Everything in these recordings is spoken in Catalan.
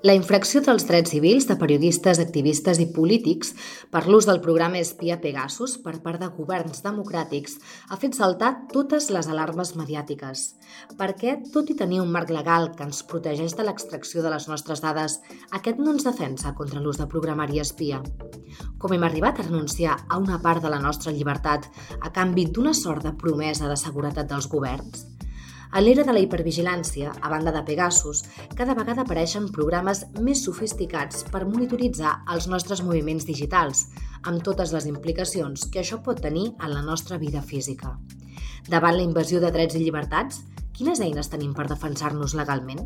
La infracció dels drets civils de periodistes, activistes i polítics per l'ús del programa espia Pegasus per part de governs democràtics ha fet saltar totes les alarmes mediàtiques. Perquè, tot i tenir un marc legal que ens protegeix de l'extracció de les nostres dades, aquest no ens defensa contra l'ús de programari espia? Com hem arribat a renunciar a una part de la nostra llibertat a canvi d'una sort de promesa de seguretat dels governs? A l'era de la hipervigilància, a banda de Pegasus, cada vegada apareixen programes més sofisticats per monitoritzar els nostres moviments digitals, amb totes les implicacions que això pot tenir en la nostra vida física. Davant la invasió de drets i llibertats, quines eines tenim per defensar-nos legalment?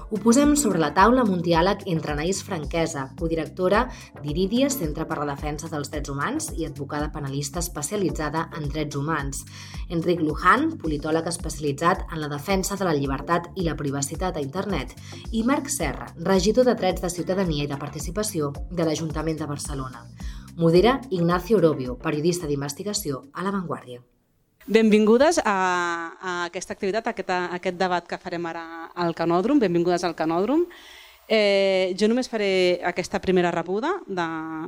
Ho posem sobre la taula amb un diàleg entre Anaïs Franquesa, codirectora d'Iridia, Centre per la Defensa dels Drets Humans i advocada penalista especialitzada en drets humans, Enric Luján, politòleg especialitzat en la defensa de la llibertat i la privacitat a internet, i Marc Serra, regidor de Drets de Ciutadania i de Participació de l'Ajuntament de Barcelona. Modera Ignacio Orobio, periodista d'investigació a La Vanguardia. Benvingudes a aquesta activitat, a aquest debat que farem ara al Canòdrom. Benvingudes al Canòdrom. Jo només faré aquesta primera rebuda,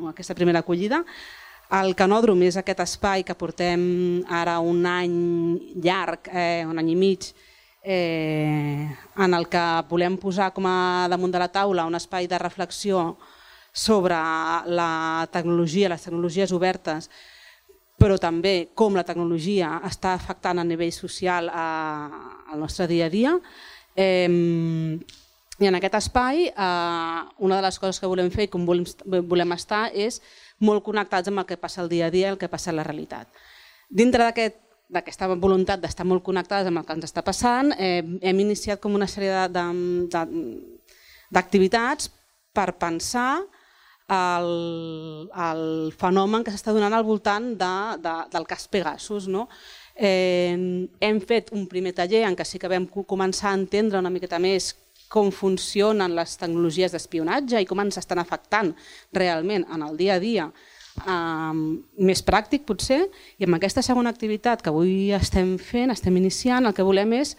aquesta primera acollida. El Canòdrom és aquest espai que portem ara un any llarg, un any i mig, en el que volem posar com a damunt de la taula un espai de reflexió sobre la tecnologia, les tecnologies obertes, però també com la tecnologia està afectant a nivell social al nostre dia a dia. I en aquest espai, una de les coses que volem fer i com volem estar és molt connectats amb el que passa al dia a dia i el que passa a la realitat. Dintre d'aquesta voluntat d'estar molt connectats amb el que ens està passant, hem iniciat com una sèrie d'activitats per pensar el fenomen que s'està donant al voltant del cas Pegasus. Hem fet un primer taller en què sí que vam començar a entendre una miqueta més com funcionen les tecnologies d'espionatge i com ens estan afectant realment en el dia a dia, més pràctic potser, i amb aquesta segona activitat que avui estem fent, estem iniciant, el que volem és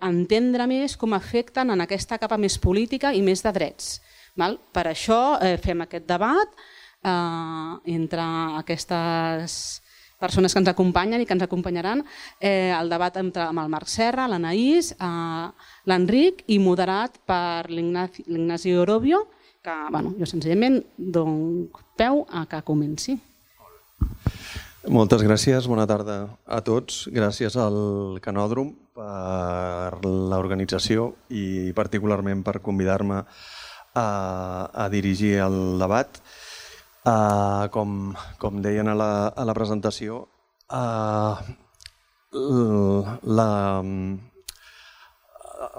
entendre més com afecten en aquesta capa més política i més de drets. Per això fem aquest debat entre aquestes persones que ens acompanyen i que ens acompanyaran, el debat amb el Marc Serra, l'Anaïs, l'Enric i moderat per l'Ignasi Orobio, que jo senzillament dono peu a que comenci. Moltes gràcies, bona tarda a tots. Gràcies al Canòdrom per l'organització i particularment per convidar-me a dirigir el debat. Com deien a la presentació,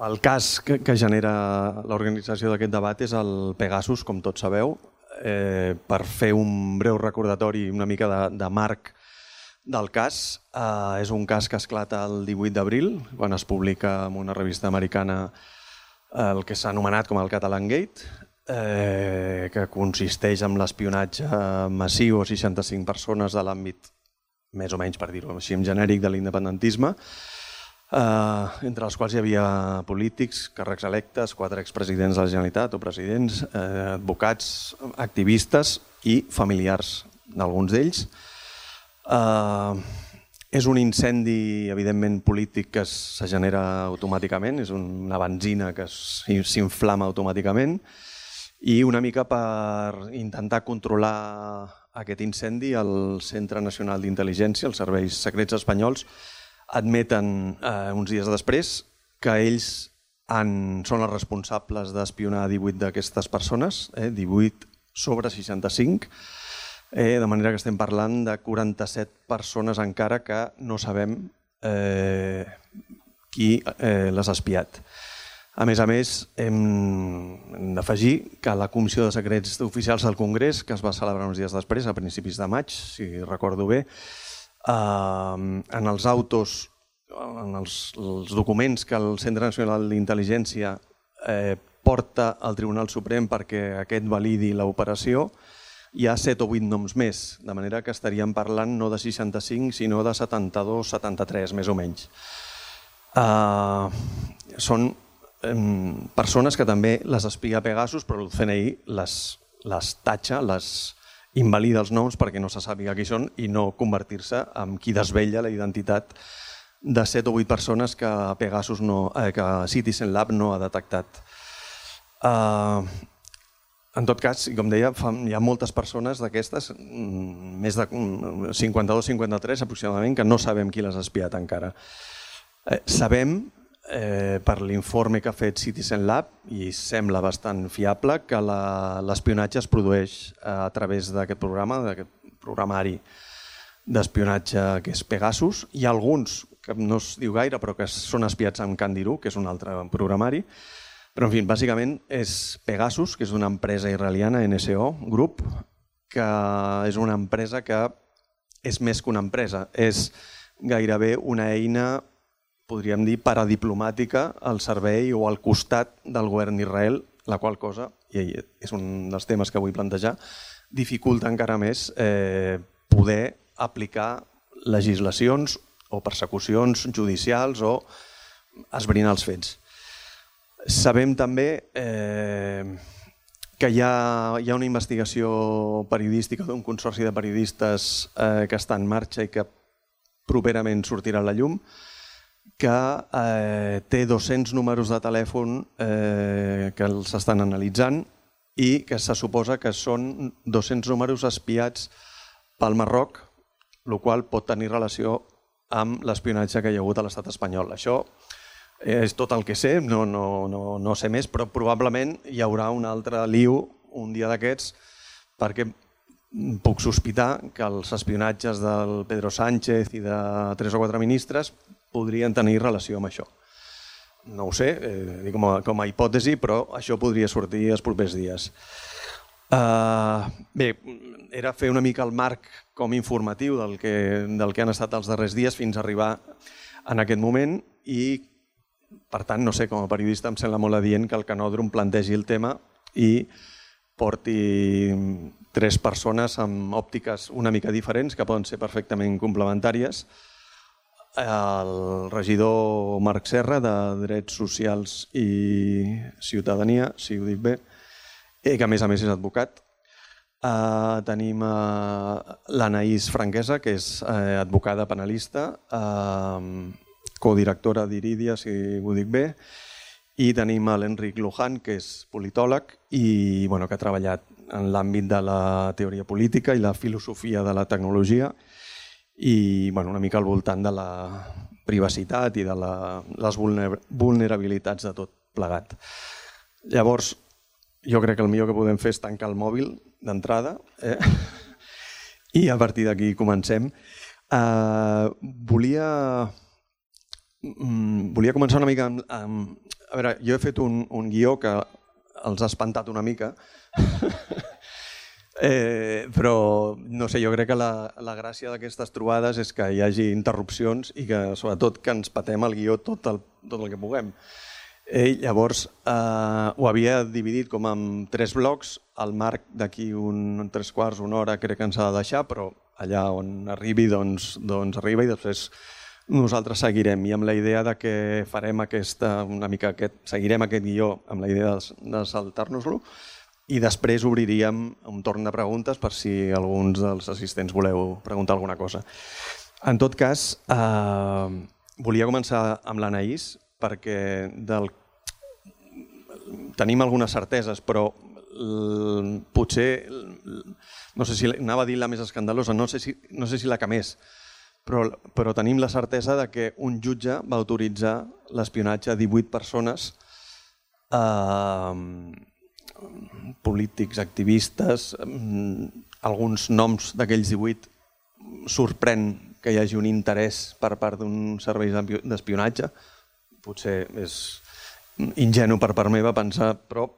el cas que genera l'organització d'aquest debat és el Pegasus, com tots sabeu. Per fer un breu recordatori, una mica de marc del cas, és un cas que esclata el 18 d'abril, quan es publica en una revista americana el que s'ha anomenat com el Catalan Gate, que consisteix en l'espionatge massiu a 65 persones de l'àmbit, més o menys per dir-ho així, en genèric de l'independentisme, entre els quals hi havia polítics, càrrecs electes, 4 expresidents de la Generalitat o presidents, advocats, activistes i familiars d'alguns d'ells. És un incendi, evidentment, polític que se genera automàticament, és una benzina que s'inflama automàticament, i una mica per intentar controlar aquest incendi, el Centre Nacional d'Intel·ligència, els serveis secrets espanyols, admeten uns dies després que ells són els responsables d'espionar 18 d'aquestes persones, 18 sobre 65, de manera que estem parlant de 47 persones encara que no sabem qui les ha espiat. A més, hem d'afegir que la Comissió de Secrets Oficials del Congrés, que es va celebrar uns dies després, a principis de maig, si recordo bé, en els autos, en els documents que el Centre Nacional d'Intel·ligència porta al Tribunal Suprem perquè aquest validi l'operació, hi ha 7 o 8 noms més, de manera que estaríem parlant no de 65, sinó de 72, 73, més o menys. Són persones que també les espia Pegasus, però el CNI les tatxa, les invalida els noms perquè no se sàpiga qui són i no convertir-se en qui desvella la identitat de 7 o 8 persones que Pegasus que Citizen Lab no ha detectat. En tot cas, com deia, hi ha moltes persones d'aquestes, més de 52-53 aproximadament, que no sabem qui les ha espiat encara. Sabem, per l'informe que ha fet Citizen Lab, i sembla bastant fiable, que l'espionatge es produeix a través d'aquest programa, d'aquest programari d'espionatge que és Pegasus. Hi ha alguns que no es diu gaire, però que són espiats amb Candiru, que és un altre programari. Però, en fi, bàsicament és Pegasus, que és una empresa israeliana, NSO Group, que és una empresa que és més que una empresa. És gairebé una eina, podríem dir, paradiplomàtica al servei o al costat del govern d'Israel, la qual cosa, i és un dels temes que vull plantejar, dificulta encara més poder aplicar legislacions o persecucions judicials o esbrinar els fets. Sabem també que hi ha una investigació periodística d'un consorci de periodistes que està en marxa i que properament sortirà a la llum, que té 200 números de telèfon que els estan analitzant i que se suposa que són 200 números espiats pel Marroc, el qual pot tenir relació amb l'espionatge que hi ha hagut a l'estat espanyol. Això és tot el que sé, no sé més, però probablement hi haurà un altre lío un dia d'aquests, perquè puc sospitar que els espionatges del Pedro Sánchez i de 3 o 4 ministres podrien tenir relació amb això. No ho sé, com a hipòtesi, però això podria sortir els propers dies. Bé, era fer una mica el marc com informatiu del que han estat els darrers dies fins a arribar en aquest moment i, per tant, no sé, com a periodista em sembla molt adient que el Canòdrom plantegi el tema i porti 3 persones amb òptiques una mica diferents que poden ser perfectament complementàries. El regidor Marc Serra, de Drets Socials i Ciutadania, si ho dic bé, que a més és advocat. Tenim l'Anaïs Franquesa, que és advocada penalista, codirectora d'Iridia, si ho dic bé, i tenim l'Enric Luján, que és politòleg i que ha treballat en l'àmbit de la teoria política i la filosofia de la tecnologia i una mica al voltant de la privacitat i de les vulnerabilitats de tot plegat. Llavors, jo crec que el millor que podem fer és tancar el mòbil d'entrada i a partir d'aquí comencem. Volia començar una mica amb... A veure, jo he fet un guió que els ha espantat una mica, però no sé, jo crec que la gràcia d'aquestes trobades és que hi hagi interrupcions i que sobretot que ens patem el guió tot el que puguem. Llavors ho havia dividit com en 3 blocs, el Marc d'aquí un 3/4, una hora crec que ens ha de deixar, però allà on arribi doncs arriba i després nosaltres seguirem i amb la idea de que farem seguirem aquest guió amb la idea de saltar-nos-lo i després obriríem un torn de preguntes per si alguns dels assistents voleu preguntar alguna cosa. En tot cas, volia començar amb l'Anaïs perquè tenim algunes certeses, però potser, no sé si anava a dir la més escandalosa, no sé si la que més, però tenim la certesa de que un jutge va autoritzar l'espionatge a 18 persones, polítics, activistes, alguns noms d'aquells 18 sorprèn que hi hagi un interès per part d'un servei d'espionatge. Potser és ingenu per part meva pensar, però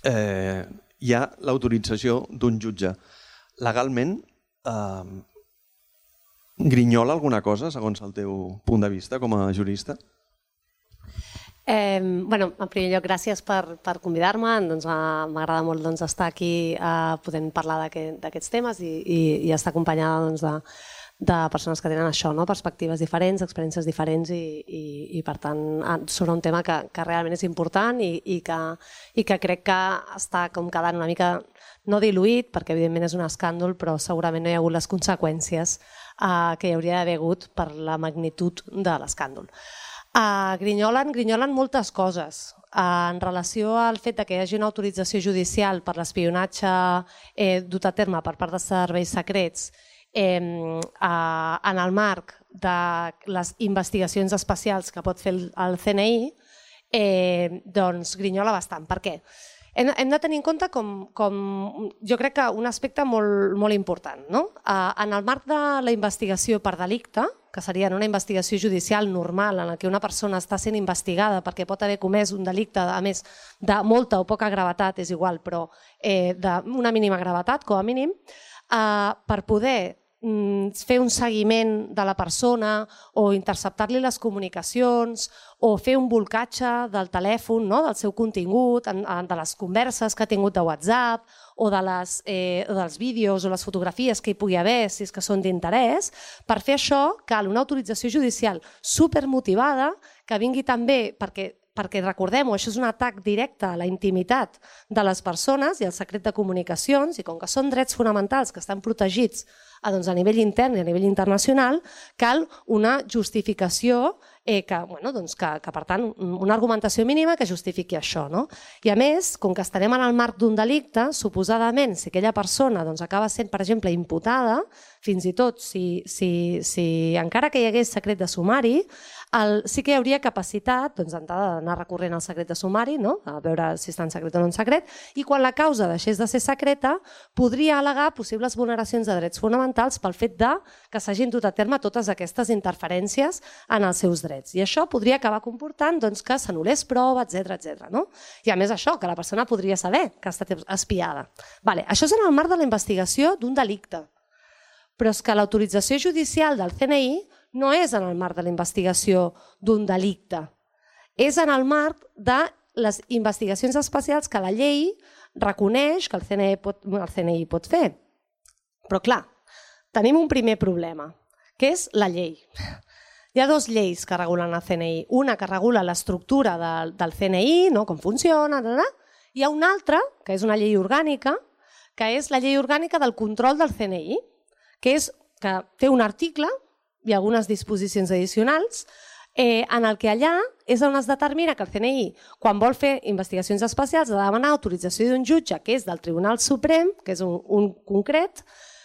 hi ha l'autorització d'un jutge. Legalment, grinyola alguna cosa, segons el teu punt de vista com a jurista? En primer lloc, gràcies per convidar-me. M'agrada molt estar aquí podent parlar d'aquests temes i estar acompanyada de persones que tenen això, perspectives diferents, experiències diferents i per tant, sobre un tema que realment és important i que crec que està com quedant una mica, no diluït, perquè evidentment és un escàndol, però segurament no hi ha hagut les conseqüències que hi hauria d'haver hagut per la magnitud de l'escàndol. Grinyolen moltes coses. En relació al fet que hi hagi una autorització judicial per l'espionatge dut a terme per part de serveis secrets en el marc de les investigacions especials que pot fer el CNI, doncs grinyola bastant. Per què? Hem de tenir en compte jo crec que un aspecte molt important. En el marc de la investigació per delicte, que seria una investigació judicial normal en què una persona està sent investigada perquè pot haver comès un delicte, a més de molta o poca gravetat, és igual, però d'una mínima gravetat, com a mínim, per poder fer un seguiment de la persona o interceptar-li les comunicacions o fer un bolcatge del telèfon, del seu contingut, de les converses que ha tingut de WhatsApp o dels vídeos o les fotografies que hi pugui haver, si és que són d'interès. Per fer això cal una autorització judicial supermotivada que vingui també perquè recordem-ho, això és un atac directe a la intimitat de les persones i al secret de comunicacions, i com que són drets fonamentals que estan protegits a nivell intern i a nivell internacional, cal una justificació que per tant, una argumentació mínima que justifiqui això. I a més, com que estarem en el marc d'un delicte, suposadament, si aquella persona acaba sent, per exemple, imputada, fins i tot si encara que hi hagués secret de sumari, sí que hi hauria capacitat d'anar recorrent al secret de sumari, a veure si està en secret o no en secret, i quan la causa deixés de ser secreta, podria al·legar possibles vulneracions de drets fonamentals pel fet que s'hagin dut a terme totes aquestes interferències en els seus drets. I això podria acabar comportant que s'anul·lés prova, etc. I a més això, que la persona podria saber que ha estat espiada. Això és en el marc de la investigació d'un delicte. Però és que l'autorització judicial del CNI no és en el marc de la investigació d'un delicte. És en el marc de les investigacions especials que la llei reconeix que el CNI pot fer. Però clar, tenim un primer problema, que és la llei. Hi ha dues lleis que regulen el CNI. Una que regula l'estructura del CNI, com funciona, i hi ha una altra, que és una llei orgànica, que és la llei orgànica del control del CNI, que té un article i algunes disposicions addicionals en el que allà és on es determina que el CNI, quan vol fer investigacions especials, ha de demanar autorització d'un jutge, que és del Tribunal Suprem, que és un concret,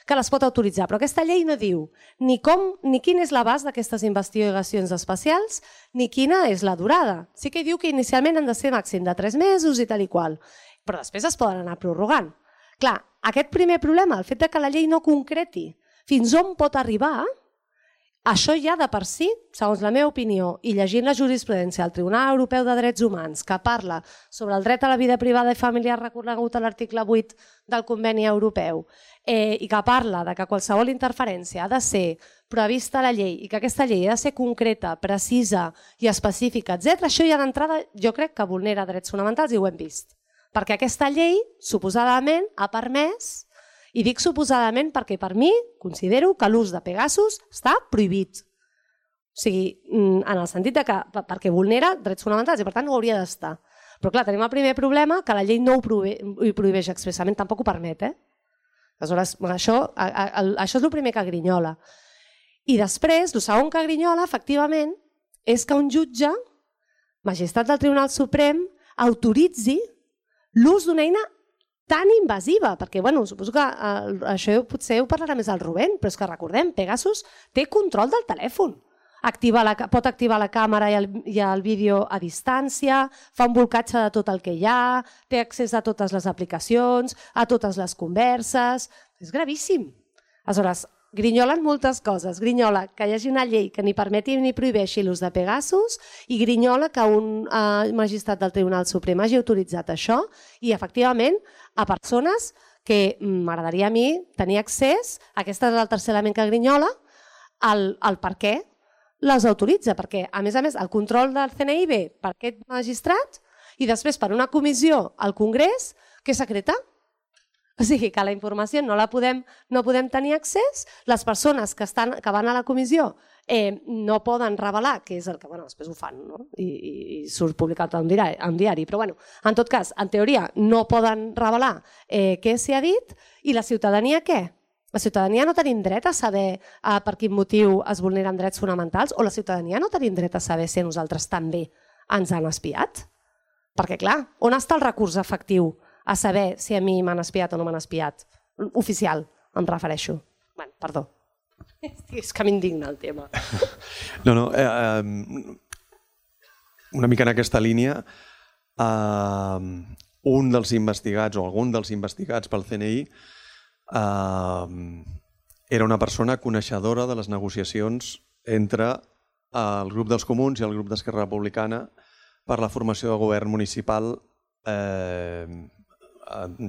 que les pot autoritzar. Però aquesta llei no diu ni quin és l'abast d'aquestes investigacions especials, ni quina és la durada. Sí que diu que inicialment han de ser màxim de 3 mesos i tal i qual, però després es poden anar prorrogant. Clar, aquest primer problema, el fet que la llei no concreti fins on pot arribar, això ja de per si, segons la meva opinió, i llegint la jurisprudència del Tribunal Europeu de Drets Humans, que parla sobre el dret a la vida privada i familiar reconegut a l'article 8 del Conveni Europeu, i que parla que qualsevol interferència ha de ser prevista a la llei i que aquesta llei ha de ser concreta, precisa i específica, etc., això ja d'entrada jo crec que vulnera drets fonamentals i ho hem vist. Perquè aquesta llei, suposadament, ha permès, i dic suposadament perquè per mi considero que l'ús de Pegasus està prohibit. O sigui, en el sentit que perquè vulnera drets fonamentals i per tant no ho hauria d'estar. Però clar, tenim el primer problema que la llei no ho prohibeix expressament, tampoc ho permet. Aleshores, això és el primer que grinyola. I després, el segon que grinyola, efectivament, és que un jutge, magistrat del Tribunal Suprem, autoritzi l'ús d'una eina tan invasiva, perquè suposo que això potser ho parlarà més el Rubén, però és que recordem, Pegasus té control del telèfon. Pot activar la càmera i el vídeo a distància, fa un bolcatge de tot el que hi ha, té accés a totes les aplicacions, a totes les converses. És gravíssim. Aleshores, grinyolen moltes coses. Grinyola que hi hagi una llei que ni permeti ni prohibeixi l'ús de Pegasus i grinyola que un magistrat del Tribunal Suprem hagi autoritzat això i, efectivament, a persones que m'agradaria a mi tenir accés, aquest és el tercer element que grinyola, al per què les autoritza, perquè, a més, el control del CNI ve per aquest magistrat i després per una comissió al Congrés que secreta. O sigui que la informació no podem tenir accés, les persones que van a la comissió no poden revelar, que és el que després ho fan, no? I surt publicat en diari, però en tot cas, en teoria, no poden revelar què s'hi ha dit, i la ciutadania què? La ciutadania no tenim dret a saber per quin motiu es vulneren drets fonamentals, o la ciutadania no tenim dret a saber si a nosaltres també ens han espiat? Perquè clar, on està el recurs efectiu a saber si a mi m'han espiat o no m'han espiat? Oficial, em refereixo. Perdó. És que m'indigna el tema. No, una mica en aquesta línia, un dels investigats o algun dels investigats pel CNI era una persona coneixedora de les negociacions entre el grup dels Comuns i el grup d'Esquerra Republicana per la formació de govern municipal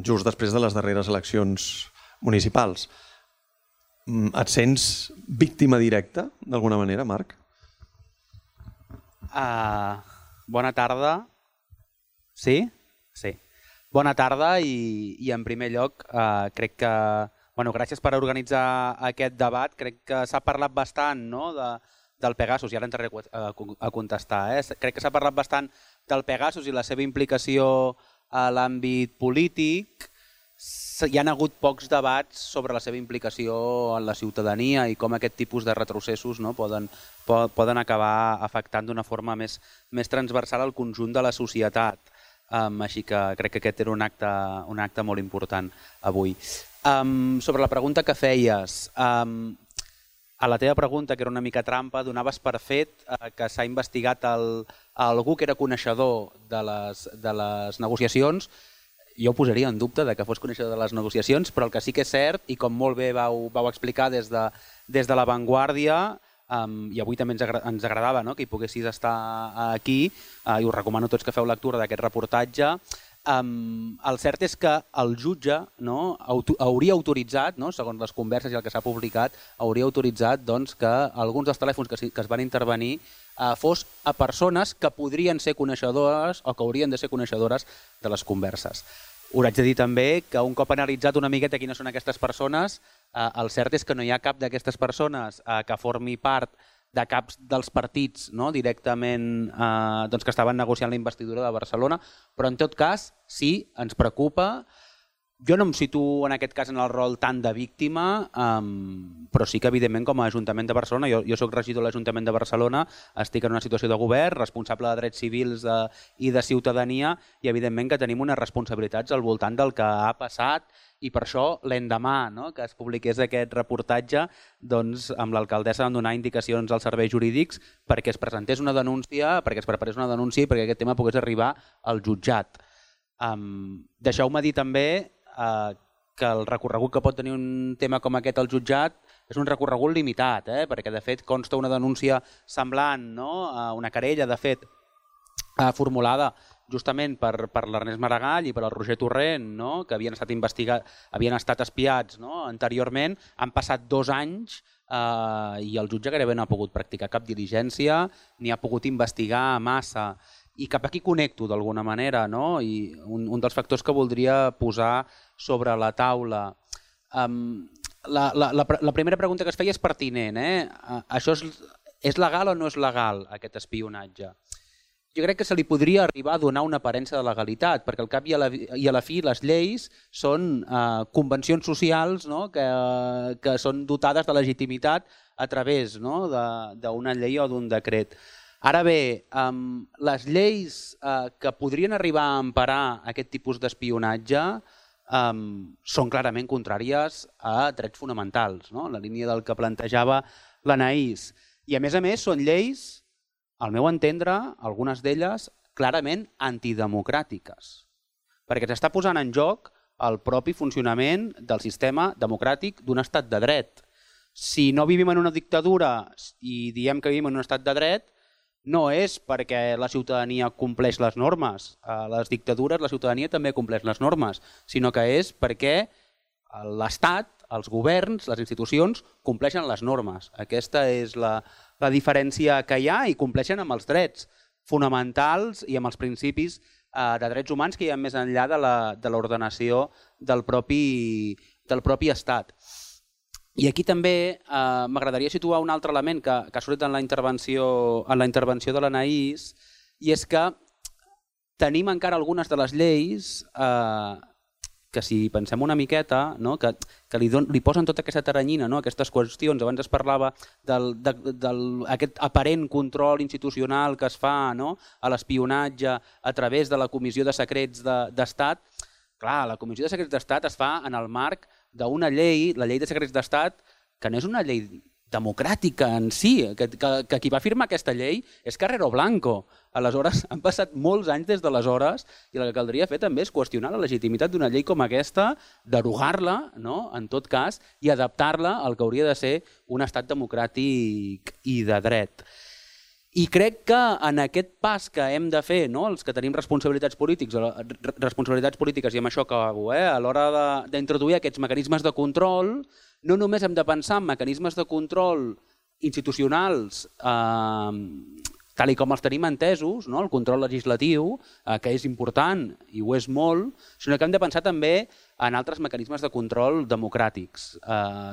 just després de les darreres eleccions municipals. Et sents víctima directa, d'alguna manera, Marc? Bona tarda. Sí? Sí. Bona tarda i en primer lloc crec que... Gràcies per organitzar aquest debat. Crec que s'ha parlat bastant del Pegasus, i ara entraré a contestar. Crec que s'ha parlat bastant del Pegasus i la seva implicació a l'àmbit polític. Hi ha hagut pocs debats sobre la seva implicació en la ciutadania i com aquest tipus de retrocessos poden acabar afectant d'una forma més transversal al conjunt de la societat. Així que crec que aquest era un acte molt important avui. Sobre la pregunta que feies, a la teva pregunta, que era una mica trampa, donaves per fet que s'ha investigat algú que era coneixedor de les negociacions. Jo ho posaria en dubte que fos coneixedor de les negociacions, però el que sí que és cert, i com molt bé vau explicar des de La Vanguardia, i avui també ens agradava que hi poguessis estar aquí, i us recomano tots que feu lectura d'aquest reportatge, el cert és que el jutge hauria autoritzat, segons les converses i el que s'ha publicat, hauria autoritzat que alguns dels telèfons que es van intervenir fos a persones que podrien ser coneixedores o que haurien de ser coneixedores de les converses. Us haig de dir també que un cop analitzat una miqueta quines són aquestes persones, el cert és que no hi ha cap d'aquestes persones que formi part de caps dels partits directament que estaven negociant la investidura de Barcelona, però en tot cas sí, ens preocupa. Jo no em situo en aquest cas en el rol tant de víctima, però sí que evidentment com a Ajuntament de Barcelona, jo soc regidor de l'Ajuntament de Barcelona, estic en una situació de govern, responsable de drets civils i de ciutadania, i evidentment que tenim unes responsabilitats al voltant del que ha passat, i per això l'endemà que es publiqués aquest reportatge, amb l'alcaldessa vam donar indicacions als serveis jurídics perquè es presentés una denúncia, perquè es preparés una denúncia i perquè aquest tema pogués arribar al jutjat. Deixeu-me dir també que el recorregut que pot tenir un tema com aquest al jutjat és un recorregut limitat, perquè de fet consta una denúncia semblant, una querella de fet formulada justament per l'Ernest Maragall i per el Roger Torrent, que havien estat espiats anteriorment. Han passat 2 anys i el jutge gairebé no ha pogut practicar cap diligència ni ha pogut investigar massa. I cap aquí connecto d'alguna manera, i un dels factors que voldria posar sobre la taula. La primera pregunta que es feia és pertinent. Això és legal o no és legal, aquest espionatge? Jo crec que se li podria arribar a donar una aparença de legalitat, perquè al cap i a la fi les lleis són convencions socials que són dotades de legitimitat a través d'una llei o d'un decret. Ara bé, les lleis que podrien arribar a emparar aquest tipus d'espionatge són clarament contràries a drets fonamentals, en la línia del que plantejava l'Anaïs. I a més són lleis, al meu entendre, algunes d'elles clarament antidemocràtiques, perquè s'està posant en joc el propi funcionament del sistema democràtic d'un estat de dret. Si no vivim en una dictadura i diem que vivim en un estat de dret, no és perquè la ciutadania compleix les normes. A les dictadures la ciutadania també compleix les normes, sinó que és perquè l'Estat, els governs, les institucions compleixen les normes. Aquesta és la diferència que hi ha i compleixen amb els drets fonamentals i amb els principis de drets humans que hi ha més enllà de l'ordenació del propi estat. I aquí també m'agradaria situar un altre element que ha sortit en la intervenció de l'Anaïs, i és que tenim encara algunes de les lleis que si pensem una miqueta, que li posen tota aquesta teranyina, aquestes qüestions. Abans es parlava d'aquest aparent control institucional que es fa a l'espionatge a través de la Comissió de Secrets d'Estat. Clar, la Comissió de Secrets d'Estat es fa en el marc d'una llei, la Llei de Secrets d'Estat, que no és una llei democràtica en si, que qui va firmar aquesta llei és Carrero Blanco. Aleshores, han passat molts anys des d'aleshores i el que caldria fer també és qüestionar la legitimitat d'una llei com aquesta, derogar-la, en tot cas, i adaptar-la al que hauria de ser un estat democràtic i de dret. I crec que en aquest pas que hem de fer, els que tenim responsabilitats polítiques, i amb això acabo, a l'hora d'introduir aquests mecanismes de control, no només hem de pensar en mecanismes de control institucionals tal com els tenim entesos, el control legislatiu, que és important i ho és molt, sinó que hem de pensar també en altres mecanismes de control democràtics,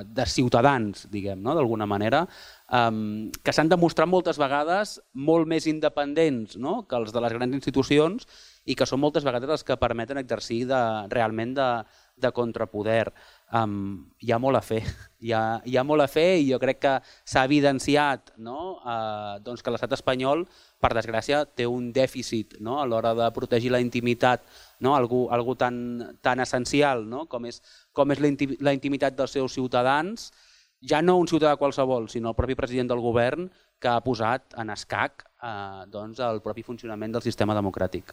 de ciutadans, diguem, d'alguna manera, que s'han demostrat moltes vegades molt més independents que els de les grans institucions i que són moltes vegades els que permeten exercir realment de contrapoder. Hi ha molt a fer, hi ha molt a fer i jo crec que s'ha evidenciat que l'estat espanyol, per desgràcia, té un dèficit a l'hora de protegir la intimitat, algo tan essencial com és la intimitat dels seus ciutadans, ja no un ciutadà qualsevol, sinó el propi president del govern que ha posat en escac el propi funcionament del sistema democràtic.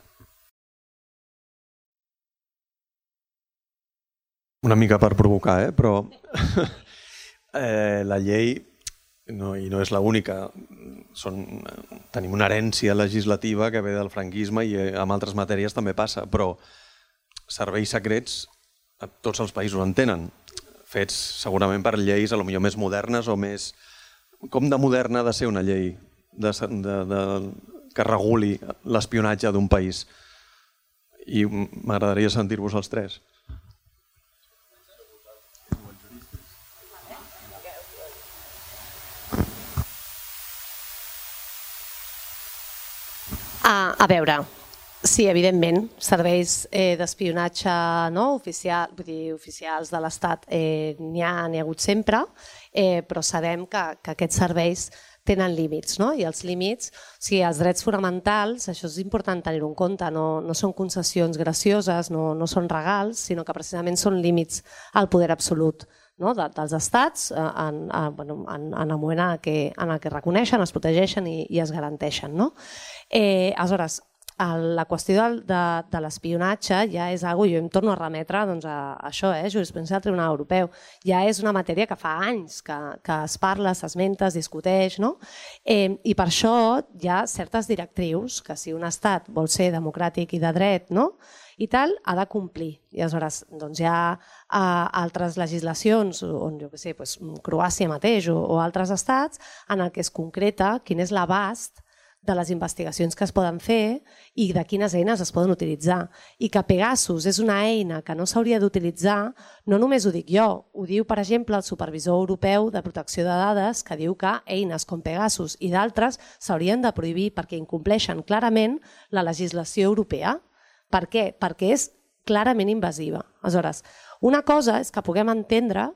Una mica per provocar, però la llei, i no és l'única, tenim una herència legislativa que ve del franquisme i en altres matèries també passa, però serveis secrets tots els països en tenen, fets segurament per lleis potser més modernes o més... Com de moderna ha de ser una llei que reguli l'espionatge d'un país? I m'agradaria sentir-vos els tres. A veure, sí, evidentment, serveis d'espionatge oficials de l'Estat n'hi ha hagut sempre, però sabem que aquests serveis tenen límits, i els límits, els drets fonamentals, això és important tenir-ho en compte, no són concessions gracioses, no són regals, sinó que precisament són límits al poder absolut dels estats en el moment en què reconeixen, es protegeixen i es garanteixen. Aleshores, la qüestió de l'espionatge ja és una cosa, jo em torno a remetre a això, jurisprudència del Tribunal Europeu, ja és una matèria que fa anys que es parla, s'esmenta, es discuteix, i per això hi ha certes directrius que si un estat vol ser democràtic i de dret i tal, ha de complir. I aleshores hi ha altres legislacions, on Croàcia mateix o altres estats, en què es concreta quin és l'abast de les investigacions que es poden fer i de quines eines es poden utilitzar. I que Pegasus és una eina que no s'hauria d'utilitzar, no només ho dic jo, ho diu, per exemple, el Supervisor Europeu de Protecció de Dades, que diu que eines com Pegasus i d'altres s'haurien de prohibir perquè incompleixen clarament la legislació europea. Per què? Perquè és clarament invasiva. Aleshores, una cosa és que puguem entendre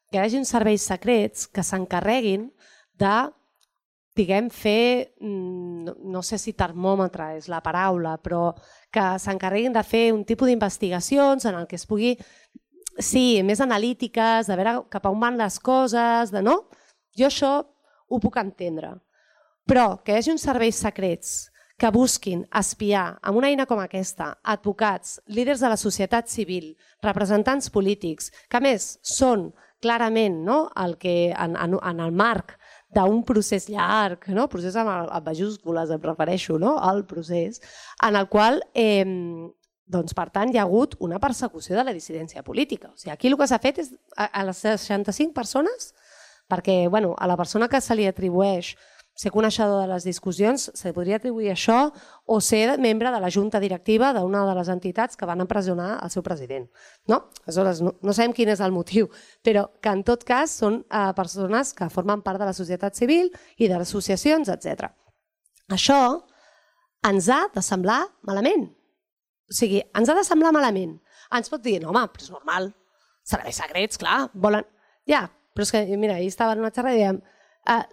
que hi hagi uns serveis secrets que s'encarreguin de fer, no sé si termòmetre és la paraula, però que s'encarreguin de fer un tipus d'investigacions en el que es pugui, sí, més analítiques, de veure cap a on van les coses, jo això ho puc entendre. Però que hi hagi uns serveis secrets que busquin espiar amb una eina com aquesta advocats, líders de la societat civil, representants polítics, que a més són clarament en el marc d'un procés llarg, procés amb majúscules, em refereixo al procés, en el qual, per tant, hi ha hagut una persecució de la dissidència política. Aquí el que s'ha fet és a les 65 persones, perquè a la persona que se li atribueix ser coneixedor de les discussions, se podria atribuir això o ser membre de la junta directiva d'una de les entitats que van empresonar el seu president. No? Aleshores, no sabem quin és el motiu, però que en tot cas són persones que formen part de la societat civil i de les associacions, etc. Això ens ha de semblar malament. O sigui, ens ha de semblar malament. Ens pot dir, no home, però és normal, serveis secrets, clar, volen... Ja, però és que, mira, ahir estava en una xerrada i dèiem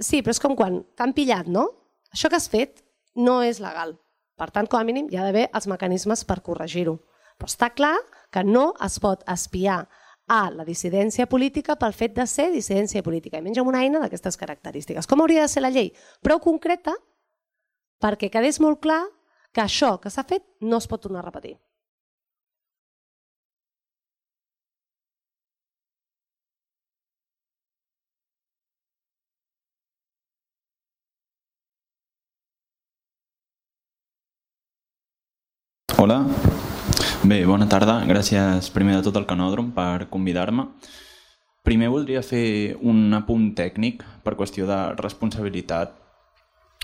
sí, però és com quan t'han pillat, no? Això que has fet no és legal. Per tant, com a mínim, hi ha d'haver els mecanismes per corregir-ho. Però està clar que no es pot espiar a la dissidència política pel fet de ser dissidència política, i menys amb una eina d'aquestes característiques. Com hauria de ser la llei? Prou concreta perquè quedés molt clar que això que s'ha fet no es pot tornar a repetir. Hola, bé, bona tarda. Gràcies primer de tot al Canòdrom per convidar-me. Primer voldria fer un apunt tècnic per qüestió de responsabilitat.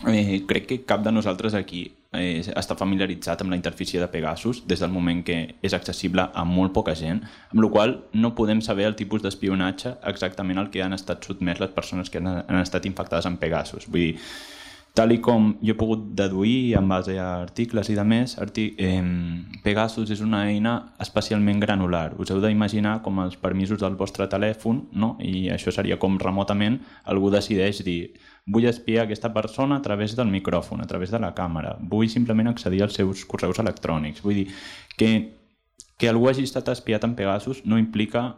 Crec que cap de nosaltres aquí està familiaritzat amb la interfície de Pegasus des del moment que és accessible a molt poca gent, amb la qual cosa no podem saber el tipus d'espionatge exactament al que han estat sotmès les persones que han estat infectades amb Pegasus. Vull dir, tal com jo he pogut deduir en base a articles i demés, Pegasus és una eina especialment granular. Us heu d'imaginar com els permisos del vostre telèfon, no? I això seria com remotament algú decideix dir vull espiar aquesta persona a través del micròfon, a través de la càmera, vull simplement accedir als seus correus electrònics. Vull dir que algú hagi estat espiat en Pegasus no implica,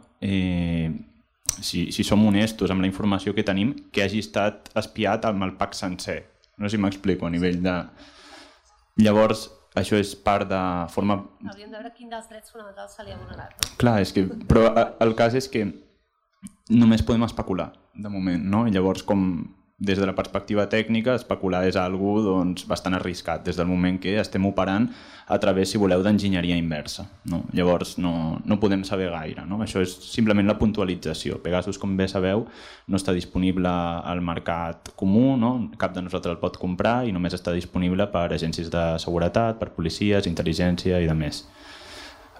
si som honestos amb la informació que tenim, que hagi estat espiat amb el pack sencer. No sé si m'explico a nivell de... Llavors, això és part de forma... Hauríem de veure quin dels drets fonamentals se li ha vulnerat, no? Clar, però el cas és que només podem especular, de moment, no? I llavors, com des de la perspectiva tècnica, especular és algo bastant arriscat, des del moment que estem operant a través, si voleu, d'enginyeria inversa. No? Llavors no podem saber gaire. No? Això és simplement la puntualització. Pegasus, com bé sabeu, no està disponible al mercat comú, no? Cap de nosaltres el pot comprar i només està disponible per agències de seguretat, per policies, intel·ligència i demés.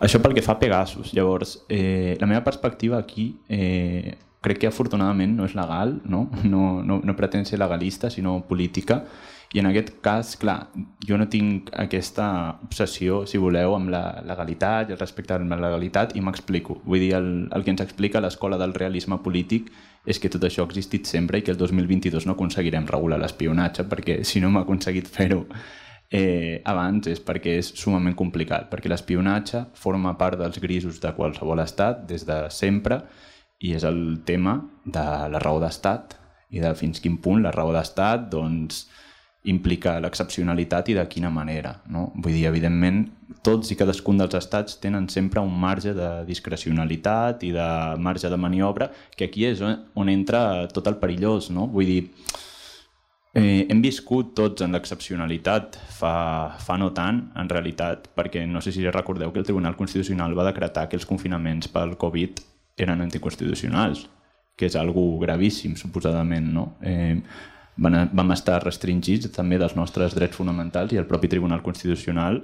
Això pel que fa a Pegasus. Llavors, la meva perspectiva aquí... crec que afortunadament no és legal, no pretén ser legalista, sinó política, i en aquest cas, clar, jo no tinc aquesta obsessió, si voleu, amb la legalitat i el respecte a la legalitat, i m'explico. Vull dir, el que ens explica l'escola del realisme polític és que tot això ha existit sempre i que el 2022 no aconseguirem regular l'espionatge, perquè si no hem aconseguit fer-ho abans és perquè és sumament complicat, perquè l'espionatge forma part dels grisos de qualsevol estat des de sempre, i és el tema de la raó d'estat i de fins quin punt la raó d'estat implica l'excepcionalitat i de quina manera. No? Vull dir, evidentment, tots i cadascun dels estats tenen sempre un marge de discrecionalitat i de marge de maniobra, que aquí és on entra tot el perillós. No? Vull dir, hem viscut tots en l'excepcionalitat fa no tant, en realitat, perquè no sé si recordeu que el Tribunal Constitucional va decretar que els confinaments pel Covid eren anticonstitucionals, que és algo gravíssim, suposadament. No? Vam estar restringits també dels nostres drets fonamentals i el propi Tribunal Constitucional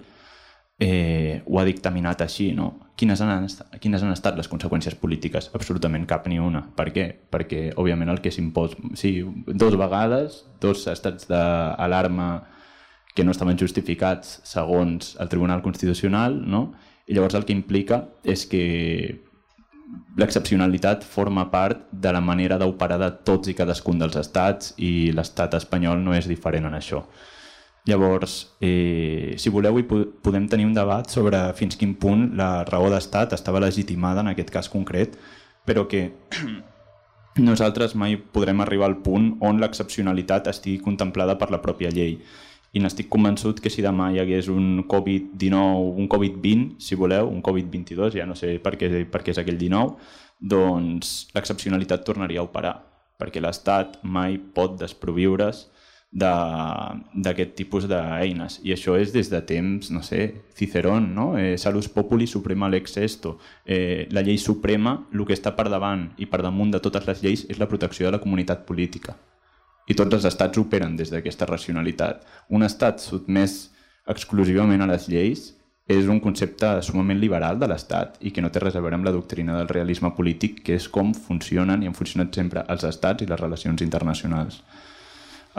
ho ha dictaminat així. No? Quines han estat les conseqüències polítiques? Absolutament cap ni una. Per què? Perquè, òbviament, el que s'imposa... Sí, 2 vegades, 2 estats d'alarma que no estaven justificats segons el Tribunal Constitucional, no? I llavors el que implica és que l'excepcionalitat forma part de la manera d'operar de tots i cadascun dels estats i l'estat espanyol no és diferent en això. Llavors, si voleu, podem tenir un debat sobre fins quin punt la raó d'estat estava legitimada en aquest cas concret, però que nosaltres mai podrem arribar al punt on l'excepcionalitat estigui contemplada per la pròpia llei. I n'estic convençut que si demà hi hagués un Covid-19, un Covid-20, si voleu, un Covid-22, ja no sé per què és aquell 19, doncs l'excepcionalitat tornaria a operar, perquè l'Estat mai pot desproviure's d'aquest tipus d'eines. I això és des de temps, no sé, Cicerón, no? Salus populi suprema lex esto. La llei suprema, el que està per davant i per damunt de totes les lleis és la protecció de la comunitat política. I tots els estats operen des d'aquesta racionalitat. Un estat sotmès exclusivament a les lleis és un concepte sumament liberal de l'estat i que no té res a veure amb la doctrina del realisme polític, que és com funcionen i han funcionat sempre els estats i les relacions internacionals.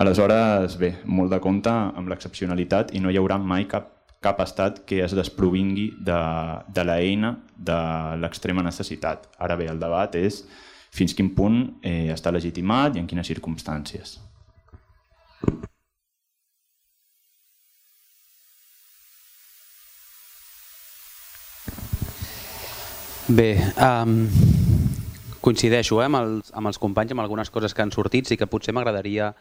Aleshores, bé, molt de compte amb l'excepcionalitat i no hi haurà mai cap estat que es desprovingui de l'eina de l'extrema necessitat. Ara bé, el debat és fins quin punt està legitimat i en quines circumstàncies. Bé, coincideixo amb els companys amb algunes coses que han sortit, sí que potser m'agradaria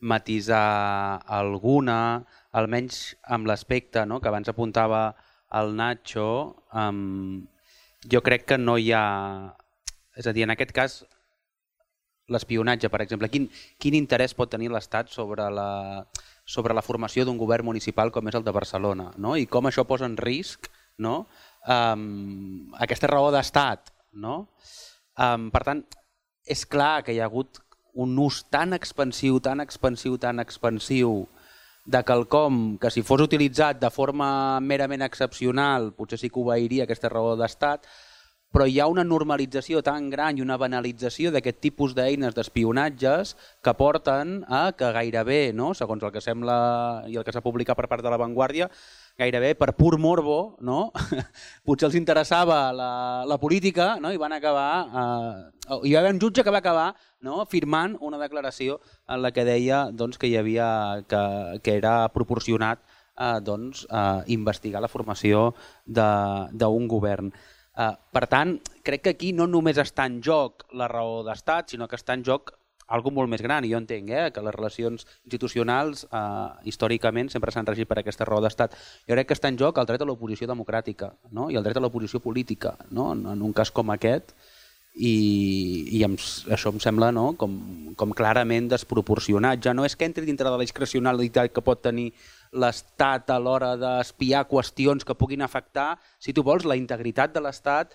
matisar alguna, almenys amb l'aspecte que abans apuntava el Nacho. Jo crec que no hi ha... És a dir, en aquest cas, l'espionatge, per exemple, quin interès pot tenir l'Estat sobre la formació d'un govern municipal com és el de Barcelona, no? I com això posa en risc, no? Aquesta raó d'estat, no? Per tant, és clar que hi ha hagut un ús tan expansiu de quelcom que si fos utilitzat de forma merament excepcional potser sí que obeiria aquesta raó d'estat, però hi ha una normalització tan gran i una banalització d'aquest tipus d'eines d'espionatges que porten a que gairebé, no? Segons el que sembla i el que s'ha publicat per part de La Vanguardia, gairebé per pur morbo, no? Potser els interessava la política, no? I van acabar... hi va haver un jutge que va acabar, no? Firmant una declaració en la que deia que hi havia que era proporcionat investigar la formació d'un govern. Per tant, crec que aquí no només està en joc la raó d'estat, sinó que està en joc algo molt més gran. I jo entenc que les relacions institucionals històricament sempre s'han regit per aquesta raó d'estat. Jo crec que està en joc el dret a l'oposició democràtica, no? I el dret a l'oposició política, no? En un cas com aquest, i això em sembla, no? com clarament desproporcionat. Ja no és que entri dintre de la discrecionalitat que pot tenir l'Estat a l'hora d'espiar qüestions que puguin afectar, si tu vols, la integritat de l'Estat,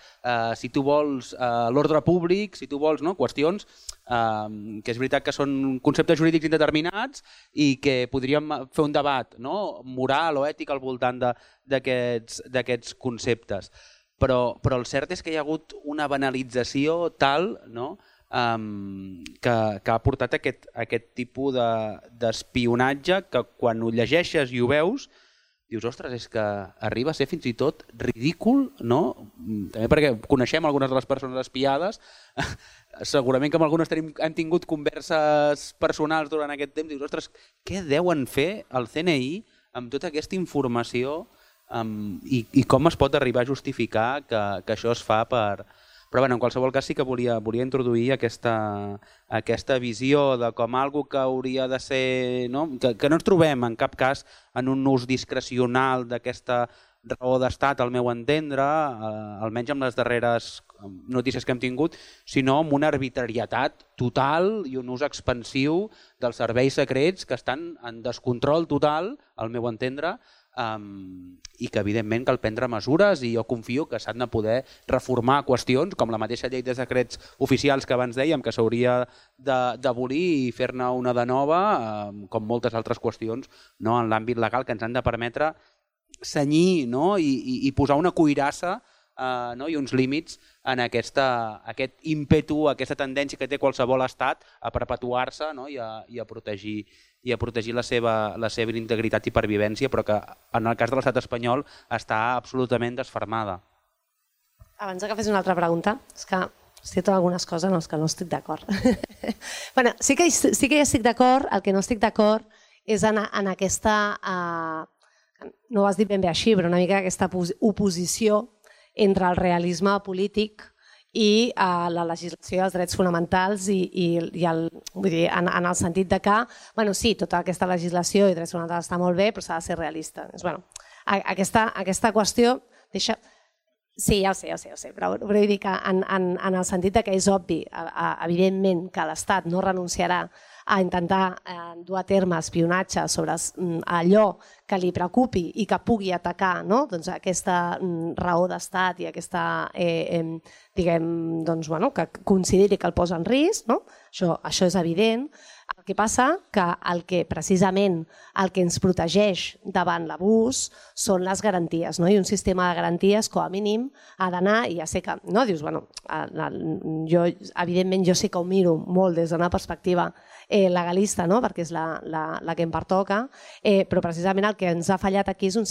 si tu vols l'ordre públic, si tu vols qüestions que és veritat que són conceptes jurídics indeterminats i que podríem fer un debat moral o ètic al voltant d'aquests conceptes. Però el cert és que hi ha hagut una banalització tal que ha portat aquest tipus d'espionatge que quan ho llegeixes i ho veus dius, ostres, és que arriba a ser fins i tot ridícul, no? També perquè coneixem algunes de les persones espiades, segurament que amb algunes hem tingut converses personals durant aquest temps, dius, ostres, què deuen fer el CNI amb tota aquesta informació i com es pot arribar a justificar que això es fa per... Però en qualsevol cas sí que volia introduir aquesta visió de com algo que hauria de ser... Que no ens trobem en cap cas en un ús discrecional d'aquesta raó d'estat, al meu entendre, almenys amb les darreres notícies que hem tingut, sinó amb una arbitrarietat total i un ús expansiu dels serveis secrets que estan en descontrol total, al meu entendre, i que evidentment cal prendre mesures i jo confio que s'han de poder reformar qüestions com la mateixa llei de secrets oficials que abans dèiem que s'hauria d'abolir i fer-ne una de nova, com moltes altres qüestions en l'àmbit legal que ens han de permetre cenyir i posar una cuirassa i uns límits en aquest ímpetu, aquesta tendència que té qualsevol estat a perpetuar-se i a protegir la seva integritat i pervivència, però que en el cas de l'estat espanyol està absolutament desfermada. Abans que fes una altra pregunta, és que cito algunes coses en les que no estic d'acord. Sí que hi estic d'acord, el que no estic d'acord és en aquesta, no ho has dit ben bé així, però una mica aquesta oposició entre el realisme polític i la legislació dels drets fonamentals vull dir, en el sentit de que, sí, tota aquesta legislació i drets fonamentals està molt bé, però s'ha de ser realista. Aquesta qüestió deixa... Sí, ja ho sé, però vull dir que en el sentit que és obvi, evidentment, que l'Estat no renunciarà a intentar dur a terme espionatge sobre allò que li preocupi i que pugui atacar aquesta raó d'estat i aquesta, diguem, que consideri que el posa en risc, això és evident. El Què passa? Que precisament el que ens protegeix davant l'abús són les garanties, i un sistema de garanties, com a mínim, ha d'anar, i ja sé que, dius, jo evidentment jo sí que ho miro molt des d'una perspectiva legalista, perquè és la que em pertoca, però precisament el que ens ha fallat aquí és un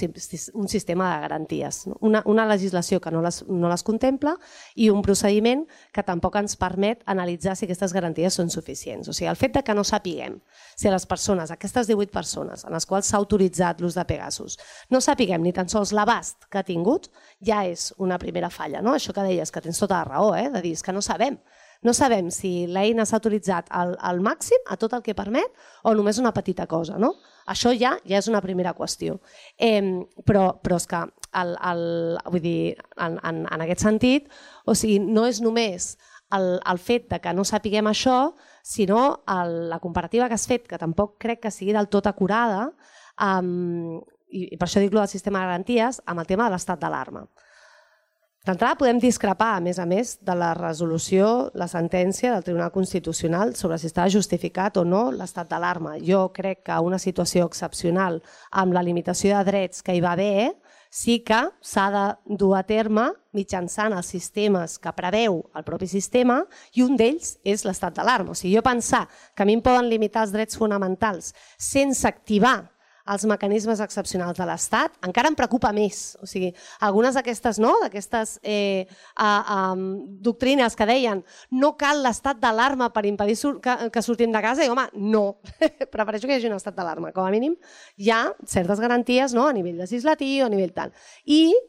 sistema de garanties, una legislació que no les contempla i un procediment que tampoc ens permet analitzar si aquestes garanties són suficients. O sigui, el fet que no sapiguem si les persones, aquestes 18 persones en les quals s'ha autoritzat l'ús de Pegasus, no sapiguem ni tan sols l'abast que ha tingut, ja és una primera falla. Això que deies, que tens tota la raó, de dir que no sabem. No sabem si l'eina s'ha autoritzat al màxim, a tot el que permet, o només una petita cosa. Això ja és una primera qüestió. Però és que, vull dir, en aquest sentit, no és només el fet que no sapiguem això, sinó la comparativa que has fet, que tampoc crec que sigui del tot acurada, i per això dic del sistema de garanties, amb el tema de l'estat d'alarma. D'entrada podem discrepar, a més, de la resolució, la sentència del Tribunal Constitucional sobre si estava justificat o no l'estat d'alarma. Jo crec que una situació excepcional amb la limitació de drets que hi va haver sí que s'ha de dur a terme mitjançant els sistemes que preveu el propi sistema, i un d'ells és l'estat d'alarma. O sigui, jo pensar que a mi em poden limitar els drets fonamentals sense activar els mecanismes excepcionals de l'Estat encara em preocupa més. O sigui, algunes d'aquestes doctrines que deien no cal l'estat d'alarma per impedir que sortim de casa, i home, no, prefereixo que hi hagi un estat d'alarma. Com a mínim hi ha certes garanties a nivell legislatiu, a nivell tal.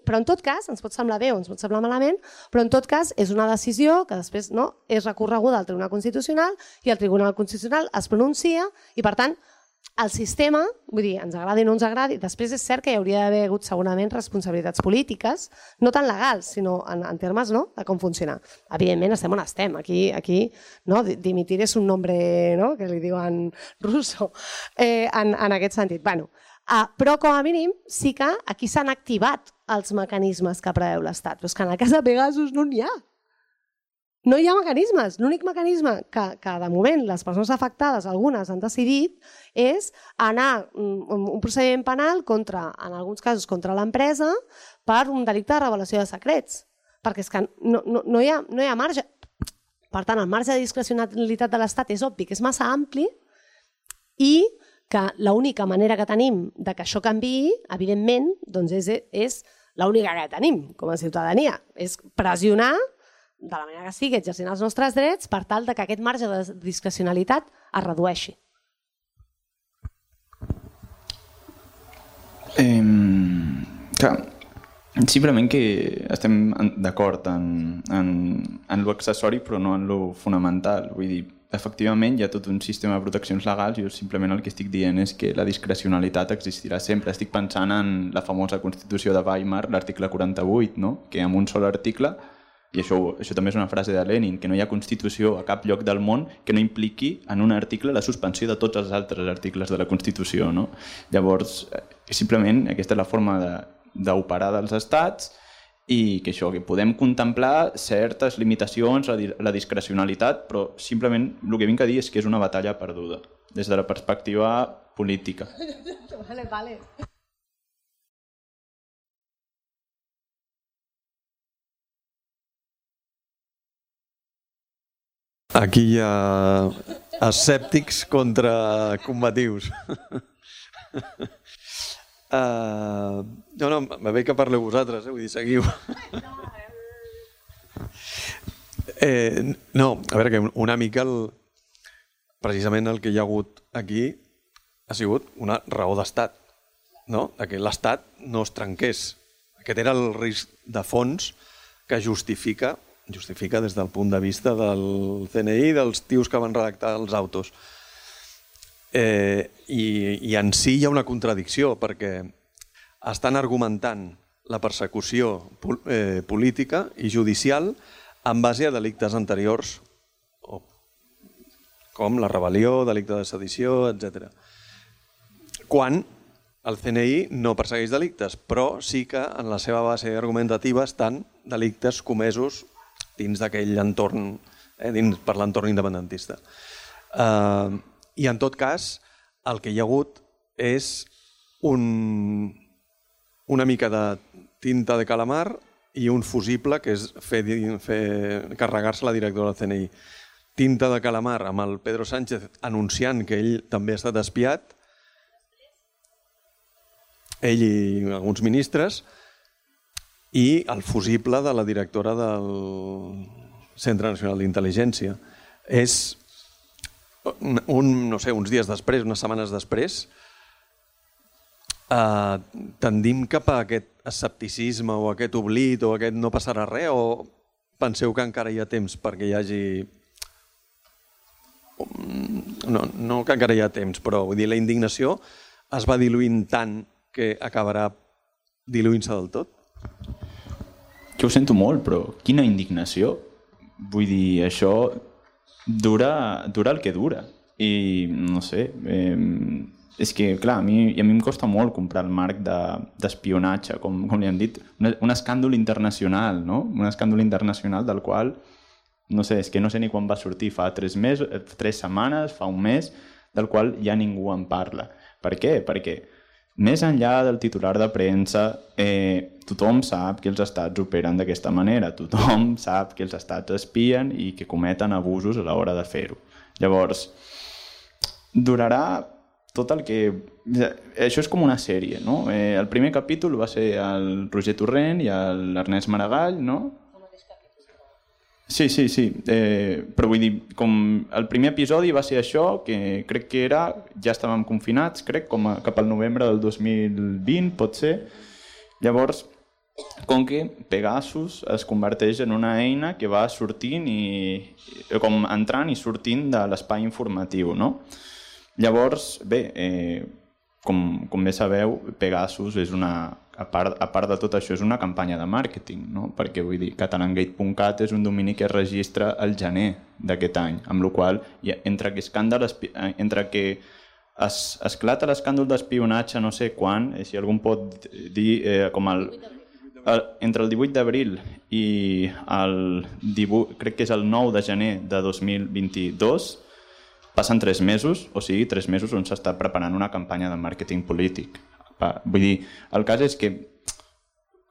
Però en tot cas, ens pot semblar bé o ens pot semblar malament, però en tot cas és una decisió que després és recorreguda al Tribunal Constitucional i el Tribunal Constitucional es pronuncia i, per tant, el sistema, vull dir, ens agradi o no ens agradi, després és cert que hi hauria d'haver hagut segurament responsabilitats polítiques, no tan legals, sinó en termes de com funcionar. Evidentment estem on estem, aquí dimitir és un nombre que li diuen russo, en aquest sentit. Però com a mínim sí que aquí s'han activat els mecanismes que preveu l'Estat, però és que en el cas de Pegasus no n'hi ha. No hi ha mecanismes. L'únic mecanisme que de moment les persones afectades, algunes, han decidit és anar un procediment penal en alguns casos contra l'empresa per un delicte de revelació de secrets. Perquè és que no hi ha marge. Per tant, el marge de discrecionalitat de l'Estat és obvi que és massa ampli i que l'única manera que tenim que això canviï, evidentment, és l'única que tenim com a ciutadania. És pressionar de la manera que sigui, exercint els nostres drets per tal que aquest marge de discrecionalitat es redueixi. Simplement que estem d'acord en lo accessori però no en lo fonamental. Vull dir, efectivament hi ha tot un sistema de proteccions legals i jo simplement el que estic dient és que la discrecionalitat existirà sempre. Estic pensant en la famosa Constitució de Weimar, l'article 48, que amb un sol article, i això també és una frase de Lenin, que no hi ha Constitució a cap lloc del món que no impliqui en un article la suspensió de tots els altres articles de la Constitució. Llavors, simplement aquesta és la forma d'operar dels estats i que això, que podem contemplar certes limitacions a la discrecionalitat, però simplement el que vinc a dir és que és una batalla perduda des de la perspectiva política. Vale. Aquí hi ha escèptics contra combatius. No, va bé que parleu vosaltres, vull dir, seguiu. No, a veure, que una mica precisament el que hi ha hagut aquí ha sigut una raó d'estat, que l'Estat no es trenqués. Aquest era el risc de fons que justifica des del punt de vista del CNI, dels tios que van redactar els autos. I en si hi ha una contradicció, perquè estan argumentant la persecució política i judicial en base a delictes anteriors, com la rebel·lió, delicte de sedició, etc. Quan el CNI no persegueix delictes, però sí que en la seva base argumentativa estan delictes comesos dins d'aquell entorn, per l'entorn independentista. I en tot cas, el que hi ha hagut és una mica de tinta de calamar i un fusible, que és carregar-se la directora del CNI. Tinta de calamar amb el Pedro Sánchez anunciant que ell també ha estat espiat, ell i alguns ministres, i el fusible de la directora del Centre Nacional d'Intel·ligència. És, uns dies després, unes setmanes després, tendim cap a aquest escepticisme o aquest oblit o aquest no passarà res, o penseu que encara hi ha temps perquè hi hagi... No que encara hi ha temps, però vull dir, la indignació es va diluint tant que acabarà diluint-se del tot? Jo ho sento molt, però quina indignació. Vull dir, això dura el que dura. I no sé, és que, clar, a mi em costa molt comprar el marc d'espionatge, com li han dit, un escàndol internacional, no? Un escàndol internacional del qual, no sé, és que no sé ni quan va sortir, fa 3 setmanes, fa un mes, del qual ja ningú en parla. Per què? Perquè més enllà del titular de premsa, tothom sap que els estats operen d'aquesta manera, tothom sap que els estats espien i que cometen abusos a l'hora de fer-ho. Llavors, durarà tot el que... Això és com una sèrie, no? El primer capítol va ser el Roger Torrent i l'Ernest Maragall, no? Sí. Però vull dir, com el primer episodi va ser això, que crec que era, ja estàvem confinats, crec, cap al novembre del 2020, pot ser. Llavors, com que Pegasus es converteix en una eina que va sortint com entrant i sortint de l'espai informatiu, no? Llavors, bé, com bé sabeu, Pegasus és a part de tot això, és una campanya de màrqueting, no? Perquè, vull dir, catalangate.cat és un domini que es registra al gener d'aquest any, amb la qual cosa, entre que esclata l'escàndol d'espionatge no sé quan, si algú pot dir, entre el 18 d'abril i el 18, crec que és el 9 de gener de 2022, passen 3 mesos, o sigui, 3 mesos on s'està preparant una campanya de màrqueting polític. Vull dir, el cas és que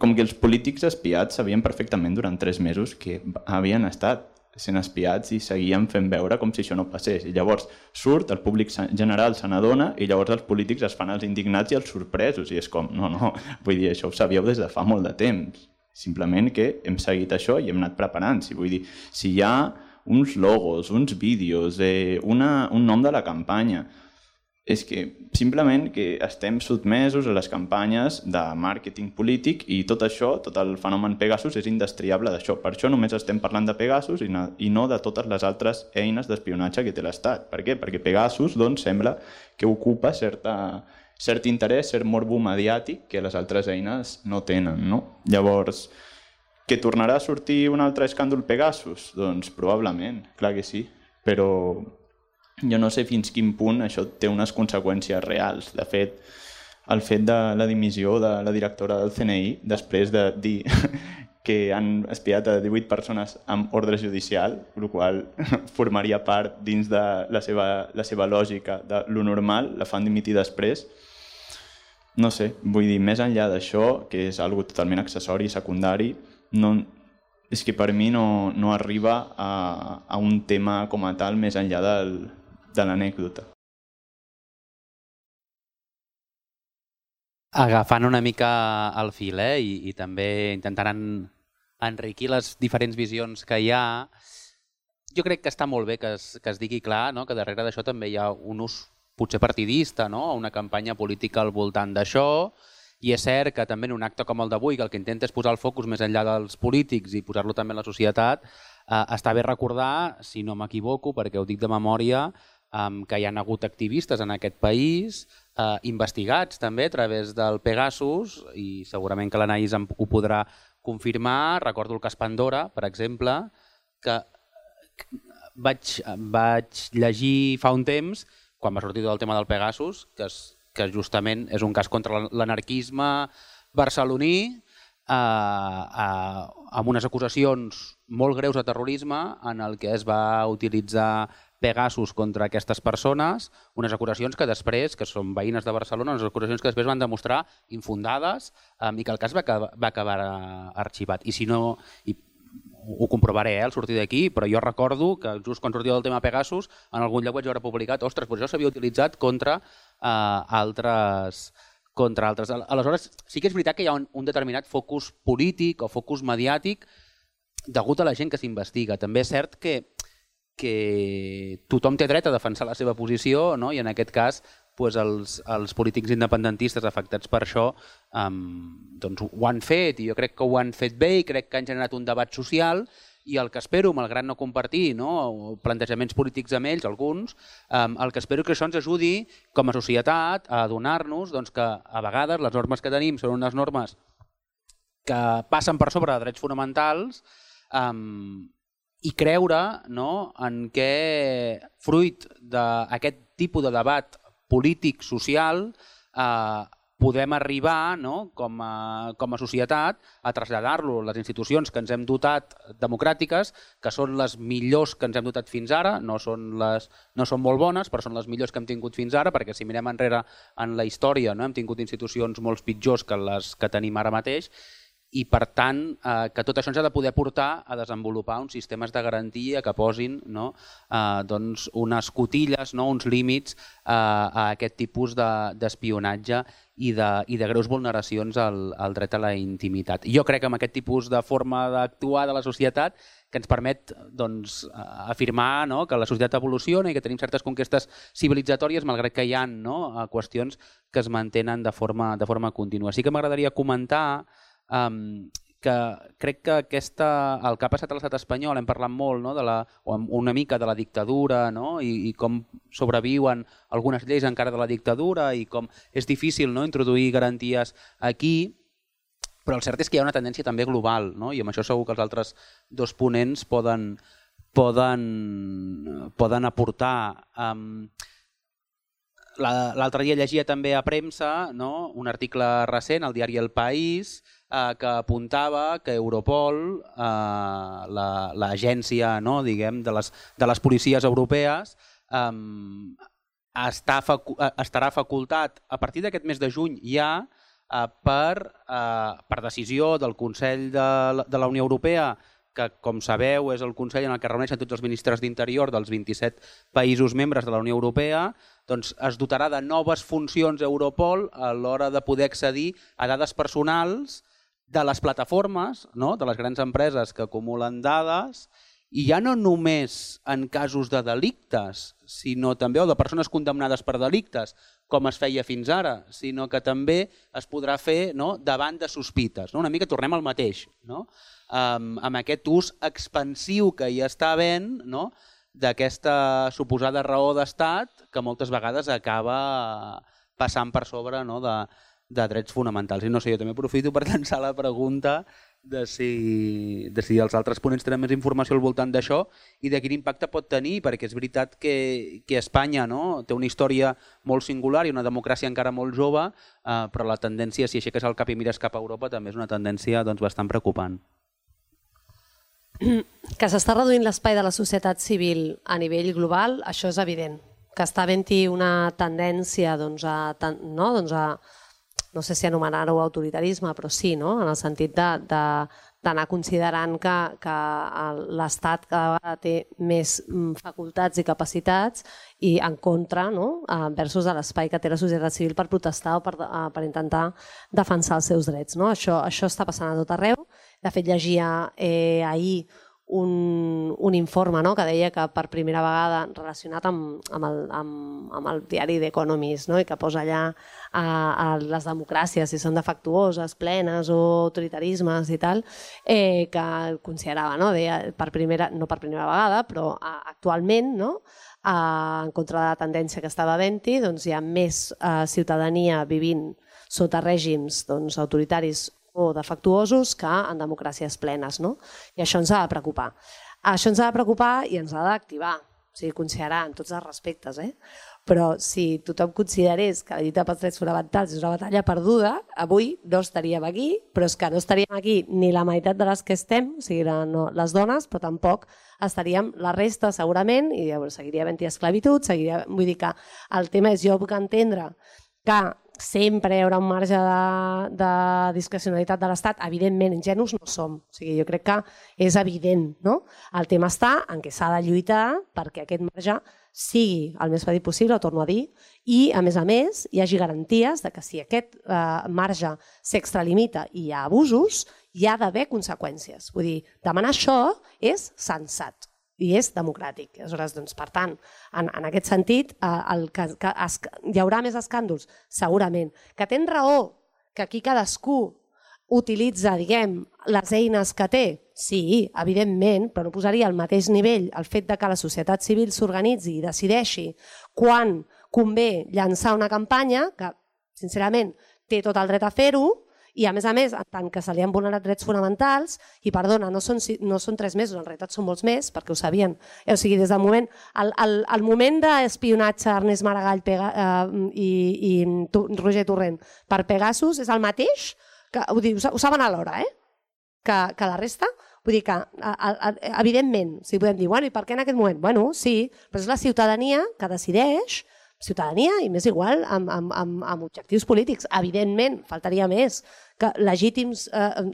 com que els polítics espiats sabien perfectament durant 3 mesos que havien estat sent espiats i seguien fent veure com si això no passés. I llavors surt, el públic general se n'adona i llavors els polítics es fan els indignats i els sorpresos. I és com, no, vull dir, això ho sabíeu des de fa molt de temps. Simplement que hem seguit això i hem anat preparant. Vull dir, si hi ha uns logos, uns vídeos, un nom de la campanya, és que simplement que estem sotmesos a les campanyes de màrqueting polític i tot això, tot el fenomen Pegasus és indestriable d'això. Per això només estem parlant de Pegasus i no de totes les altres eines d'espionatge que té l'Estat. Per què? Perquè Pegasus sembla que ocupa cert interès, cert morbo mediàtic que les altres eines no tenen, no? Llavors, que tornarà a sortir un altre escàndol Pegasus? Doncs probablement, clar que sí, però jo no sé fins quin punt això té unes conseqüències reals. De fet, el fet de la dimissió de la directora del CNI, després de dir que han espiat a 18 persones amb ordre judicial, el qual formaria part dins de la seva lògica de lo normal, la fan dimitir després. No sé, vull dir, més enllà d'això, que és algo totalment accessori i secundari, és que per mi no arriba a un tema com a tal més enllà de l'anècdota. Agafant una mica el fil i també intentant enriquir les diferents visions que hi ha, jo crec que està molt bé que es digui clar, no? Que darrere d'això també hi ha un ús potser partidista, no? Una campanya política al voltant d'això, i és cert que també en un acte com el d'avui, que el que intenta és posar el focus més enllà dels polítics i posar-lo també en la societat, està bé recordar, si no m'equivoco, perquè ho dic de memòria, que hi ha hagut activistes en aquest país investigats també a través del Pegasus, i segurament que l'Anaïs ho podrà confirmar. Recordo el cas Pandora, per exemple, que vaig llegir fa un temps, quan va sortir el tema del Pegasus, que justament és un cas contra l'anarquisme barceloní, amb unes acusacions molt greus de terrorisme en el que es va utilitzar Pegasus contra aquestes persones, unes acusacions que després, que són veïnes de Barcelona, unes acusacions que després van demostrar infundades i que el cas va acabar arxivat. I si no, ho comprovaré al sortir d'aquí, però jo recordo que just quan sortia del tema Pegasus, en algun lloc vaig veure publicat, ostres, doncs això s'havia utilitzat contra altres. Aleshores, sí que és veritat que hi ha un determinat focus polític o focus mediàtic degut a la gent que s'investiga. També és cert que tothom té dret a defensar la seva posició, no? I en aquest cas els polítics independentistes afectats per això doncs ho han fet, i jo crec que ho han fet bé i crec que han generat un debat social, i el que espero, malgrat no compartir plantejaments polítics amb ells, alguns, el que espero que això ens ajudi com a societat a adonar-nos que a vegades les normes que tenim són unes normes que passen per sobre de drets fonamentals, i creure en què, fruit d'aquest tipus de debat polític, social, podem arribar com a societat a traslladar-lo a les institucions que ens hem dotat democràtiques, que són les millors que ens hem dotat fins ara, no són molt bones, però són les millors que hem tingut fins ara, perquè si mirem enrere en la història hem tingut institucions molt pitjors que les que tenim ara mateix, i per tant que tot això ens ha de poder portar a desenvolupar uns sistemes de garantia que posin unes cotilles, uns límits a aquest tipus d'espionatge i de greus vulneracions al dret a la intimitat. Jo crec que amb aquest tipus de forma d'actuar de la societat que ens permet afirmar que la societat evoluciona i que tenim certes conquestes civilitzatòries, malgrat que hi ha qüestions que es mantenen de forma contínua. Sí que m'agradaria comentar que crec que el que ha passat a l'estat espanyol, hem parlat molt una mica de la dictadura i com sobreviuen algunes lleis encara de la dictadura i com és difícil introduir garanties aquí, però el cert és que hi ha una tendència també global, i amb això segur que els altres dos ponents poden aportar. L'altre dia llegia també a premsa un article recent al diari El País que apuntava que Europol, l'agència de les policies europees, estarà facultat a partir d'aquest mes de juny ja per decisió del Consell de la Unió Europea, que com sabeu és el Consell en el que es reuneixen tots els ministres d'Interior dels 27 països membres de la Unió Europea, doncs es dotarà de noves funcions Europol a l'hora de poder accedir a dades personals de les plataformes, de les grans empreses que acumulen dades, i ja no només en casos de delictes, sinó també de persones condemnades per delictes, com es feia fins ara, sinó que també es podrà fer davant de sospites. Una mica tornem al mateix, amb aquest ús expansiu que hi està havent d'aquesta suposada raó d'estat que moltes vegades acaba passant per sobre de drets fonamentals. I no sé, jo també aprofito per llançar la pregunta de si els altres ponents tenen més informació al voltant d'això i de quin impacte pot tenir, perquè és veritat que Espanya té una història molt singular i una democràcia encara molt jove, però la tendència, si aixeques el cap i mires cap a Europa, també és una tendència bastant preocupant. Que s'està reduint l'espai de la societat civil a nivell global, això és evident. Que està havent-hi una tendència no sé si anomenar-ho autoritarisme, però sí, en el sentit d'anar considerant que l'Estat cada vegada té més facultats i capacitats i en contra versus l'espai que té la societat civil per protestar o per intentar defensar els seus drets. Això està passant a tot arreu. De fet, llegia ahir un informe que deia que per primera vegada relacionat amb el diari The Economist i que posa allà les democràcies, si són defectuoses, plenes o autoritarismes i tal, que considerava, no per primera vegada, però actualment, en contra de la tendència que estava havent-hi, hi ha més ciutadania vivint sota règims autoritaris o defectuosos que en democràcies plenes. I això ens ha de preocupar. Això ens ha de preocupar i ens ha d'activar, o sigui, considerar en tots els respectes. però si tothom considerés que la lluita pels drets fonamentals és una batalla perduda, avui no estaríem aquí, però és que no estaríem aquí ni la meitat de les que estem, o sigui, les dones, però tampoc estaríem la resta segurament, i seguiria havent-hi esclavitud, vull dir que el tema és, jo puc entendre que sempre hi haurà un marge de discrecionalitat de l'Estat. Evidentment, ingenus no som. O sigui, jo crec que és evident, no? El tema està en què s'ha de lluitar perquè aquest marge sigui el més petit possible, ho torno a dir, i, a més, hi hagi garanties de que si aquest marge s'extralimita i hi ha abusos, hi ha d'haver conseqüències. Vull dir, demanar això és sensat i és democràtic. Aleshores, doncs, per tant, en aquest sentit, hi haurà més escàndols? Segurament. Que tens raó que aquí cadascú utilitza, diguem, les eines que té? Sí, evidentment, però no posaria al mateix nivell el fet de que la societat civil s'organitzi i decideixi quan convé llançar una campanya, que, sincerament, té tot el dret a fer-ho, i a més, en tant que se li han vulnerat drets fonamentals, i perdona, no són 3 mesos, en realitat són molts més, perquè ho sabien. O sigui, des del moment, el moment d'espionatge Ernest Maragall i Roger Torrent per Pegasus és el mateix, ho saben alhora, que la resta. Vull dir que, evidentment, si podem dir, bueno, i per què en aquest moment? Bueno, sí, però és la ciutadania que decideix, ciutadania i més igual amb objectius polítics. Evidentment, faltaria més, que legítims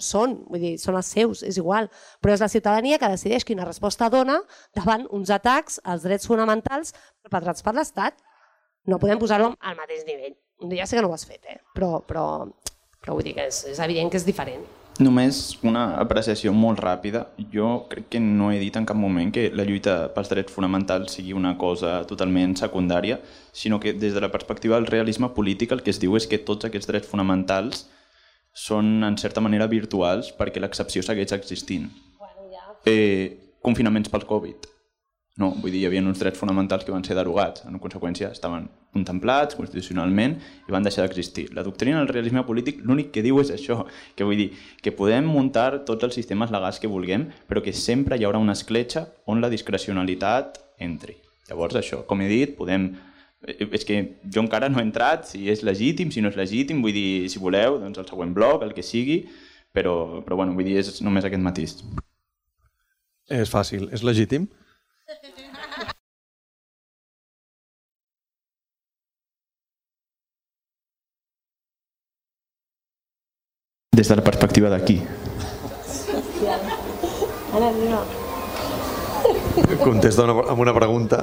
són, vull dir, són els seus, és igual, però és la ciutadania que decideix quina resposta dona davant uns atacs als drets fonamentals perpetrats per l'Estat. No podem posar-lo al mateix nivell. Ja sé que no ho has fet, però vull dir que és evident que és diferent. Només una apreciació molt ràpida. Jo crec que no he dit en cap moment que la lluita pels drets fonamentals sigui una cosa totalment secundària, sinó que des de la perspectiva del realisme polític el que es diu és que tots aquests drets fonamentals són en certa manera virtuals perquè l'excepció segueix existint. Confinaments pel Covid. No, vull dir, hi havia uns drets fonamentals que van ser derogats. En conseqüència, estaven contemplats constitucionalment i van deixar d'existir. La doctrina del realisme polític l'únic que diu és això, que vull dir que podem muntar tots els sistemes legals que vulguem, però que sempre hi haurà una escletxa on la discrecionalitat entri. Llavors, això, com he dit, podem... És que jo encara no he entrat si és legítim, si no és legítim, vull dir, si voleu, doncs el següent bloc, el que sigui, però bueno, vull dir, és només aquest matís. És fàcil, és legítim? Des de la perspectiva d'aquí. Contesta amb una pregunta.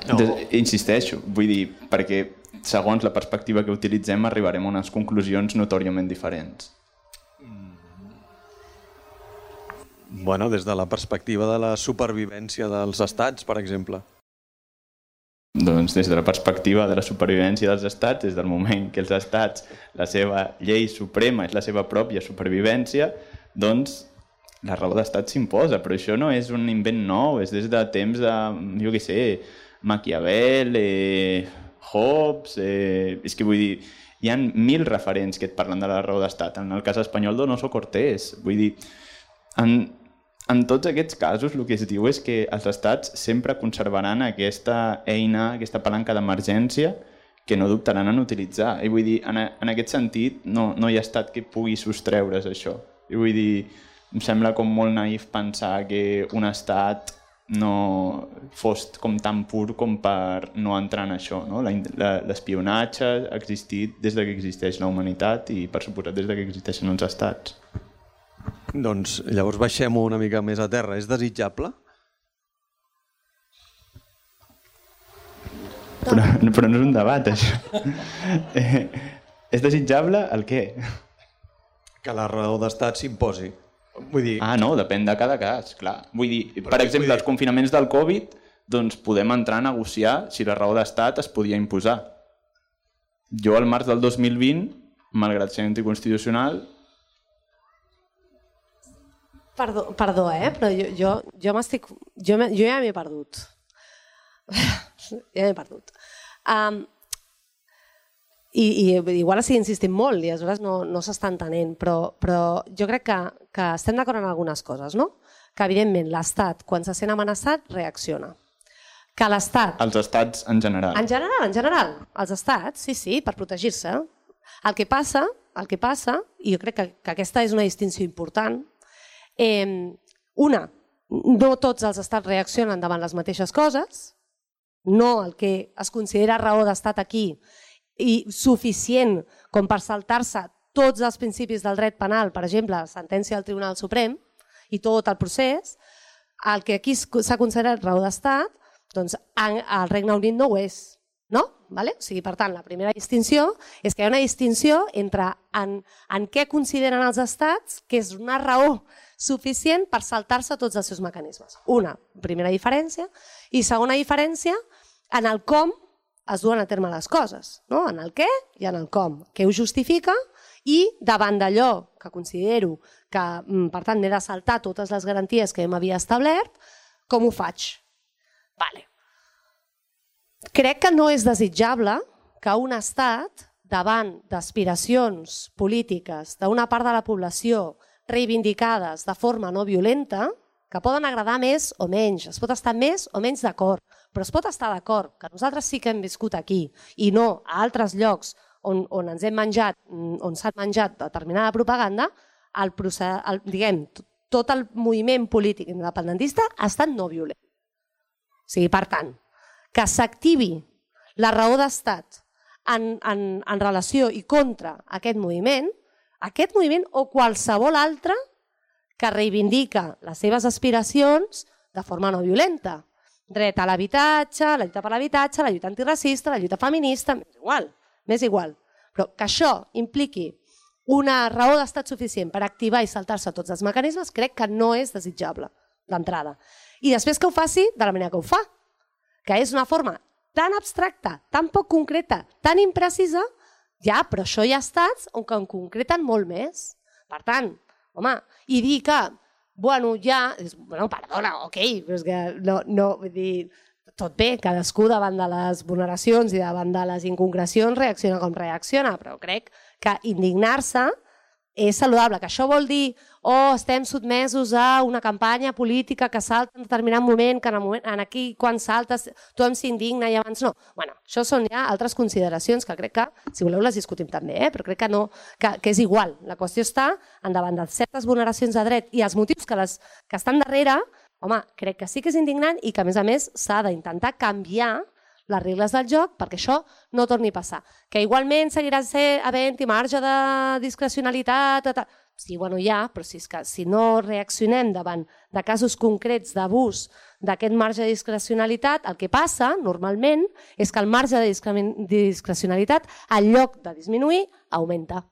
No. Insisteixo, vull dir, perquè segons la perspectiva que utilitzem arribarem a unes conclusions notòriament diferents. Bueno, des de la perspectiva de la supervivència dels estats, per exemple. Doncs des de la perspectiva de la supervivència dels estats, des del moment que els estats, la seva llei suprema és la seva pròpia supervivència, doncs la raó d'estat s'imposa, però això no és un invent nou, és des de temps de, jo què sé, Maquiavel, Hobbes, és que vull dir, hi ha 1000 referents que et parlen de la raó d'estat. En el cas espanyol, Donoso Cortés, vull dir, en tots aquests casos el que es diu és que els estats sempre conservaran aquesta eina, aquesta palanca d'emergència que no dubtaran en utilitzar. I vull dir, en aquest sentit no hi ha estat que pugui sostreure's això. I vull dir, em sembla com molt naïf pensar que un estat no fos com tan pur com per no entrar en això. No? L'espionatge ha existit des que existeix la humanitat i, per suposat, des que existeixen els estats. Doncs llavors baixem una mica més a terra. És desitjable? Però no és un debat, això. És desitjable el què? Que la raó d'estat s'imposi. Vull dir... Ah, no, depèn de cada cas, clar. Vull dir, per exemple, els confinaments del Covid, doncs podem entrar a negociar si la raó d'estat es podia imposar. Jo, al març del 2020, malgrat ser anticonstitucional... Perdó, però jo m'estic... Jo ja m'he perdut. Ja m'he perdut. I igual estic insistint molt i aleshores no s'està entenent, però jo crec que estem d'acord en algunes coses, no? Que evidentment l'Estat, quan se sent amenaçat, reacciona. Que l'Estat... Els estats en general. En general. Els estats, sí, per protegir-se. El que passa, i jo crec que aquesta és una distinció important, no tots els estats reaccionen davant les mateixes coses, no el que es considera raó d'estat aquí i suficient com per saltar-se tots els principis del dret penal, per exemple, sentència del Tribunal Suprem i tot el procés, el que aquí s'ha considerat raó d'estat, doncs al Regne Unit no ho és. No? Vale? O sigui, per tant, la primera distinció és que hi ha una distinció entre en què consideren els estats que és una raó suficient per saltar-se tots els seus mecanismes. Una primera diferència. I segona diferència, en el com es duen a terme les coses. No? En el què i en el com. Què ho justifica i davant d'allò que considero que, per tant, m'he de saltar totes les garanties que m'havia establert, com ho faig? Vale. Crec que no és desitjable que un estat, davant d'aspiracions polítiques d'una part de la població reivindicades de forma no violenta, que poden agradar més o menys, es pot estar més o menys d'acord, però es pot estar d'acord, que nosaltres sí que hem viscut aquí i no a altres llocs on ens hem menjat, on s'ha menjat determinada propaganda, tot el moviment polític independentista ha estat no violent. O sigui, per tant, que s'activi la raó d'estat en relació i contra aquest moviment o qualsevol altre que reivindica les seves aspiracions de forma no violenta. Dret a l'habitatge, la lluita per l'habitatge, la lluita antiracista, la lluita feminista, m'és igual. Però que això impliqui una raó d'estat suficient per activar i saltar-se tots els mecanismes, crec que no és desitjable d'entrada. I després que ho faci de la manera que ho fa, que és una forma tan abstracta, tan poc concreta, tan imprecisa, ja, però això hi ha estats on en concreten molt més. Per tant, home, i dir que, perdona, ok, però és que no, vull dir, tot bé, cadascú davant de les vulneracions i davant de les inconcrecions reacciona com reacciona, però crec que indignar-se és saludable, que això vol dir estem sotmesos a una campanya política que salta en determinat moment, que en aquí quan saltes tothom s'indigna i abans no. Bueno, això són ja altres consideracions que crec que, si voleu, les discutim també, però crec que no, que és igual. La qüestió està davant de certes vulneracions de dret i els motius que estan darrere, home, crec que sí que és indignant i que, a més, s'ha d'intentar canviar les regles del joc perquè això no torni a passar. Que igualment seguirà havent-hi marge de discrecionalitat, sí, però si no reaccionem davant de casos concrets d'abús d'aquest marge de discrecionalitat, el que passa normalment és que el marge de discrecionalitat, en lloc de disminuir, augmenta.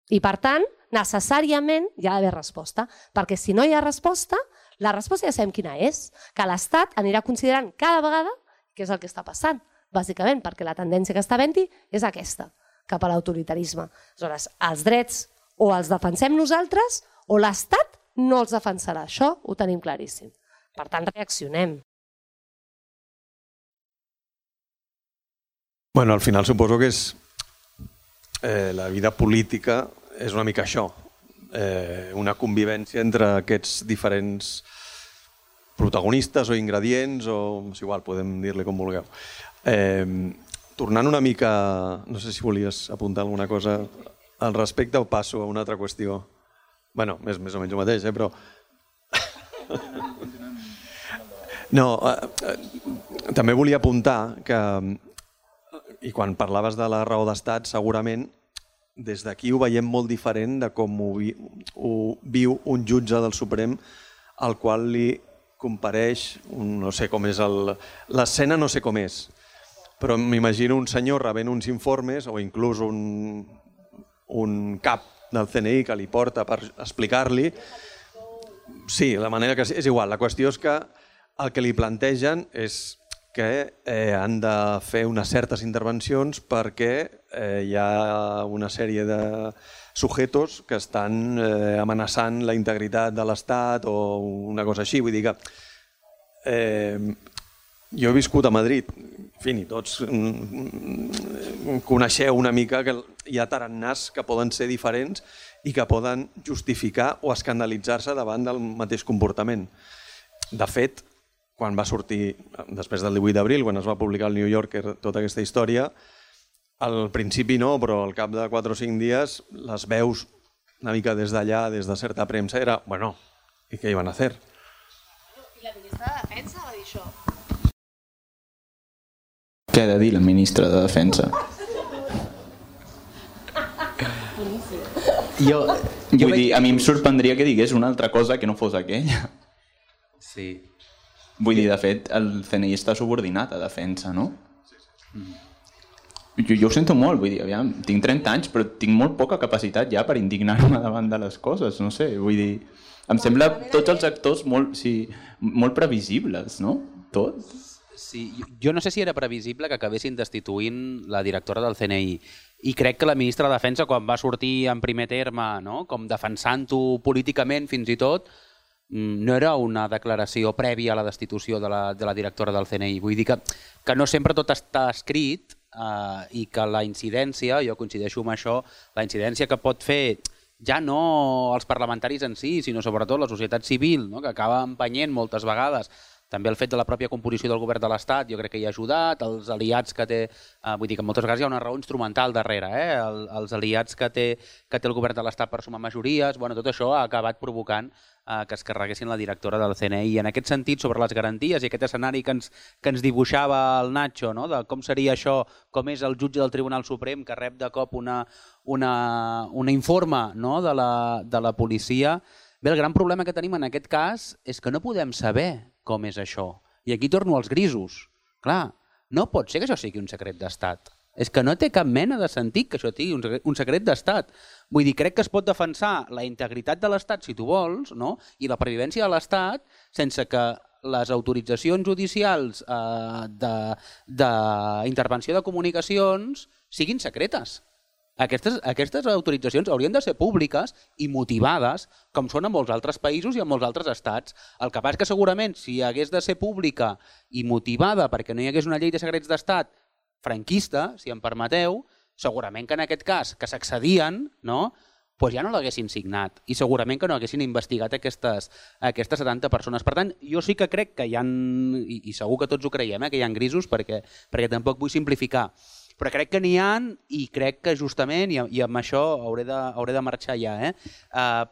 I per tant, necessàriament hi ha d'haver resposta, perquè si no hi ha resposta, la resposta ja sabem quina és, que l'Estat anirà considerant cada vegada què és el que està passant, bàsicament perquè la tendència que està havent-hi és aquesta, cap a l'autoritarisme. Aleshores, els drets o els defensem nosaltres o l'Estat no els defensarà. Això ho tenim claríssim. Per tant, reaccionem. Bueno, al final suposo que és la vida política és una mica això, una convivència entre aquests diferents protagonistes o ingredients, o és igual, podem dir-li com vulgueu. Tornant una mica, no sé si volies apuntar alguna cosa al respecte o passo a una altra qüestió. Bé, més o menys el mateix, però... No, també volia apuntar que, i quan parlaves de la raó d'estat, segurament des d'aquí ho veiem molt diferent de com ho viu un jutge del Suprem al qual li compareix, no sé com és l'escena, no sé com és, però m'imagino un senyor rebent uns informes o inclús un cap del CNI que li porta per explicar-li. Sí, la manera que és igual. La qüestió és que el que li plantegen és que han de fer unes certes intervencions perquè hi ha una sèrie de sujetos que estan amenaçant la integritat de l'Estat o una cosa així. Vull dir que jo he viscut a Madrid, en fi, tots coneixeu una mica que hi ha tarannàs que poden ser diferents i que poden justificar o escandalitzar-se davant del mateix comportament. De fet, quan va sortir, després del 18 d'abril, quan es va publicar al New Yorker tota aquesta història, al principi no, però al cap de 4 o 5 dies les veus una mica des d'allà, des de certa premsa, era, bueno, ¿y qué iban a hacer? I la ministra de Defensa va dir això. Què ha de dir la ministra de Defensa? Vull dir, a mi em sorprendria que digués una altra cosa que no fos aquella. Sí. Vull dir, de fet, el CNI està subordinat a Defensa, no? Jo ho sento molt, vull dir, aviam, tinc 30 anys, però tinc molt poca capacitat ja per indignar-me davant de les coses, no sé, vull dir, em sembla tots els actors molt previsibles, no? Tots. Sí, jo no sé si era previsible que acabessin destituint la directora del CNI i crec que la ministra de Defensa, quan va sortir en primer terme, no? Com defensant-ho políticament fins i tot, no era una declaració prèvia a la destitució de la directora del CNI. Vull dir que no sempre tot està escrit i que la incidència, jo coincideixo amb això, la incidència que pot fer ja no els parlamentaris en si, sinó sobretot la societat civil, no? Que acaba empenyent moltes vegades. També el fet de la pròpia composició del govern de l'Estat jo crec que hi ha ajudat, els aliats que té, vull dir que moltes vegades hi ha una raó instrumental darrere, els aliats que té el govern de l'Estat per sumar majories, bueno, tot això ha acabat provocant que es carreguessin la directora del CNI. I en aquest sentit, sobre les garanties i aquest escenari que ens dibuixava el Nacho, no? De com seria això, com és el jutge del Tribunal Suprem que rep de cop una informe, no? de la policia. Bé, el gran problema que tenim en aquest cas és que no podem saber com és això. I aquí torno als grisos. Clar, no pot ser que això sigui un secret d'estat. És que no té cap mena de sentit que això sigui un secret d'estat. Vull dir, crec que es pot defensar la integritat de l'Estat, si tu vols, no? I la pervivència de l'Estat sense que les autoritzacions judicials d'intervenció de comunicacions siguin secretes. Aquestes autoritzacions haurien de ser públiques i motivades, com són en molts altres països i en molts altres estats. El que passa és que segurament si hagués de ser pública i motivada perquè no hi hagués una llei de secrets d'estat franquista, si em permeteu, segurament que en aquest cas que s'accedien, no? Doncs ja no l'haguessin signat i segurament que no haguessin investigat aquestes 70 persones. Per tant, jo sí que crec que hi ha, i segur que tots ho creiem, que hi ha grisos perquè tampoc vull simplificar, però crec que n'hi ha i crec que justament, i amb això hauré de marxar ja,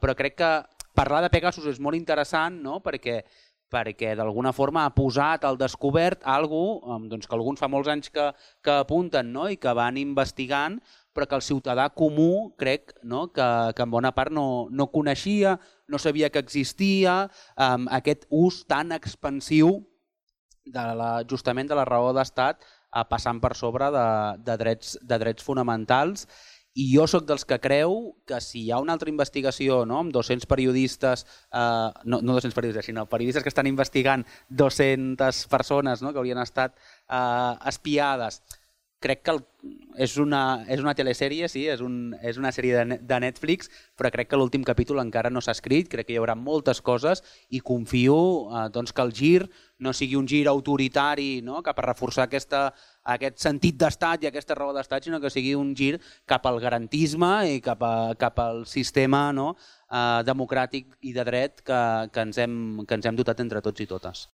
però crec que parlar de Pegasus és molt interessant, no? perquè d'alguna forma ha posat al descobert alguna cosa que alguns fa molts anys que apunten, no? I que van investigant, però que el ciutadà comú crec, no? que en bona part no coneixia, no sabia que existia, aquest ús tan expansiu justament de la raó d'estat passant per sobre de drets fonamentals. I jo sóc dels que creu que si hi ha una altra investigació, no? Amb 200 periodistes, no 200 periodistes, sinó periodistes que estan investigant 200 persones, no? Que haurien estat espiades, crec que és una telesèrie, sí, és una sèrie de Netflix, però crec que l'últim capítol encara no s'ha escrit, crec que hi haurà moltes coses i confio que el gir no sigui un gir autoritari, no? Cap a reforçar aquest sentit d'estat i aquesta raó d'estat, sinó que sigui un gir cap al garantisme i cap al sistema, no? Democràtic i de dret que ens hem dotat entre tots i totes.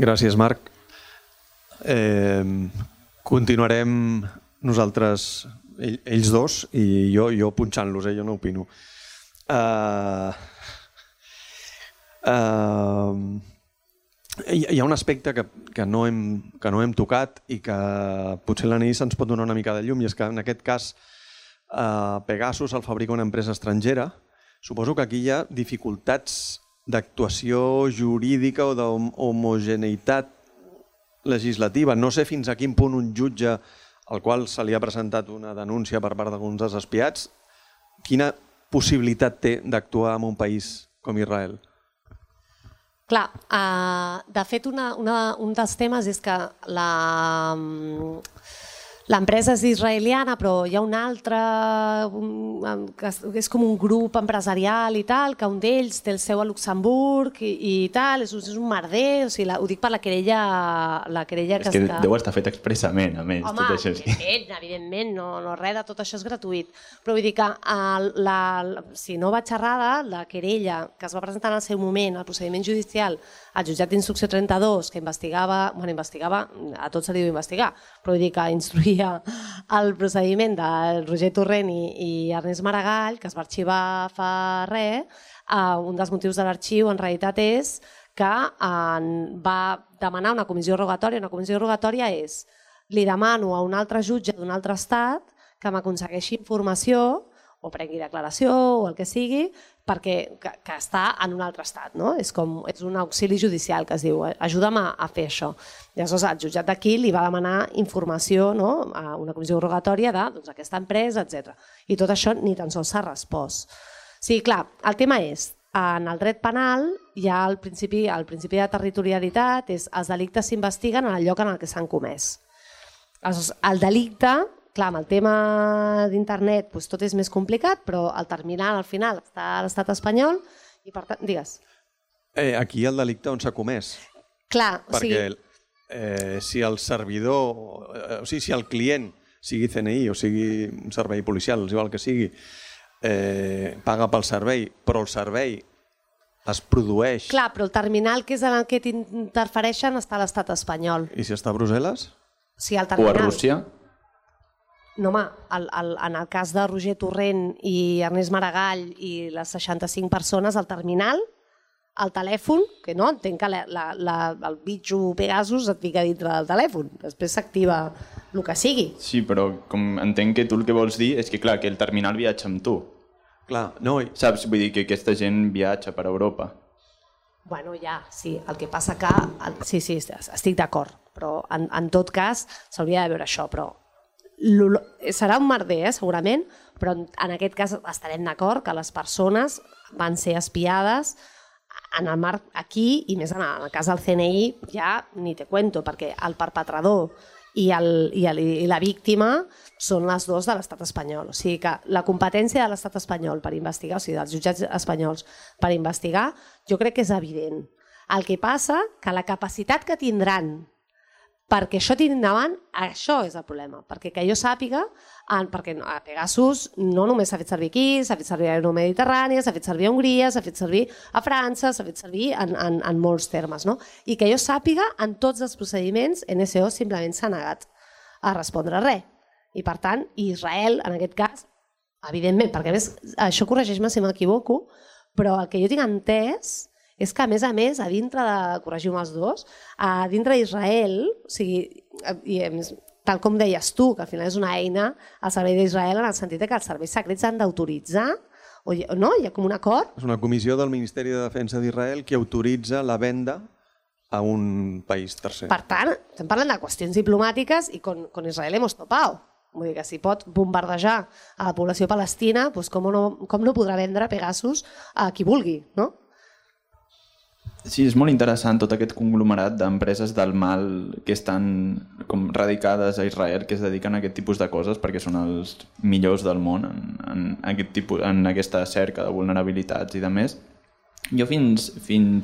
Gràcies, Marc. Continuarem nosaltres, ells dos, i jo punxant-los, jo no opino. Hi ha un aspecte que no hem tocat i que potser l'Anaís ens pot donar una mica de llum, i és que en aquest cas Pegasus el fabrica una empresa estrangera. Suposo que aquí hi ha dificultats d'actuació jurídica o d'homogeneïtat legislativa. No sé fins a quin punt un jutge al qual se li ha presentat una denúncia per part d'alguns dels espiats, quina possibilitat té d'actuar en un país com Israel? Clar, de fet un dels temes és que L'empresa és israeliana, però hi ha una altra, és com un grup empresarial i tal, que un d'ells té el seu a Luxemburg i tal, és un merder, o sigui, ho dic per la querella que... És que deu estar fet expressament, a més, tot això. Evidentment, no res de tot això és gratuït, però vull dir que si no vaig errada, la querella que es va presentar en el seu moment, el procediment judicial, al jutjat d'instrucció 32, que investigava, a tot se li diu investigar, però vull dir que instruïa el procediment de Roger Torrent i Ernest Maragall, que es va arxivar fa res, un dels motius de l'arxiu en realitat és que va demanar una comissió rogatòria. Una comissió rogatòria és, li demano a un altre jutge d'un altre estat que m'aconsegueixi informació o prengui declaració o el que sigui, perquè que està en un altre estat. No? És un auxili judicial que es diu, ajuda'm a fer això. Llavors el jutjat d'aquí li va demanar informació, no? A una comissió rogatòria d'aquesta empresa, etc. I tot això ni tan sols s'ha respost. Sí, clar, el tema és, en el dret penal hi ha el principi de territorialitat, els delictes s'investiguen en el lloc en el que s'han comès. El delicte, clar, amb el tema d'internet tot és més complicat, però el terminal al final està a l'estat espanyol i per tant, digues. Aquí el delicte on s'ha comès. Clar, o sigui... Perquè si el servidor, o sigui, si el client, sigui CNI o sigui un servei policial, igual que sigui, paga pel servei, però el servei es produeix... Clar, però el terminal que és en el que t'interfereixen està a l'estat espanyol. I si està a Brussel·les? Sí, el terminal... O a Rússia? No, home, en el cas de Roger Torrent i Ernest Maragall i les 65 persones, el terminal, el telèfon, que no, entenc que el bitxo Pegasus et fica dintre del telèfon, després s'activa el que sigui. Sí, però com entenc que tu el que vols dir és que, clar, que el terminal viatja amb tu. Clar, no... Saps? Vull dir que aquesta gent viatja per Europa. Bueno, ja, sí, el que passa que... Sí, estic d'acord, però en tot cas s'hauria de veure això, però serà un merder, segurament, però en aquest cas estarem d'acord que les persones van ser espiades en el marc aquí i més en el cas del CNI ja ni te cuento, perquè el perpetrador i la víctima són les dues de l'estat espanyol. O sigui que la competència de l'estat espanyol per investigar, o sigui, dels jutjats espanyols per investigar, jo crec que és evident. El que passa que la capacitat que tindran perquè això tiri endavant, això és el problema. Perquè que jo sàpiga, perquè a Pegasus no només s'ha fet servir aquí, s'ha fet servir a l'Euromediterrània, s'ha fet servir a Hongria, s'ha fet servir a França, s'ha fet servir en molts termes. No? I que jo sàpiga, en tots els procediments, NSO simplement s'ha negat a respondre res. I per tant, Israel, en aquest cas, evidentment, perquè a més, això corregeix-me si m'equivoco, però el que jo tinc entès és que, a més, a dintre de, corregiu-me els dos, a dintre d'Israel, o sigui, tal com deies tu, que al final és una eina al servei d'Israel en el sentit que els serveis secrets han d'autoritzar, no? Hi ha com un acord. És una comissió del Ministeri de Defensa d'Israel que autoritza la venda a un país tercer. Per tant, estem parlant de qüestions diplomàtiques i con Israel hemos topado. Vull dir que si pot bombardejar a la població palestina, doncs com no podrà vendre Pegasus a qui vulgui, no? Sí, és molt interessant tot aquest conglomerat d'empreses del mal que estan com radicades a Israel, que es dediquen a aquest tipus de coses perquè són els millors del món en aquesta cerca de vulnerabilitats i de més. Jo fins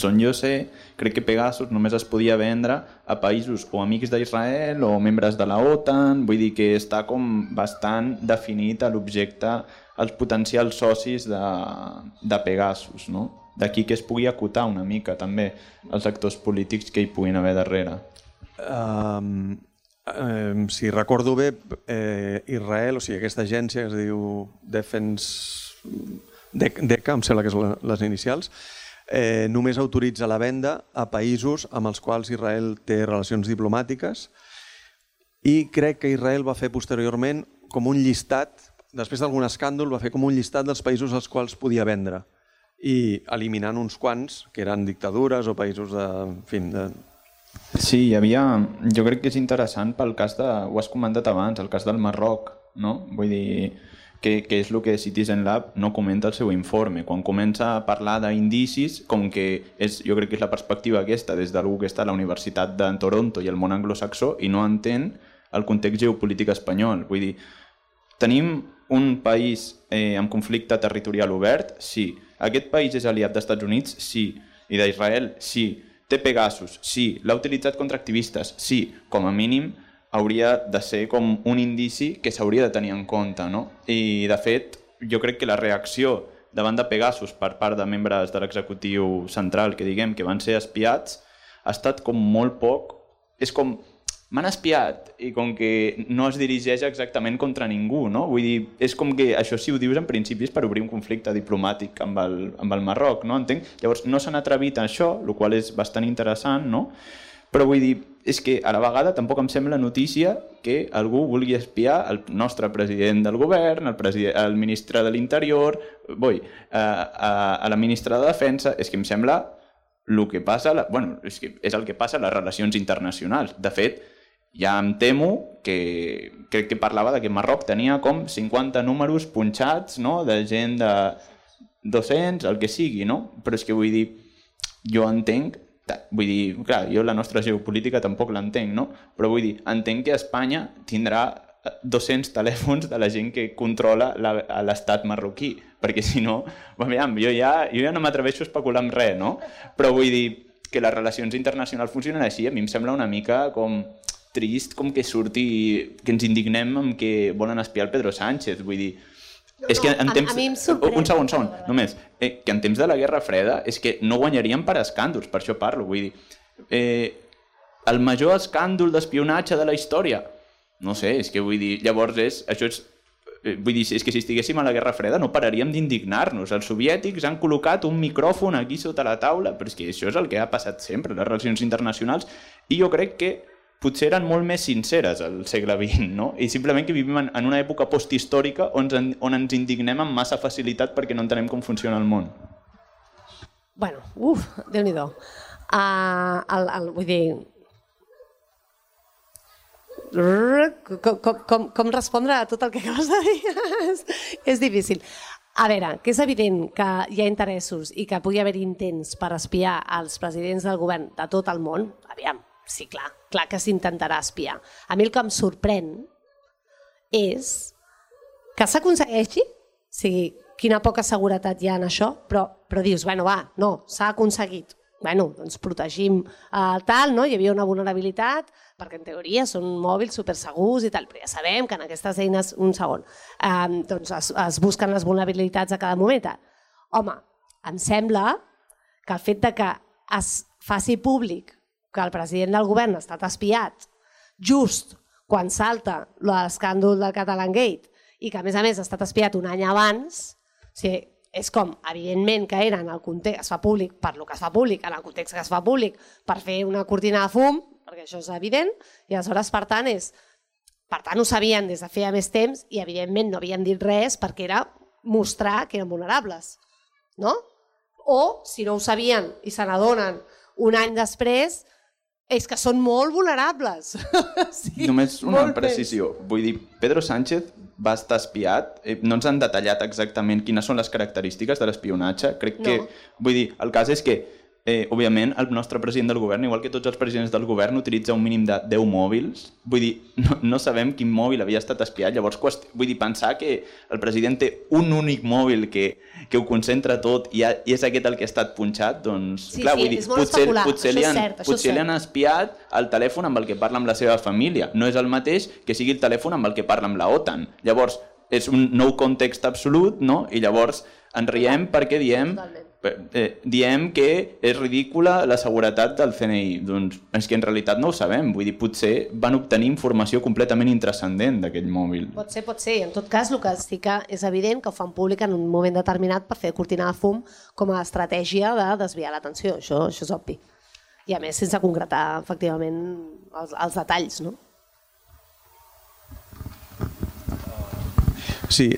on jo sé, crec que Pegasus només es podia vendre a països o amics d'Israel o membres de la OTAN, vull dir que està com bastant definit a l'objecte, els potencials socis de Pegasus, no? D'aquí que es pugui acotar una mica també els actors polítics que hi puguin haver darrere. Si recordo bé, Israel, o sigui, aquesta agència que es diu DECA, em sembla que és les inicials, només autoritza la venda a països amb els quals Israel té relacions diplomàtiques i crec que Israel va fer posteriorment com un llistat, després d'algun escàndol, va fer com un llistat dels països als quals podia vendre i eliminant uns quants que eren dictadures o països de... Sí, hi havia... Jo crec que és interessant pel cas de... Ho has comentat abans, el cas del Marroc, no? Vull dir que és el que Citizen Lab no comenta al seu informe. Quan comença a parlar d'indicis, com que jo crec que és la perspectiva aquesta des d'algú que està a la Universitat de Toronto i el món anglosaxó i no entén el context geopolític espanyol. Vull dir, tenim un país amb conflicte territorial obert? Sí. Aquest país és aliat dels Estats Units? Sí. I d'Israel? Sí. Té Pegasus? Sí. L'ha utilitzat contra activistes? Sí. Com a mínim hauria de ser com un indici que s'hauria de tenir en compte, no? I, de fet, jo crec que la reacció davant de Pegasus per part de membres de l'executiu central que diguem que van ser espiats ha estat com molt poc... És com... M'han espiat i com que no es dirigeix exactament contra ningú, no? Vull dir, és com que això si ho dius en principi és per obrir un conflicte diplomàtic amb el Marroc, no? Entenc? Llavors no s'han atrevit a això, el qual és bastant interessant, no? Però vull dir, és que a la vegada tampoc em sembla notícia que algú vulgui espiar el nostre president del govern, el ministre de l'Interior, a la ministra de Defensa. És que em sembla el que passa, és el que passa a les relacions internacionals. De fet, ja em temo que crec que parlava que Marroc tenia com 50 números punxats, no? De gent de 200, el que sigui, no? Però és que vull dir, jo entenc, clar, jo la nostra geopolítica tampoc l'entenc, no? Però vull dir, entenc que Espanya tindrà 200 telèfons de la gent que controla l'estat marroquí, perquè si no, jo ja no m'atreveixo a especular amb res, no? Però vull dir que les relacions internacionals funcionen així, a mi em sembla una mica com trist com que surti, que ens indignem amb que volen espiar el Pedro Sánchez, vull dir, és que en temps... A mi em sorprèn. Un segon, només. Que en temps de la Guerra Freda és que no guanyaríem per escàndols, per això parlo, vull dir. El major escàndol d'espionatge de la història, no sé, és que vull dir, llavors vull dir, és que si estiguéssim a la Guerra Freda no pararíem d'indignar-nos. Els soviètics han col·locat un micròfon aquí sota la taula, però és que això és el que ha passat sempre, les relacions internacionals, i jo crec que potser eren molt més sinceres al segle XX, no? I simplement que vivim en una època posthistòrica on ens indignem amb massa facilitat perquè no entenem com funciona el món. Bueno, Déu-n'hi-do. Vull dir... Com respondre a tot el que acabes de dir? És difícil. A veure, que és evident que hi ha interessos i que pugui haver intents per espiar els presidents del govern de tot el món, aviam, sí, clar que s'intentarà espiar. A mi el que em sorprèn és que s'aconsegueixi, o sigui, quina poca seguretat hi ha en això, però dius, no, s'ha aconseguit. Doncs protegim tal, no? Hi havia una vulnerabilitat, perquè en teoria són mòbils supersegurs i tal, però ja sabem que en aquestes eines, un segon, doncs es busquen les vulnerabilitats a cada moment. Home, em sembla que el fet de que es faci públic que el president del govern ha estat espiat just quan salta l'escàndol del Catalangate i que a més ha estat espiat un any abans, o sigui, és com, evidentment que era en el context, es fa públic per lo que es fa públic, en el context que es fa públic per fer una cortina de fum, perquè això és evident, i aleshores, per tant, ho sabien des de feia més temps i evidentment no havien dit res perquè era mostrar que eren vulnerables, no? O, si no ho sabien i se n'adonen un any després, és que són molt vulnerables. Sí, només una precisió. Vull dir, Pedro Sánchez va estar espiat. No ens han detallat exactament quines són les característiques de l'espionatge. Crec que, vull dir, el cas és que, òbviament, el nostre president del govern, igual que tots els presidents del govern, utilitza un mínim de 10 mòbils. Vull dir, no sabem quin mòbil havia estat espiat. Llavors, vull dir, pensar que el president té un únic mòbil que ho concentra tot i és aquest el que ha estat punxat, doncs, clar, vull dir, potser li han espiat el telèfon amb el que parla amb la seva família. No és el mateix que sigui el telèfon amb el que parla amb la OTAN. Llavors, és un nou context absolut, no? I llavors ens riem perquè diem que és ridícula la seguretat del CNI. Doncs és que en realitat no ho sabem. Vull dir, potser van obtenir informació completament intrascendent d'aquell mòbil. Pot ser. En tot cas, el que sí que és evident que ho fan públic en un moment determinat per fer cortina de fum com a estratègia de desviar l'atenció. Això és obvi. I a més, sense concretar, efectivament, els detalls, no? Sí,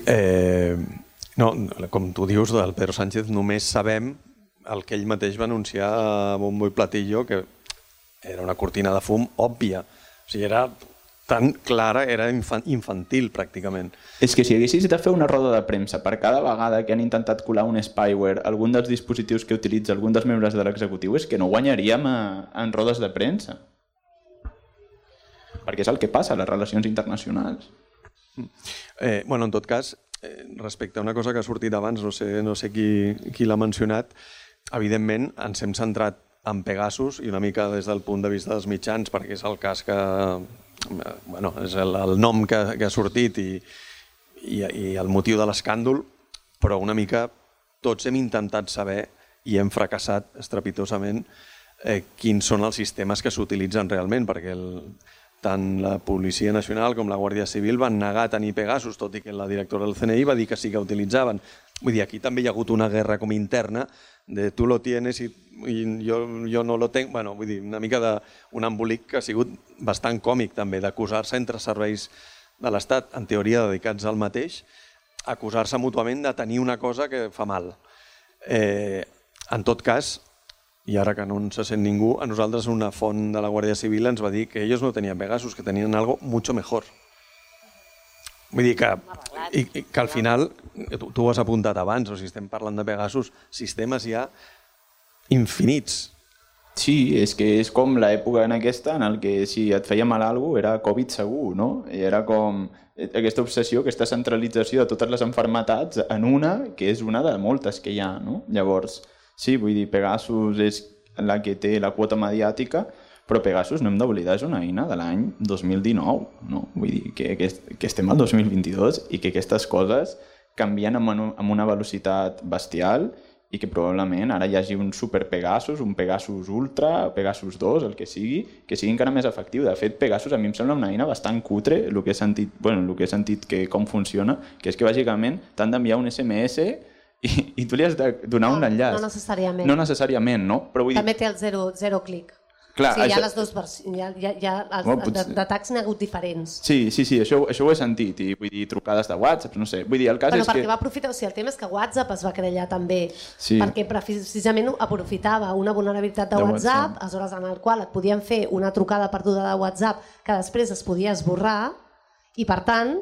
no, com tu dius, del Pedro Sánchez només sabem el que ell mateix va anunciar a bombo i platillo, que era una cortina de fum òbvia. O sigui, era tan clara, era infantil pràcticament. És que si haguessis de fer una roda de premsa per cada vegada que han intentat colar un spyware, algun dels dispositius que utilitza algun dels membres de l'executiu, és que no guanyaríem en rodes de premsa. perquè és el que passa a les relacions internacionals. En tot cas, respecte a una cosa que ha sortit abans, no sé qui l'ha mencionat, evidentment ens hem centrat en Pegasus i una mica des del punt de vista dels mitjans, perquè és el cas que... és el nom que ha sortit i el motiu de l'escàndol, però una mica tots hem intentat saber i hem fracassat estrepitosament quins són els sistemes que s'utilitzen realment, perquè tant la Policia Nacional com la Guàrdia Civil van negar tenir Pegasus, tot i que la directora del CNI va dir que sí que utilitzaven. Vull dir, aquí també hi ha hagut una guerra com interna de tu lo tienes i jo no lo tengo. Bueno, vull dir, una mica d'un embolic que ha sigut bastant còmic també, d'acusar-se entre serveis de l'Estat, en teoria dedicats al mateix, acusar-se mútuament de tenir una cosa que fa mal. En tot cas, i ara que no en se sent ningú, a nosaltres una font de la Guàrdia Civil ens va dir que ells no tenien Pegasus, que tenien algo mucho mejor. Vull dir que al final, tu ho has apuntat abans, o si estem parlant de Pegasus, sistemes hi ha infinits. Sí, és que és com l'època en aquesta en què si et feia mal alguna cosa era Covid segur, no? I era com aquesta obsessió, aquesta centralització de totes les malalties en una, que és una de moltes que hi ha, no? Llavors, sí, vull dir, Pegasus és la que té la quota mediàtica, però Pegasus, no hem d'oblidar, és una eina de l'any 2019, no? Vull dir que estem al 2022 i que aquestes coses canvien amb una velocitat bestial i que probablement ara hi hagi un super Pegasus, un Pegasus Ultra, Pegasus 2, el que sigui encara més efectiu. De fet, Pegasus a mi em sembla una eina bastant cutre, el que he sentit que com funciona, que és que bàsicament t'han d'enviar un SMS i tu li has de donar un enllaç. No necessàriament. No necessàriament, no? Però vull dir... També té el zero clic. Clar, sí, hi ha les dues versions. D'atacs n'hi ha hagut diferents. Sí, això ho he sentit. I vull dir, trucades de WhatsApp, no sé. Vull dir, el cas és perquè va aprofitar... O sigui, el tema és que WhatsApp es va querellar també, perquè precisament aprofitava una vulnerabilitat de WhatsApp, aleshores en el qual et podien fer una trucada perduda de WhatsApp que després es podia esborrar, i per tant,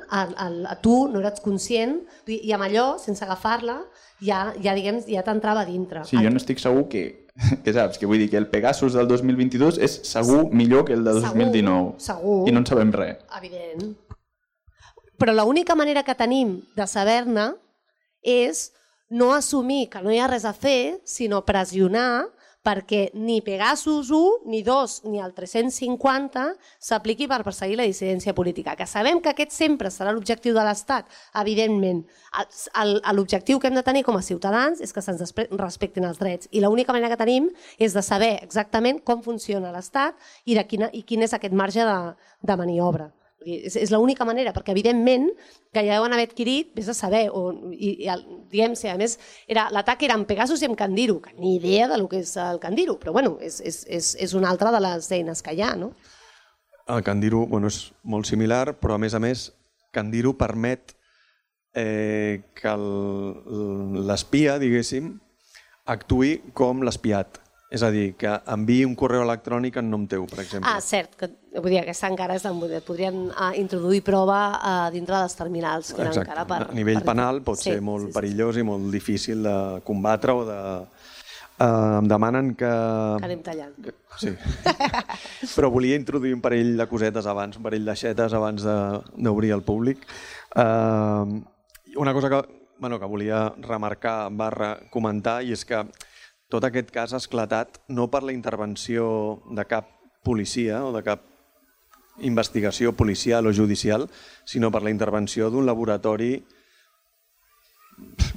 tu no eres conscient, i amb allò, sense agafar-la, ja t'entrava a dintre. Sí, jo no estic segur que saps, que vull dir que el Pegasus del 2022 és segur millor que el de 2019. Segur. I no en sabem res. Evident. Però l'única manera que tenim de saber-ne és no assumir que no hi ha res a fer, sinó pressionar perquè ni Pegasus 1, ni 2, ni el 350 s'apliqui per perseguir la dissidència política. Que sabem que aquest sempre serà l'objectiu de l'Estat, evidentment. L'objectiu que hem de tenir com a ciutadans és que se'ns respectin els drets. I l'única manera que tenim és de saber exactament com funciona l'Estat i quin és aquest marge de maniobra. És l'única manera, perquè evidentment que ja deuen haver adquirit, vés a saber, diguem, a més, l'atac era amb Pegasus i amb Candiru, que ni idea del que és el Candiru, però bueno, és una altra de les eines que hi ha, no? El Candiru és molt similar, però a més, Candiru permet que l'espia, diguéssim, actuï com l'espiat. És a dir, que enviï un correu electrònic en nom teu, per exemple. Cert, vull dir, aquesta encara podrien introduir prova dintre dels terminals. Exacte, a nivell penal pot ser molt perillós i molt difícil de combatre o de... Em demanen que... Que anem tallant. Sí, però volia introduir un parell de cosetes abans, un parell d'aixetes abans d'obrir al públic. Una cosa que volia remarcar / comentar, i és que tot aquest cas ha esclatat no per la intervenció de cap policia o de cap investigació policial o judicial, sinó per la intervenció d'un laboratori,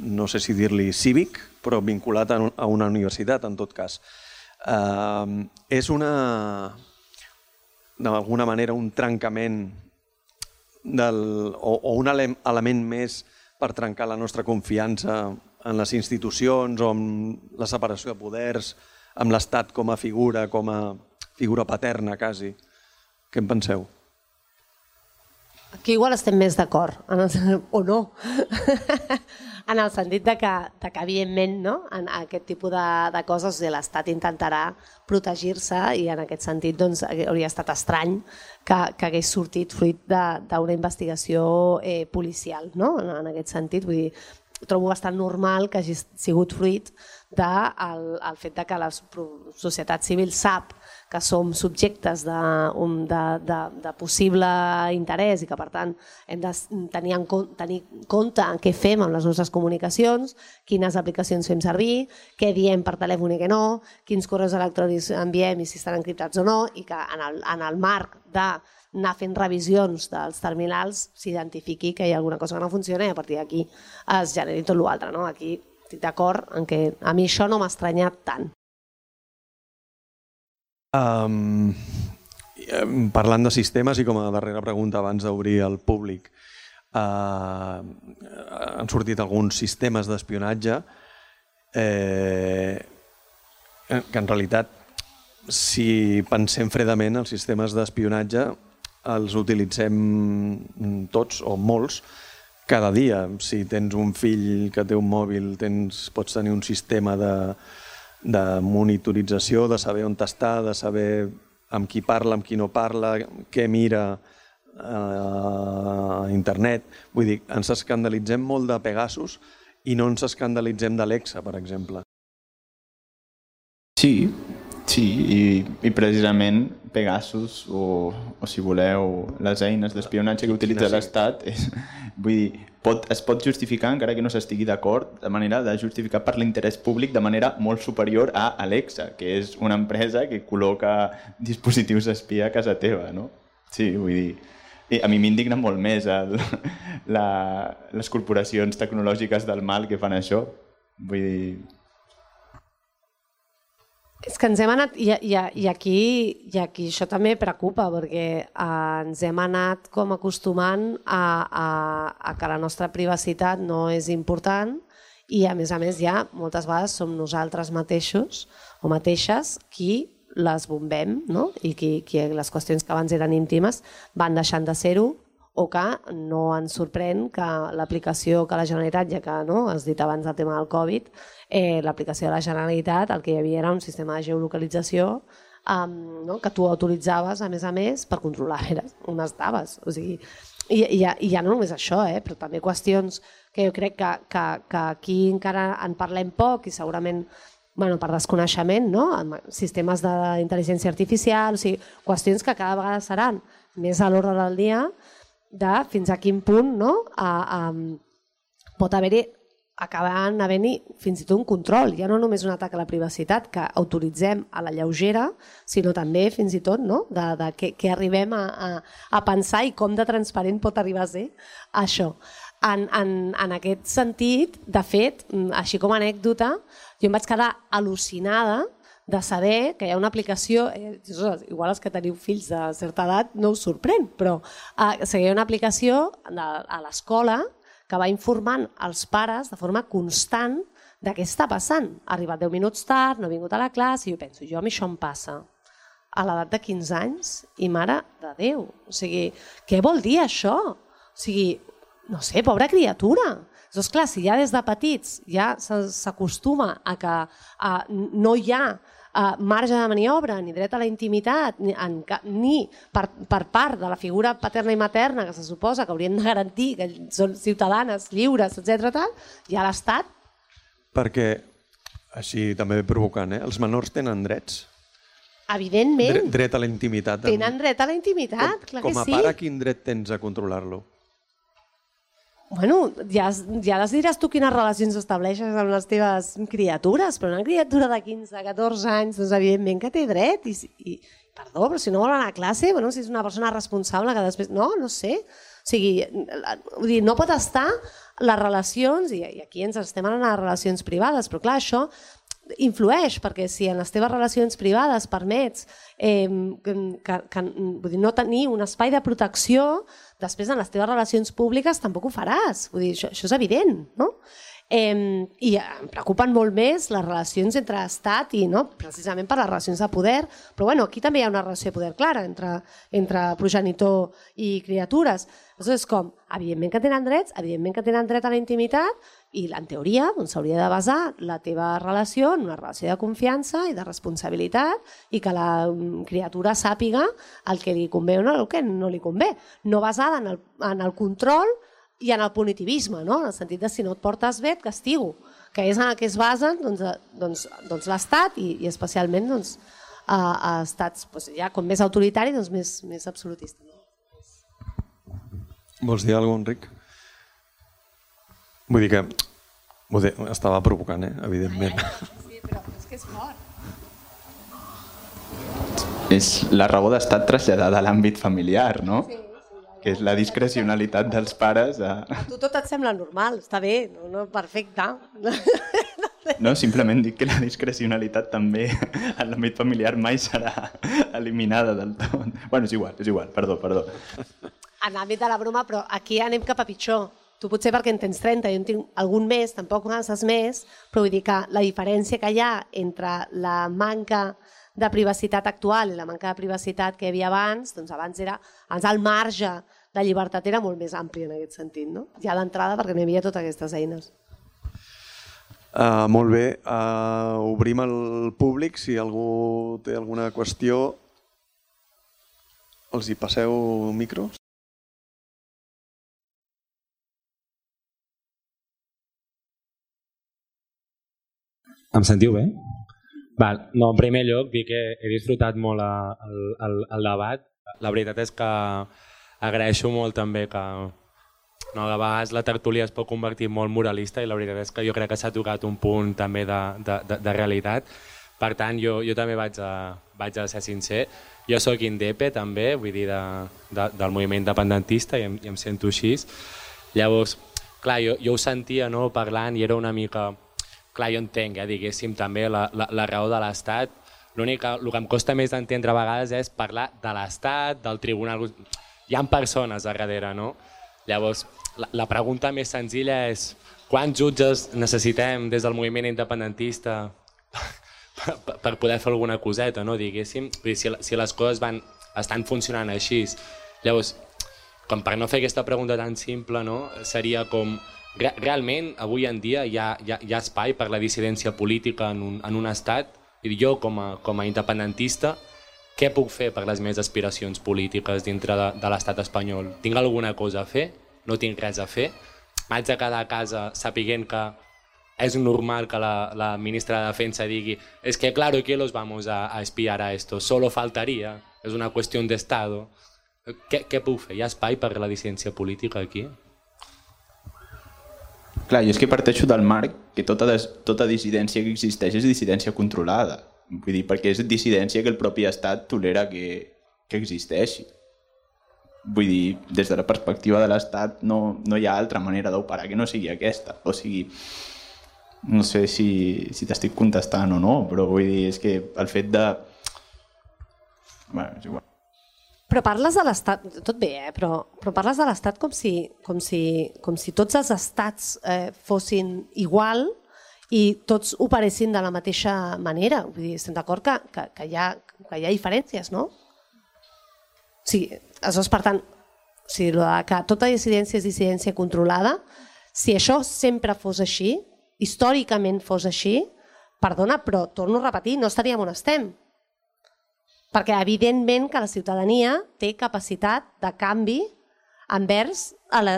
no sé si dir-li cívic, però vinculat a una universitat, en tot cas. És d'alguna manera un trencament o un element més per trencar la nostra confiança en les institucions o amb la separació de poders, amb l'Estat com a figura paterna, quasi. Què en penseu? Aquí igual estem més d'acord, o no, en el sentit que evidentment, en aquest tipus de coses l'Estat intentarà protegir-se i en aquest sentit hauria estat estrany que hagués sortit fruit d'una investigació policial, en aquest sentit, vull dir, trobo bastant normal que hagi sigut fruit del fet que la societat civil sap que som subjectes de possible interès i que per tant hem de tenir en compte què fem amb les nostres comunicacions, quines aplicacions fem servir, què diem per telèfon i què no, quins correus electrònics enviem i si estan encriptats o no, i que en el marc d'anar fent revisions dels terminals s'identifiqui que hi ha alguna cosa que no funciona i a partir d'aquí es generi tot l'altre. Aquí estic d'acord en que a mi això no m'ha estranyat tant. Parlant de sistemes i com a darrera pregunta abans d'obrir al públic, han sortit alguns sistemes d'espionatge que en realitat, si pensem fredament, els sistemes d'espionatge els utilitzem tots o molts cada dia. Si tens un fill que té un mòbil, pots tenir un sistema de monitorització, de saber on està, de saber amb qui parla, amb qui no parla, què mira a internet. Vull dir, ens escandalitzem molt de Pegasus i no ens escandalitzem d'Alexa, per exemple. Sí, i precisament Pegasus o si voleu les eines d'espionatge que utilitza l'Estat vull dir, es pot justificar encara que no s'estigui d'acord de manera de justificar per l'interès públic de manera molt superior a Alexa, que és una empresa que col·loca dispositius espia a casa teva, no? Sí, vull dir, a mi m'indigna molt més les corporacions tecnològiques del mal que fan això, vull dir... És que ens hem anat, i aquí això també preocupa, perquè ens hem anat com acostumant a que la nostra privacitat no és important i a més ja moltes vegades som nosaltres mateixos o mateixes qui les bombem, no? I qui les qüestions que abans eren íntimes van deixant de ser-ho, o que no ens sorprèn que l'aplicació que la Generalitat, ja que has dit abans del tema del Covid, l'aplicació de la Generalitat el que hi havia era un sistema de geolocalització que tu autoritzaves a més per controlar on estaves. O sigui, i ja no només això, però també qüestions que jo crec que aquí encara en parlem poc i segurament per desconeixement, sistemes d'intel·ligència artificial, o sigui, qüestions que cada vegada seran més a l'ordre del dia de fins a quin punt pot havent-hi fins i tot un control, ja no només un atac a la privacitat que autoritzem a la lleugera, sinó també fins i tot de què arribem a pensar i com de transparent pot arribar a ser això. En aquest sentit, de fet, així com a anècdota, jo em vaig quedar al·lucinada de saber que hi ha una aplicació, igual els que teniu fills de certa edat no us sorprèn, però hi ha una aplicació a l'escola que va informant els pares de forma constant de què està passant. Ha arribat 10 minuts tard, no ha vingut a la classe, i jo penso, a mi això em passa a l'edat de 15 anys i mare de Déu. O sigui, què vol dir això? O sigui, no sé, pobra criatura. Doncs clar, si ja des de petits ja s'acostuma a que no hi ha marge de maniobra ni dret a la intimitat ni per part de la figura paterna i materna que se suposa que haurien de garantir que són ciutadanes lliures, etc. ja l'Estat... Perquè, així també provocant, els menors tenen drets? Evidentment. Dret a la intimitat. Tenen dret a la intimitat, clar que sí. Com a pare, quin dret tens a controlar-lo? Bueno, ja les diràs tu quines relacions estableixes amb les teves criatures, però una criatura de 15, 14 anys, doncs evidentment que té dret. I perdó, però si no vol anar a classe, si és una persona responsable que després... No sé. O sigui, no pot estar les relacions, i aquí ens estem anant a les relacions privades, però clar, això influeix, perquè si en les teves relacions privades permets no tenir un espai de protecció, després en les teves relacions públiques tampoc ho faràs. Vull dir, això és evident, no? I em preocupen molt més les relacions entre Estat i precisament per les relacions de poder, però aquí també hi ha una relació de poder clara entre progenitor i criatures. Aleshores, com, evidentment que tenen drets, evidentment que tenen dret a la intimitat i en teoria s'hauria de basar la teva relació en una relació de confiança i de responsabilitat i que la criatura sàpiga el que li convé o el que no li convé, no basada en el control i en el punitivisme, en el sentit de si no et portes bé et castigo, que és en el que es basen l'Estat i especialment a estats ja com més autoritaris, doncs més absolutistes. Vols dir alguna cosa, Enric? Vull dir que estava provocant, evidentment. Sí, però és que és fort. És la raó d'estat traslladada a l'àmbit familiar, no? Sí. Que és la discrecionalitat dels pares. A tu tot et sembla normal, està bé, no, perfecte. No, simplement dic que la discrecionalitat també en l'àmbit familiar mai serà eliminada del tot. Bueno, és igual, perdó. En l'àmbit de la broma, però aquí anem cap a pitjor. Tu potser perquè en tens 30, jo en tinc algun més, tampoc masses més, però vull dir que la diferència que hi ha entre la manca de privacitat actual i la manca de privacitat que hi havia abans, doncs abans el marge de llibertat era molt més ampli en aquest sentit, no? Ja d'entrada perquè no hi havia totes aquestes eines. Molt bé, obrim el públic, si algú té alguna qüestió, els hi passeu micros. Em sentiu bé? Val. No, en primer lloc, dir que he disfrutat molt el debat. La veritat és que agraeixo molt també que a vegades la tertúlia es pot convertir molt moralista i la veritat és que jo crec que s'ha tocat un punt també de realitat. Per tant, jo també vaig a ser sincer. Jo soc indepe també, vull dir, del moviment independentista i em sento així. Llavors, clar, jo ho sentia parlant i era una mica... Clar, jo entenc, diguéssim, també la raó de l'Estat. El que em costa més d'entendre a vegades és parlar de l'Estat, del tribunal... Hi ha persones a darrere, no? Llavors, la pregunta més senzilla és quants jutges necessitem des del moviment independentista per poder fer alguna coseta, no? Diguéssim, si les coses estan funcionant així. Llavors, com per no fer aquesta pregunta tan simple, no? Seria com... Realment, avui en dia hi ha espai per la dissidència política en un estat i jo com a independentista què puc fer per les meves aspiracions polítiques dintre de l'estat espanyol? Tinc alguna cosa a fer? No tinc res a fer? M'haig de quedar a casa sapiguent que és normal que la ministra de Defensa digui es que claro que los vamos a espiar a esto, solo faltaría, és una qüestió d'estado. Què puc fer? Hi ha espai per la dissidència política aquí? Clar, jo és que parteixo del marc que tota dissidència que existeix és dissidència controlada. Vull dir, perquè és dissidència que el propi estat tolera que existeixi. Vull dir, des de la perspectiva de l'estat no hi ha altra manera d'operar que no sigui aquesta. O sigui, no sé si t'estic contestant o no, però vull dir, és que el fet de... Bueno, és igual. Però parles de l'Estat, tot bé, però parles de l'Estat com si tots els estats fossin igual i tots operessin de la mateixa manera. Vull dir, estem d'acord que hi ha diferències, no? O sigui, aleshores, per tant, que tota dissidència és dissidència controlada, si això sempre fos així, històricament fos així, perdona, però torno a repetir, no estaríem on estem. Perquè evidentment que la ciutadania té capacitat de canvi envers el